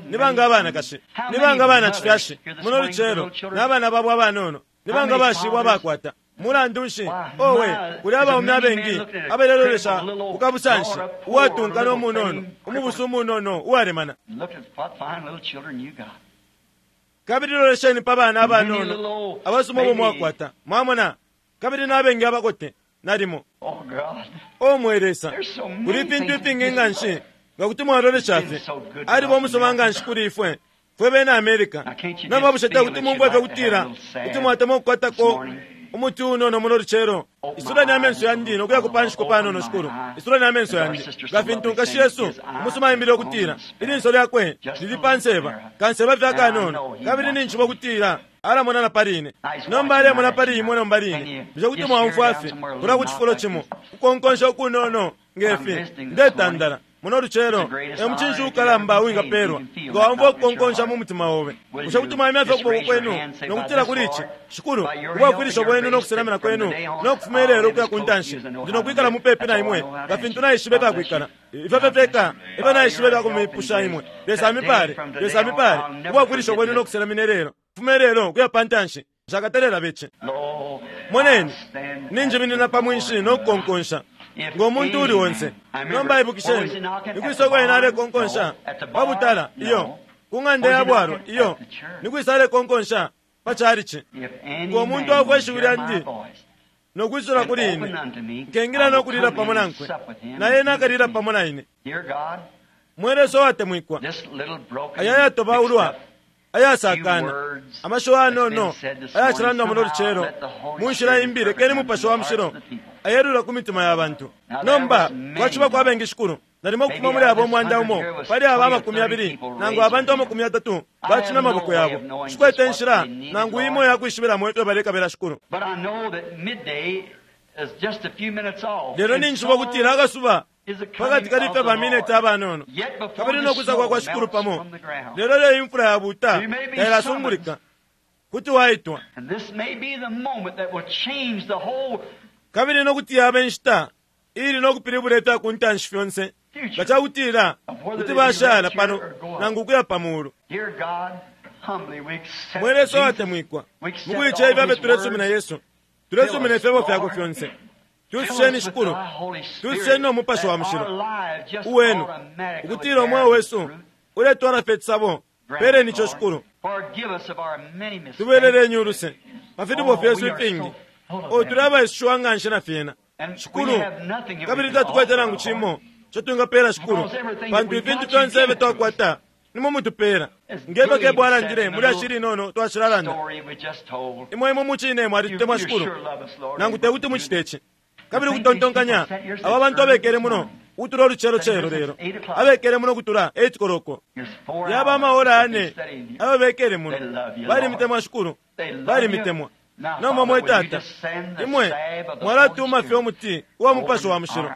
ni banga abanakashi, ni banga abana cifyashi muno lucelo n'abana babo abanono, ni banga bashibwa abakwata? Mulandu nshi, owe, kuli abaume abengi abalelolesha kukabusanshi uwatunka n'omunono umubusu umunono uwalemana. Kabili lolesheni pa bana abanono abasuma ubo mwakwata. Mwamona, kabili n'abengi abakote nalimo. O mwe Lesa, kuli ifintu ifingi nga nshi nga kuti mwalolesha fye. Aliba umusuma nga nshi kuli ifwe fwe bena Amerika. Nomba bushe te kuti mumfwe fye kutila kuti mwatemwa ukukwatako umuti unono muno lucelo? Isuleni amenso yandi nokuya kupanshiko panono, Shikulu. Isuleni amenso yandi, nga fintu nkashi yesu umusuma aimbile ukutila ilinso lyakwe lili panseba kanseba fye akanono, kabili ninjiba ukutila alamona na pali ine. Nomba alemona pali imwe nomba line. Bushe kuti mwaumfwa fye kulya ku cifulo cimo ukukonkonsha ukunono ngefi? Ndetandala muno lucelo, e mucinshi ukalamba uwingapelwa nga waumfwa ukukonkonsha mu mutima obe. Bushe kuti mwaimya fye ukuboko kwenu nokutila kuli ici, Shikulu, ubwafwilisho bwenu nokuselamina kwenu nokufuma ilelo ukuya ku ntanshi, ndi nokwikala mupepi na imwe nga fintu naishibe ifyakwikala. Ifyo fye fyeka ifyo naishibe ifyakumipusha imwe. Lesa amipale, Lesa amipale. Ubwafwilisho bwenu nokuselamina ilelo, kufuma ilelo ukuya pa ntanshi, nshakatelela bece. Moneni, ninjiminina pa mwinshi nokukonkonsha ngo muntu uli onse. Nomba ibukisheni, nikwisa uko ena alekonkonsha? Pa butala? Iyo. Ku ng'anda ya bwalwa? Iyo. Nikwisa alekonkonsha? Pa chalichi. Ngo muntu aumfwa ishiwi lyandi nokwisula kuli ine, nkengila nokulila pamo nankwe, na ena akalila pamo na ine. Mwe Lesa uwatemwikwa, aya yatobaulwa ayasakana amashiwi anono ayacilandwa muno lucelo mu nshila imbi, lekeni Mupashi wa Mushilo ayelula ku mitima ya bantu. Nomba kwaciba kwa bengi, Shikulu, nalimo ukufuma muli abo umwanda umo pali aba amakumi abili nangu abantu amakumi atatu bacimya amaboko yabo. Shikwete inshila nangu imo yakwishibilamo ifyo balekabila, Shikulu, lelo ninjiba ukutila akasuba pakati kali fye bamineti abanono, kabili nokwisa kwa kwa Shikulu pamo. Lelo lyo imfula yabuta tailasungulika, kuti waitwa, kabili nokuti yaba inshita ili nokupilibula ifya ku ntanshi fyonse nga cakutila kuti bashala pano nangu ukuya pa mulu. Mwe Lesa uwatemwikwa, mukuica ifyo abe tulesumina Yesu, tulesumina ifyebo fyakwe fyonse. Tususheni, Shikulu, tususheni no Mupashi wa Mushilo uwenu, ukutila umweo wesu uletwala fye icisabo. Peleni ico, Shikulu. Tubeleleni uluse pa filubo fyesu ifingi. O tuli abaishiwa nga nshi na fyena Shikulu, kabili tatukwete nangu cimo ico twingapela Shikulu, pantu ifintu fyonse ifyo twakwata nimwe mutupela. Ngefyo Kebo alandile muli ashili inono twashilalanda, imwe imwe mucine mwalitutemwa Shikulu, nangu tekuti mucite ici. Kabili kutontonkanya aba bantu abekele muno ukutula ulucelo celo lelo, abekele muno ukutula eight koloko, yaba amaora ane abo bekele muno balimitemwa Shikulu, balimitemwa. Nomba mwe Tata, imwe mwalatuma fye umuti uwa Mupashi wa Mushilo,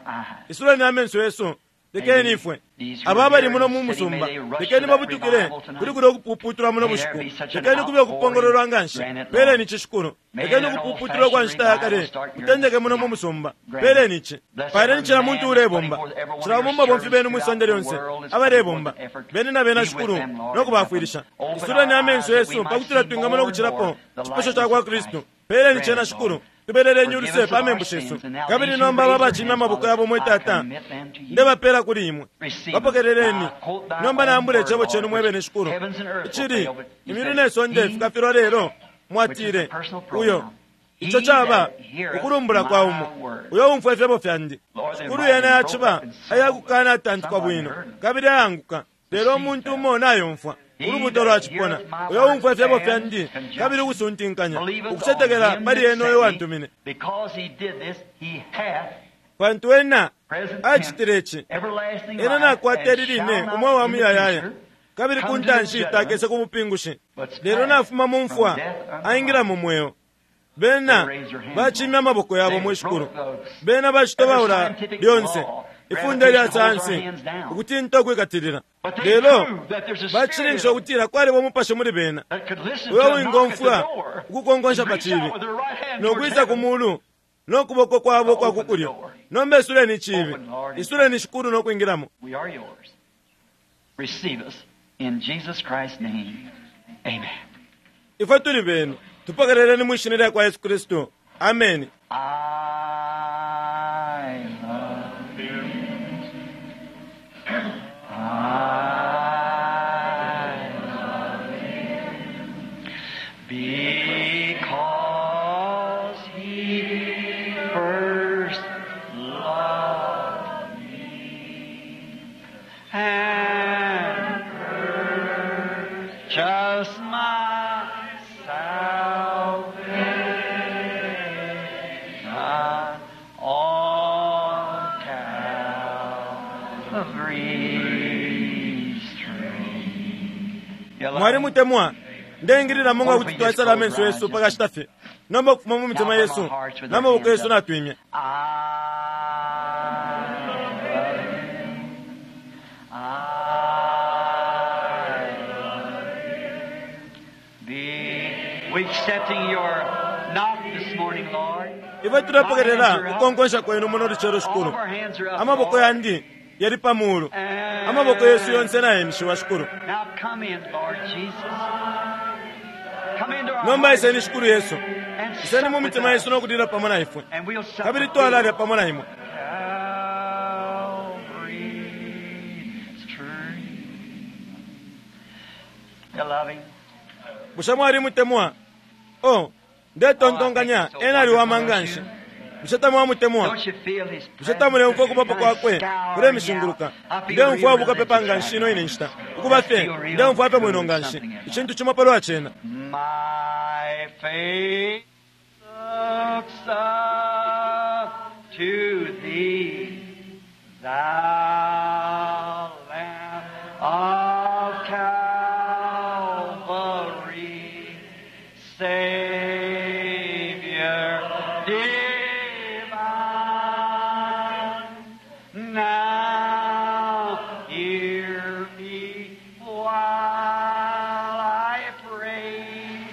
isuleni amenso yesu, lekeni ifwe aba abali muno mu musumba, lekeni babutukile kuli kulya ukupuputulwa muno bushiku, lekeni kube ukupongololwa nga nshi. Peleni ici Shikulu, lekeni ukupuputulwa kwa nshita ya kale kutendeke muno mu musumba. Peleni ici, paleni cila muntu ulebomba, cila bumba bomfi benu mwisonde lyonse abalebomba bene na bena Shikulu, no kubafwilisha. Isuleni amenso yesu pakutila twingamona ukucilapo cipasho ca kwa Kristu. Peleni cena Shikulu, tubeleleni uluse pa membu shesu. Kabili nomba aba bacimya amaboko yabo mwe Tata, ndebapela kuli imwe, bapokeleleni. Nomba naambula icebo cenu mwebene Shikulu, icili imyulu ne sonde fikafilwa lelo mwatile uyo ico caba ukulumbula kwa umo uyo umfwa ifyebo fyandi. Shikulu yena yaciba ayakukana atantukwa bwino kabili ayanguka, lelo umuntu umo nayomfwa ulubuto lwacipona. Uyo umfwa ifyebo fyandi kabili ukusuntinkanya ukucetekela pali ena uyo wantumine, pantu ena acitile ici, ena nakwata ili line umweo wa muyayaya, kabili ku ntanshi takese ku mupingushi, lelo nafuma mu mfwa aingila mu mweo. Bena bacimya amaboko yabo mwe Shikulu, bena bacitobaula lyonse ifunde lya sayansi ukutinta ukwikatilila, lelo bacilinkisha ukutila kwaliba umupashi muli bena uyo wingomfwa ukukonkonsha pa cibi nokwisa ku mulu no kuboko kwabo kwa kukulyo. Nomba isuleni icibi, isuleni Shikulu no kwingilamo. Ifwe tuli benu, tupokeleleni mwishina lya kwa Yesu Kristu. Ameni. Because he first loved me and purchased my salvation on Calvary's tree. Mwali mutemwa ndeingilila munga kuti twaisala amenso yesu pakashita fye. Nomba ukufuma mu mitima yesu n'amaboko yesu natwimya. I love him. I love him. Be we accepting your knock this morning, Lord. Ifwe tulepokelela kukonkonsha kwenu muno lucelo All Shikulu. of our hands are up, Amaboko Lord. yandi yali pa mulu, amaboko yesu yonse nayemishiwa Shikulu. Now come in, Lord Jesus. Come into our Nomba hearts iseni Shikulu Yesu, and iseni sup mu with mitima us, yesu nokulila pamo na ifwe, and we'll sup kabili with twalalya you. pamo na imwe. Calvary's tree. You love him? Bushe mwali mutemwa? O ndetontonkanya ena aliwama nga nshi. Bushe tamwamutemwa? Don't you feel his Bushe tamuleumfwa ukubapo kwakwe kulemishinguluka? Ndeumfwa bukapepa nga nshi ino ine nshita, ukuba fye ndeumfwa fye bwino nga nshi, icintu cimo palwa cena. My faith looks up to thee, thou Lamb of Calvary, Savior divine. Now hear me while I pray.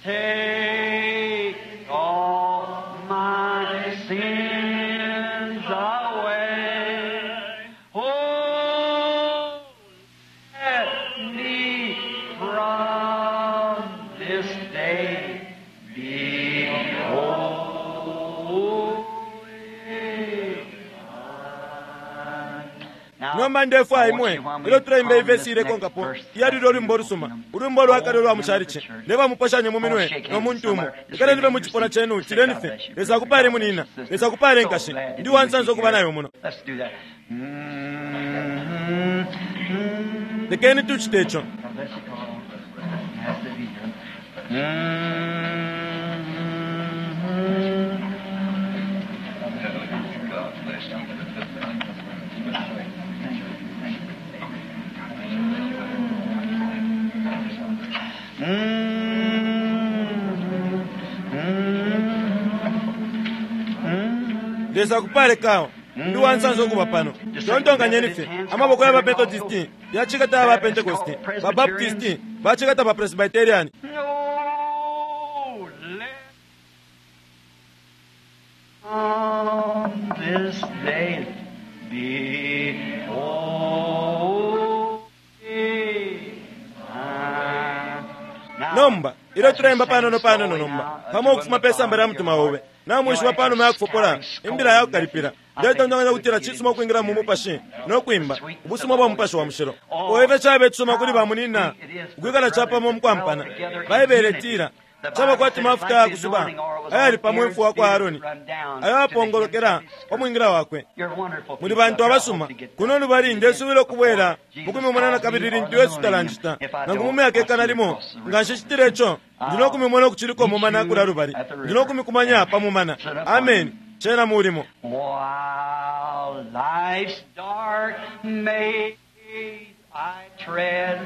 Take all my sins away. Oh, let me from this day be holy. Nomba Nomba ndefwaya imwe ilyo tuleimba ivesi ilekonkapo iyalile ulwimbo lusuma, ulwimbo lwakale ulwa muchalichi. Ndebamuposhanye mu minwe no muntu umo. Ikaleni be mu cipuna chenu, tileni fye Lesa akupale munina, Lesa akupale nkashi. Ndi wansansa ukuba nayo muno. Let's do that. Mm-hmm. Lekeni tuchite ico. God bless you all. Nice to be here. Mm-hmm. God bless you. Lesa akupale kawo. Ndi wansansa ukuba pano. Tontonkanyeni fye amaboko ya bapentekosti yacikata aba Pentekosti, ba Baptisti bacikata ba Presbyterian. No, let on this day be holy. Now, Nomba ilyo tuleimba panono panono nomba pamo ukufuma pe samba lya mutima obe namwishiba panuma yakufopola imbila yakukalipila. Ndetontonkanya kutila cisuma ukwingila mu mupashi no kwimba ubusuma bwa mupashi wa mushilo. Oife cabe cisuma kuli bamunina ukwikala capamo mukwampana. Baibele itila caba kwati mafuta yakusuba ayali pamo imfu wakwa Aroni ayo apongolokela pa mwingila wakwe. You're wonderful Muli bantu abasuma kuno lubali ndesubila ukubwela mukumimona nakabili lintu Yesu talanjita nangu mu myaka ikana limo nga nshicitile ico ndi nokumimona ukuciliko mumana kulya lubali. Ndi nokumikumanya pa mumana. Amen. Cena mulimo. While life's dark maze I tread,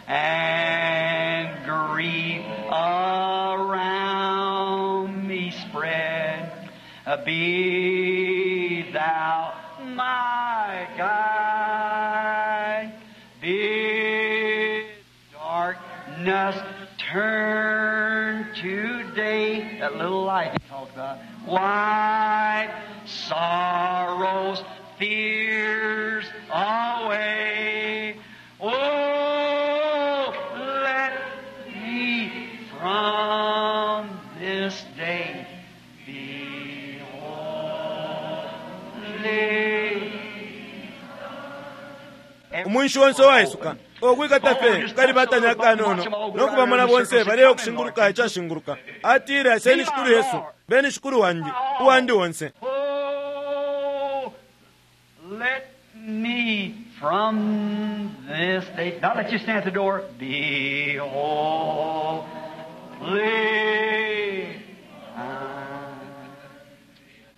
and grief around me spread, be thou my guide. Bid darkness turn to day. That little light you talked about. Wipe sorrows, fears away. Oh, let me from this day be holy. Umunshi onse waisuka okwikata fye kukalibatanya akanono nokubamona bonse baleya okushinguluka icashinguluka. Atile aseni shikulu Yesu, beni shikulu wandi, uwandi onse. Oh, let me from this day, not let you stand at the door, be holy.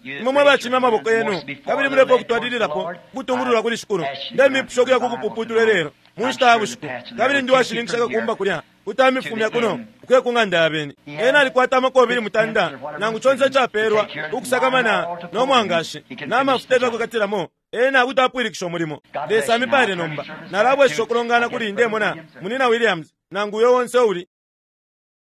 Imwe mwe bacimya amaboko yenu kabili mulepo okutwalililapo ukutungululwa kuli shikulu. Ndemipusha ukuya kukupuputula lelo mu nshita ya bushiku, kabili ndi washininkisha kakumba kulya kutamifumya kuno ukuya ku ng'anda ya beni. Ena alikwata amakobili mutanda nangu conse icapeelwa ukusakamana no mwangashi n'amafuta ebyakukatilamo. Ena kuti apwilikisha umulimo. Lesa amipale nomba. Nalabwesha ukulongana kuli ndemona munina Williams nangu uyo onse uli.